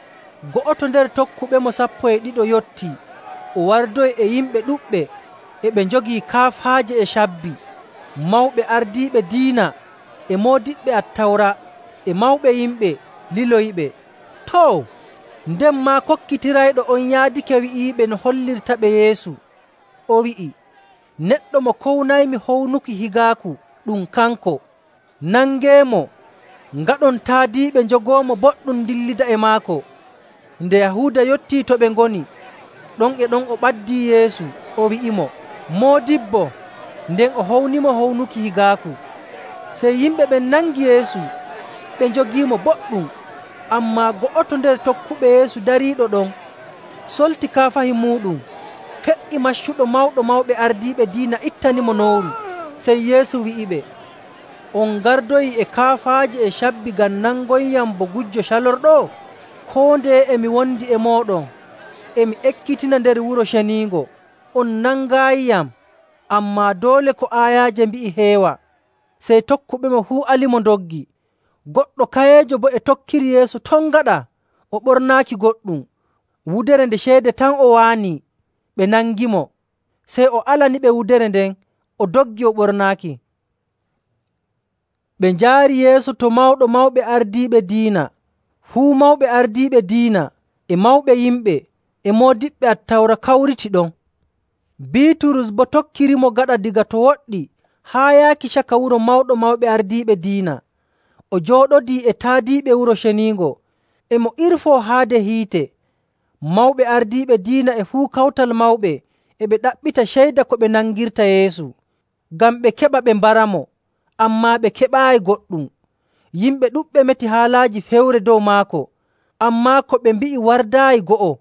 [SPEAKER 1] go'oto nder tokkuɓemo 12 yottii. O wardoyi e yimɓe ɗuɗɓe, e ɓe njogii kaafaaje e cabbi, mawɓe ardiiɓe diina, e moodiɓɓe Attawra, e mawɓe yimɓe liloyiɓe. Too, nden maa kokkitirayɗo on yaadake wi'iiɓe no hollirtaɓe Yeesu. O wi'i, “Neɗɗo mo kownaymi hownuki higaaku, ɗum kanko. Nangeemo, ngaɗon taadiiɓe njogoomo boɗɗum dillida e maako.” Nde Yahuuda yottii to ɓe ngoni, ɗon e ɗon o ɓaddii Yeesu, o wi'imo, “Moodibbo,” nden o hownimo hownuki higaaku. Sey yimɓe ɓen nangi Yeesu, ɓe njogiimo boɗɗum. Ammaa go'oto nder tokkuɓe Yeesu dariiɗo ɗon solti kaafahi muuɗum, fe''i maccuɗo mawɗo mawɓe ardiiɓe diina ittanimo nowru. Sey Yeesu wi'iɓe, “On gardoyii e kaafaaje e cabbi ngam nangoyyam bo gujjo calorɗo? Koo ndeye e mi wondi e mooɗon, e mi ekkitina nder Wuro Ceniingo, on nangaayiyam. Ammaa doole ko aayaaje mbi'i heewa.” Sey tokkuɓemo fuu alimo ndoggi. Goɗɗo kayeejo boo e tokkiri Yeesu ton gaɗa, o ɓornaaki goɗɗum. Wudere nde ceede tan o waanii. Ɓe nangimo, sey o alaniɓe wudere nden, o doggi o ɓornaaki. Ɓe njaari Yeesu to Mawɗo Mawɓe Ardiiɓe Diina. Fuu mawɓe ardiiɓe diina e mawɓe yimɓe e moodiɓɓe Attawra kawriti ɗon. Biiturus boo tokkirimo gaɗa diga to woɗɗi haa yaaki caka wuro Mawɗo Mawɓe Ardiiɓe Diina. O jooɗodii e taadiiɓe Wuro Ceniingo, e mo irfoo haade hiite. Mawɓe ardiiɓe diina e fuu kawtal mawɓe e ɓe ɗaɓɓita ceyda ko ɓe nangirta Yeesu, ngam ɓe keɓa ɓe mbaramo, ammaa ɓe keɓaayi goɗɗum. Yimɓe ɗuɗɓe meti haalaaji fewre dow maako, ammaa ko ɓe mbi'i wardaayi go'o.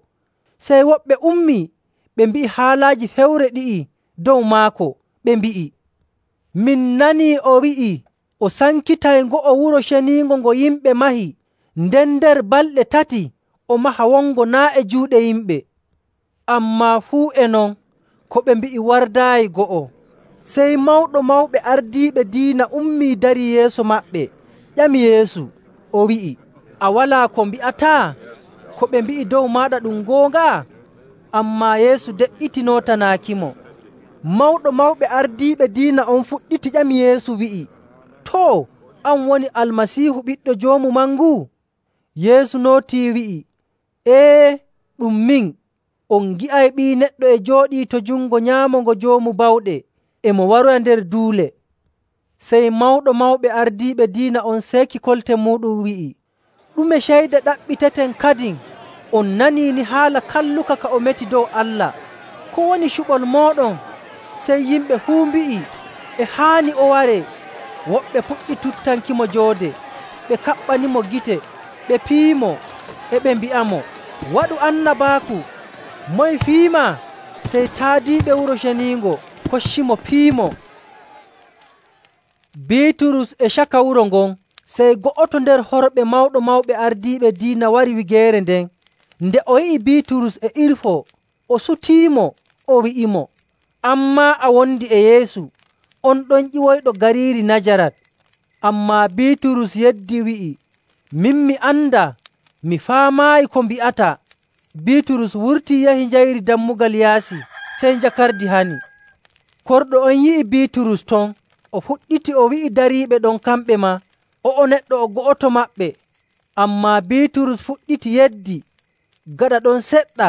[SPEAKER 1] Sey woɓɓe ummii ɓe mbi'i haalaaji fewre ɗi'i dow maako, ɓe mbi'i, “Min nanii o wi'i o sankitay ngo'o Wuro Ceniingo ngo yimɓe mahi, nden nder balɗe 3 o maha wongo naa' e juuɗe yimɓe.” Ammaa fuu e non, ko ɓe mbi'i wardaayi go'o. Sey Mawɗo Mawɓe Ardiiɓe Diina ummii darii yeeso maɓɓe, ƴami Yeesu, o wi'i, “A walaa ko mbi'ataa? Ko ɓe mbi'i dow maaɗa ɗum goonga?” Ammaa Yeesu de''iti nootanaakimo. Mawɗo Mawɓe Ardiiɓe Diina on fuɗɗiti ƴami Yeesu wi'i, “Too, an woni Almasiihu Ɓiɗɗo Joomu Mangu?” Yeesu nootii wi'i, “Ee, ɗum min. On ngi'ay Ɓii Neɗɗo e jooɗii to jungo nyaamo ngo Joomu Bawɗe, e mo waroya nder duule.” Sey Mawɗo Mawɓe Ardiiɓe Diina on seeki kolte muuɗum wi'i, “Ɗume ceyde ɗaɓɓiteten kadin? On nanii ni haala kalluka ka o meti dow Allah. Ko woni cuɓol mooɗon?” Sey yimɓe fuu mbi'i, “E haani o waree.” Woɓɓe puɗɗi tuttankimo joode, ɓe kaɓɓanimo gite, ɓe piyimo, e ɓe mbi'amo, “Waɗu annabaaku! Moye fiima?” Sey taadiiɓe Wuro Ceniingo koccimo piimo. Biiturus e caka wuro ngon, sey go'oto nder horɓe Mawɗo Mawɓe Ardiiɓe Diina wari wigeere nden. Nde o yi'i Biiturus e irfoo, o sutiimo, o wi'imo, “An maa a wondi e Yeesu, on ɗon ƴiwoyɗo gariiri Najarat.” Ammaa Biiturus yeddi wi'i, “Min mi andaa, mi faamaayi ko mbi'ataa.” Biiturus wurtii yahi njayri dammugal yaasi, sey njakardi hani. Korɗo on yi'i Biiturus ton, o fuɗɗiti o wi'i dariiɓe ɗon kamɓe maa, o'o neɗɗo o go'oto maɓɓe. Ammaa Biiturus fuɗɗiti yeddi. Gaɗa ɗon seɗɗa,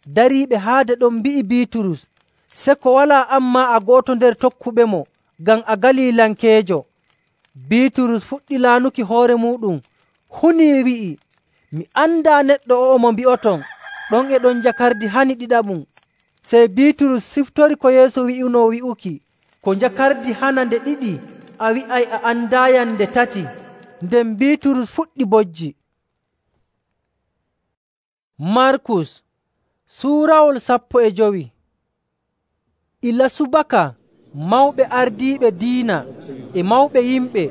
[SPEAKER 1] dariiɓe haade ɗon mbi'i Biiturus, “Seko walaa an maa a go'oto nder tokkuɓemo, ngam a Galilankeejo.” Biiturus fuɗɗi laanuki hoore muuɗum, hunii wi'i, “Mi andaa neɗɗo o'o mo mbi'oton.” Ɗon e ɗon njakardi hani ɗiɗaɓum. Sey Biiturus siftori ko Yeesu wi'unoo wi'uki, “Ko njakardi hana nde ɗiɗi, a wi'ay a andaayam nde tati.” Nden Biiturus fuɗɗi bojji. Markus suurawol 15. Ila subaka mawɓe ardiiɓe diina e mawɓe yimɓe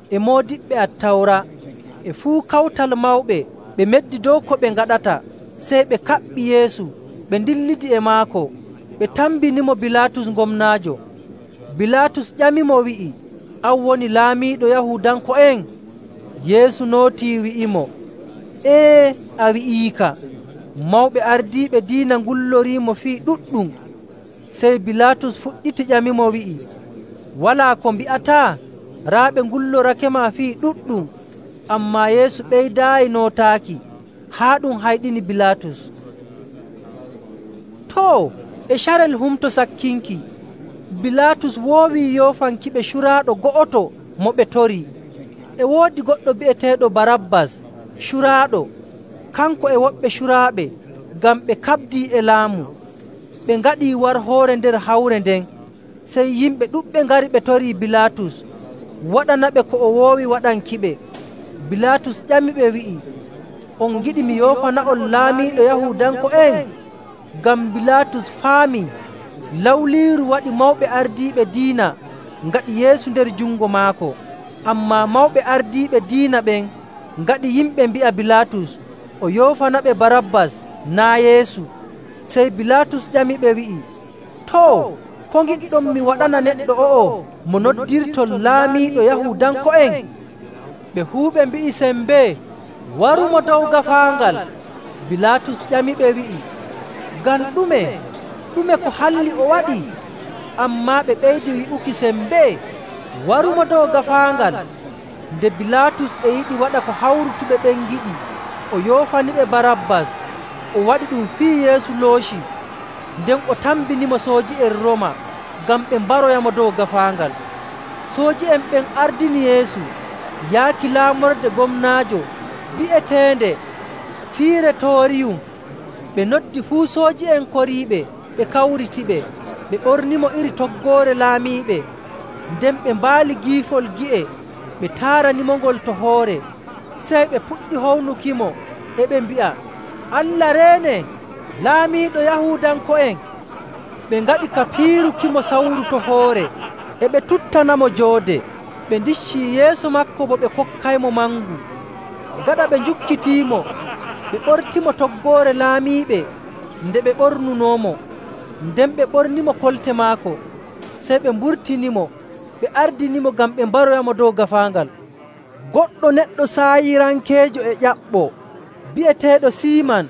[SPEAKER 1] e moodiɓɓe Attawra e fuu kawtal mawɓe ɓe meddi dow ko ɓe ngaɗata, sey ɓe kaɓɓi Yeesu ɓe ndillidi e maako. Ɓe tambinimo Bilaatus gomnaajo. Bilaatus ƴamimo wi'i, “An woni laamiiɗo Yahuudanko'en?” Yeesu nootii wi'imo, “Ee, a wi'iika.” Mawɓe ardiiɓe diina ngulloriimo fii ɗuɗɗum. Sey Bilaatus fuɗɗiti ƴamimo wi'i, “Walaa ko mbi'ataa?” Raa ɓe ngullorakema fii ɗuɗɗum. Ammaa Yeesu ɓeydaayi nootaaki, haa ɗum hayɗini Bilaatus. Too, e carel Humto Sakkinki, Bilaatus woowii yoofankiɓe curaaɗo go'oto mo ɓe torii. E woodi goɗɗo bi'eteeɗo Barabbas, curaaɗo. Kanko e woɓɓe curaaɓe, ngam ɓe kaɓdii e laamu. Ɓe ngaɗii warhoore nder hawre nden. Sey yimɓe ɗuɗɓe ngari ɓe torii Bilaatus, waɗanaɓe ko o woowi waɗankiɓe. Bilaatus ƴamiɓe wi'i, “On ngiɗi mi yoofana'on laamiiɗo Yahuudanko'en?” Ngam Bilaatus faamii lawliiru waɗi mawɓe ardiiɓe diina ngaɗi Yeesu nder jungo maako. Ammaa mawɓe ardiiɓe diina ɓen ngaɗi yimɓe mbi'a Bilaatus o yoofanaɓe Barabbas naa Yeesu. Sey Bilaatus ƴamiɓe wi'i, “Too, ko ngiɗɗon mi waɗana neɗɗo o'o mo noddirton laamiiɗo Yahuudanko'en?” Ɓe fuu ɓe mbi'i sembee, “Warumo dow gaafaangal.” Bilaatus ƴamiɓe wi'i, “Ngam ɗume? Ɗume ko halli o waɗi?” Ammaa ɓe ɓeydi wi'uki sembee, “Warumo dow gaafaangal.” Nde Bilaatus e yiɗi waɗa ko hawrutuɓe ɓen ngiɗi, o yoofaniɓe Barabbas, o waɗi ɗum fii Yeesu looci. Nden o tambinimo sooji'en Rooma ngam ɓe mbaroyamo dow gaafaangal. Sooji'en ɓen ardini Yeesu yaaki laamorde gomnaajo bi'eteende Fireetooriyum. Ɓe noddi fuu sooji'en koriiɓe ɓe kawritiɓe, ɓe ɓornimo iri toggoore laamiiɓe. Nden ɓe mbaali giifol gi'e, ɓe taaranimongol to hoore. Sey ɓe puɗɗi hownukimo e ɓe mbi'a, “Allah reene, laamiiɗo Yahuudanko'en!” Ɓe ngaɗi ka piirukimo sawru to hoore, e ɓe tuttanamo joode. Ɓe ndiccii yeeso maako bo ɓe kokkaymo mangu. Gaɗa ɓe njukkitiimo, ɓe ɓortimo toggoore laamiiɓe nde ɓe ɓornunoomo. Nden ɓe ɓornimo kolte maako. Sey ɓe mburtinimo, ɓe ardinimo ngam ɓe mbaroyamo dow gaafaangal. Goɗɗo neɗɗo saayirankeejo e ƴaɓɓo bi'eteeɗo Siiman,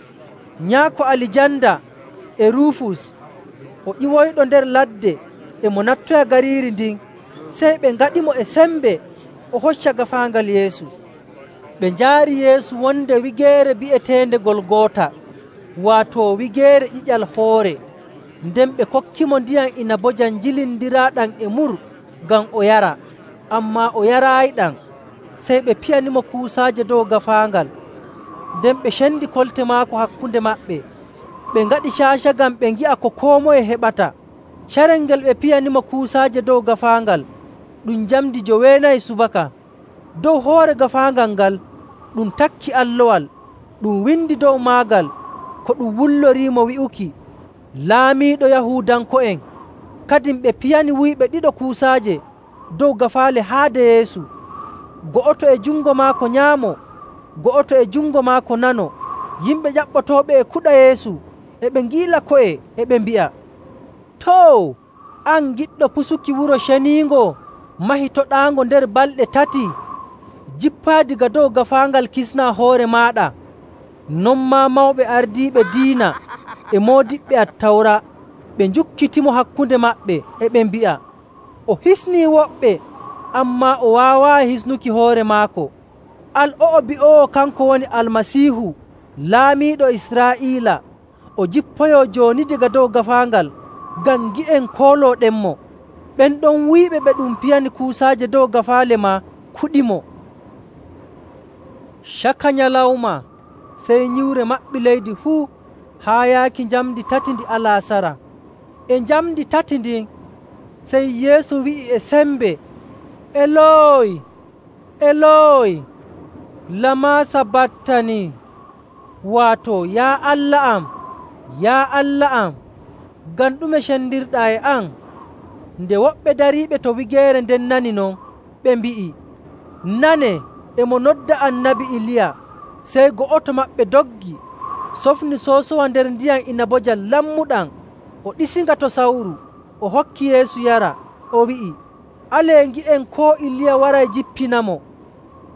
[SPEAKER 1] nyaako Alijanda e Ruufus, o ƴiwoyɗo nder ladde e mo nattoya gariiri ndin. Sey ɓe ngaɗimo e sembe o hocca gaafaangal Yeesu. Ɓe njaari Yeesu wonde wigeere bi'eteende Golgoota, waato wigeere ƴiƴal hoore. Nden ɓe kokkimo ndiyam inabojam jilindiraaɗam e mur ngam o yara, ammaa o yaraayiɗam. Sey ɓe piyanimo kuusaaje dow gaafaangal. Nden ɓe cendi kolte maako hakkunde maɓɓe. Ɓe ngaɗi caaca ngam ɓe ngi'a ko koo moye heɓata. Carel ngel ɓe piyanimo kuusaaje dow gaafaangal ɗum njamndi 9 subaka. Dow hoore gaafaangal ngal ɗum takki allowal, ɗum windi dow maagal ko ɗum wulloriimo wi'uki, “Laamiiɗo Yahuudanko'en.” Kadin ɓe piyani wuyɓe ɗiɗo kuusaaje dow gaafaale haade Yeesu, go'oto e jungo maako nyaamo, go'oto e jungo maako nano. Yimɓe ƴaɓɓotooɓe e kuɗa Yeesu e ɓe ngiila ko'e e ɓe mbi'a, “Too, an giɗɗo pusuki Wuro Ceniingo mahitoɗaango nder balɗe 3, jippaa daga dow gaafaangal kisnaa hoore maaɗa.” Non maa mawɓe ardiiɓe diina e moodiɓɓe Attawra Ɓe njukkitimo hakkunde maɓɓe, e ɓe mbi'a, “O hisnii woɓɓe, ammaa o waawaayi hisnuki hoore maako. Al o'o bi'oowo kanko woni Almasiihu, Laamiiɗo Israa'iila, o jippoyoo jooni daga dow gaafaangal ngam ngi'en koolooɗenmo.” Ɓen ɗon wuyɓe ɓe ɗum piyani kuusaaje dow gaafaale maa kuɗimo. Caka nyalawma sey nyiwre maɓɓi leydi fuu haa yaaki njamndi tati ndi alaasara. E njamndi tati ndin sey Yeesu wi'i e sembe, “Elooyi, Elooyi, lamaa sabaktanii?” Waato, “Yaa Allah am, yaa Allah am, ngam ɗume cendirɗaa e am?” Nde woɓɓe dariiɓe to wigeere nden nani non, ɓe mbi'i, “Nanee, e mo nodda Annabi Iliya.” Sey go'oto maɓɓe doggi, sofni soosowa nder ndiyam inabojam lammuɗam, o ɗisinga to sawru, o hokki Yeesu yara, o wi'i, “Alee ngi'en koo Iliya waray jippinamo.”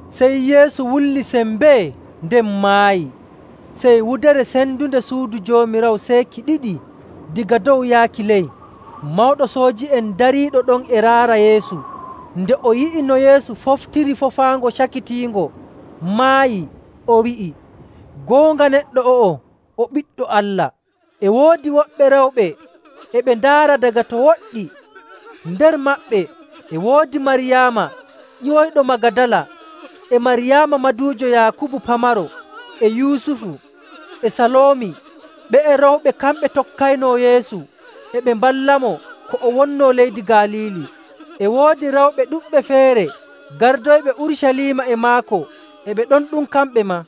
[SPEAKER 1] Sey Yeesu wulli sembee, nden maayi. Sey wudere sendunde suudu Joomiraawo seeki ɗiɗi daga dow yaaki ley. Mawɗo sooji'en dariiɗo ɗon e raara Yeesu. Nde o yi'i no Yeesu foftiri fofaango cakitiingo, maayi, o wi'i, “Goonga neɗɗo o'o o Ɓiɗɗo Allah.” E woodi woɓɓe rewɓe e ɓe ndaara daga to woɗɗi. Nder maɓɓe e woodi Maryaama ƴiwoyɗo Magadala, e Maryaama maduujo Yaakubu pamaro, e Yusufu, e Saloomi. Ɓe'e rewɓe kamɓe tokkaynoo Yeesu, e ɓe mballamo ko o wonnoo leydi Galiili. E woodi rewɓe ɗuɗɓe feere gardoyɓe Urucaliima e maako, e ɓe ɗon ɗum kamɓe maa.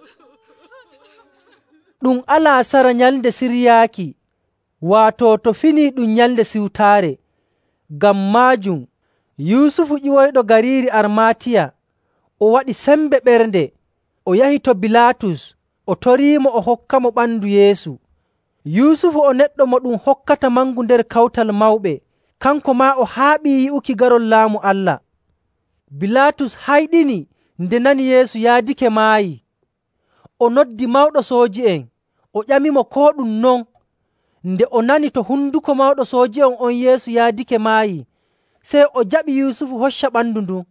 [SPEAKER 1] Ɗum alaasara nyalnde siryaaki, waato to finii ɗum Nyalnde Siwtaare. Ngam maajum Yusufu ƴiwoyɗo gariiri Armaatiya o waɗi sembe ɓernde, o yahi to Bilaatus o toriimo o hokkamo ɓandu Yeesu. Yusufu o neɗɗo mo ɗum hokkata mangu nder Kawtal Mawɓe, kanko maa o haaɓii yi'uki garol Laamu Allah. Bilaatus hayɗini nde nani Yeesu yaadake maayi. O noddi mawɗo sooji'en, o ƴamimo koo ɗum non. Nde o nani to hunduko mawɗo sooji'en on Yeesu yaadake maayi, sey o jaɓi Yusufu hocca ɓandu ndun.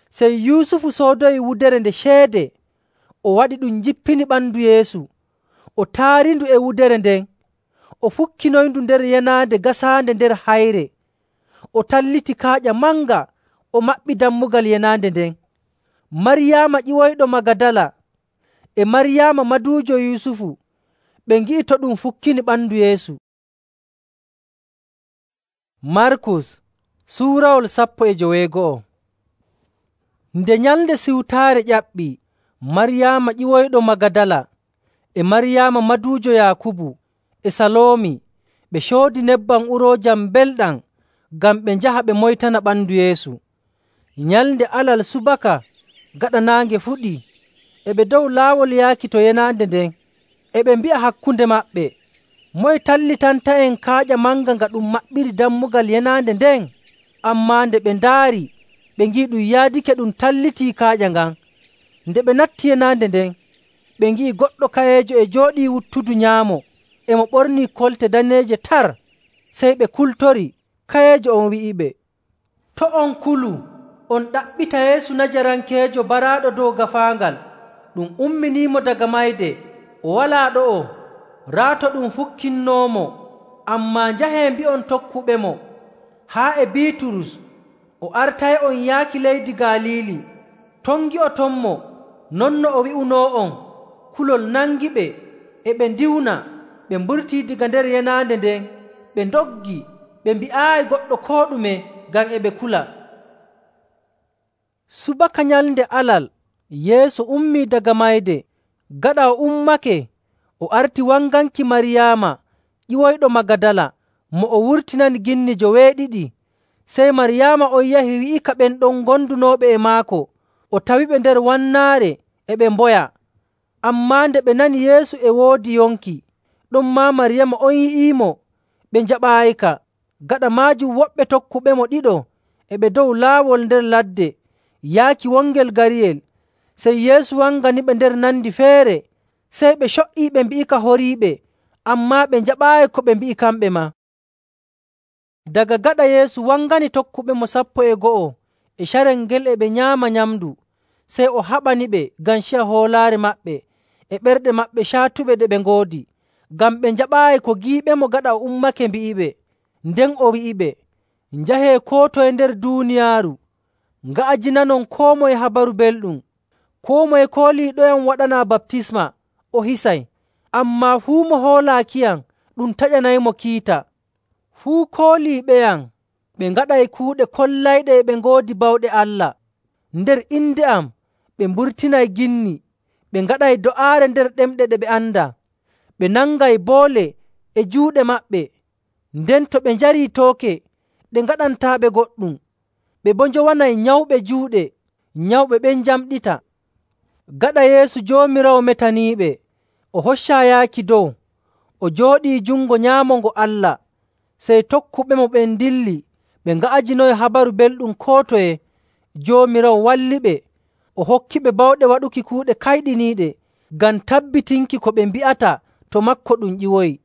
[SPEAKER 1] Sey Yusufu soodoyi wudere nde ceede, o waɗi ɗum jippini ɓandu Yeesu, o taarindu e wudere nden, o fukkinoyndu nder yenaande gasaande nder hayre. O talliti kaaƴa manga, o maɓɓi dammugal yenaande nden. Maryaama ƴiwoyɗo Magadala e Maryaama maduujo Yusufu ɓe ngi'i to ɗum fukkini ɓandu Yeesu. Markus suurawol 15. Nde Nyalnde Siwtaare ƴaɓɓii, Maryaama ƴiwoyɗo Magadala e Maryaama maduujo Yaakubu e Saloomi ɓe coodi nebbam uroojam belɗam ngam ɓe njaha ɓe moytana ɓandu Yeesu. Nyalnde Alal subaka gaɗa naange fuɗii, e ɓe dow laawol yaaki to yenaande nden, e ɓe mbi'a hakkunde maɓɓe, “Moye tallitanta'en kaaƴa manga nga ɗum maɓɓiri dammugal yenaande nden?” Ammaa nde ɓe ndaari, ɓe ngi'i ɗum yaadake ɗum tallitii kaaƴa ngan. Nde ɓe natti yenaande nden, ɓe ngi'i goɗɗo kayeejo e jooɗii wuttudu nyaamo, e mo ɓornii kolte daneeje tar. Sey ɓe kultori. Kayeejo on wi'iɓe, “To' on kulu, on ɗaɓɓita Yeesu Najarankeejo baraaɗo dow gaafaangal. Ɗum umminiimo daga mayde. O walaa ɗo'o. Raa to ɗum fukkinnoomo. Ammaa njahee mbi'on tokkuɓemo haa e Biiturus o artay'on yaaki leydi Galiili. Ton ngi'otonmo non no o wi'unoo'on.” Kulol nangiɓe, e ɓe ndiwna. Ɓe mburtii daga nder yenaande nden, ɓe ndoggi. Ɓe mbi'aayi goɗɗo koo ɗume ngam e ɓe kula. Subaka nyalnde Alal, Yeesu ummii daga mayde. Gaɗa o ummake, o arti wanganki Maryaama ƴiwoyɗo Magadala mo o wurtinani ginni 2. Sey Maryaama on yahi wi'ika ɓen ɗon gondunooɓe e maako, o tawiɓe nder wannaare e ɓe mboya. Ammaa nde ɓe nani Yeesu e woodi yonki, ɗonmaa Maryaama on yi'iimo, ɓe njaɓaayika. Gaɗa maajum woɓɓe tokkuɓemo ɗiɗo e ɓe dow laawol nder ladde yaaki wongel gariyel. Sey Yeesu wanganiɓe nder nandi feere. Sey ɓe co''ii ɓe mbi'ika horiiɓe, ammaa ɓe njaɓaayi ko ɓe mbi'i kamɓe maa. Daga gaɗa Yeesu wangani tokkuɓemo 12 e carel ngel e ɓe nyaama nyamndu, sey o haɓaniɓe ngam ciya hoolaare maɓɓe e ɓerɗe maɓɓe caatuɓe ɗe ɓe ngoodi, ngam ɓe njaɓaayi ko giiɓemo gaɗa o ummake mbi'iɓe. Nden o wi'iɓe, “Njahee koo toye nder duuniyaaru, nga'ajinanon koo moye Habaru Belɗum. Koo moye kooliiɗoyam waɗanaa baptisma, o hisay, ammaa fuu mo hoolaakiyam ɗum taƴanaymo kiita. Fuu kooliiɓeyam ɓe ngaɗay kuuɗe kollayɗe e ɓe ngoodi bawɗe Allah. Nder inde am ɓe mburtinay ginni, ɓe ngaɗay do'aare nder ɗemɗe ɗe ɓe andaa. Ɓe nangay boole e juuɗe maɓɓe, nden to ɓe njarii tooke, ɗe ngaɗantaaɓe goɗɗum. Ɓe boo njowanay nyawɓe juuɗe, nyawɓe ɓen njamɗita.” Gaɗa Yeesu Joomiraawo metaniiɓe, o hoccaa yaaki dow, o jooɗii jungo nyaamo ngo Allah. Sey tokkuɓemo ɓen ndilli ɓe nga'ajinoyi Habaru Belɗum koo toye. Joomiraawo walliɓe, o hokkiɓe bawɗe waɗuki kuuɗe kayɗiniiɗe ngam tabbitinki ko ɓe mbi'ata to maako ɗum ƴiwoyi.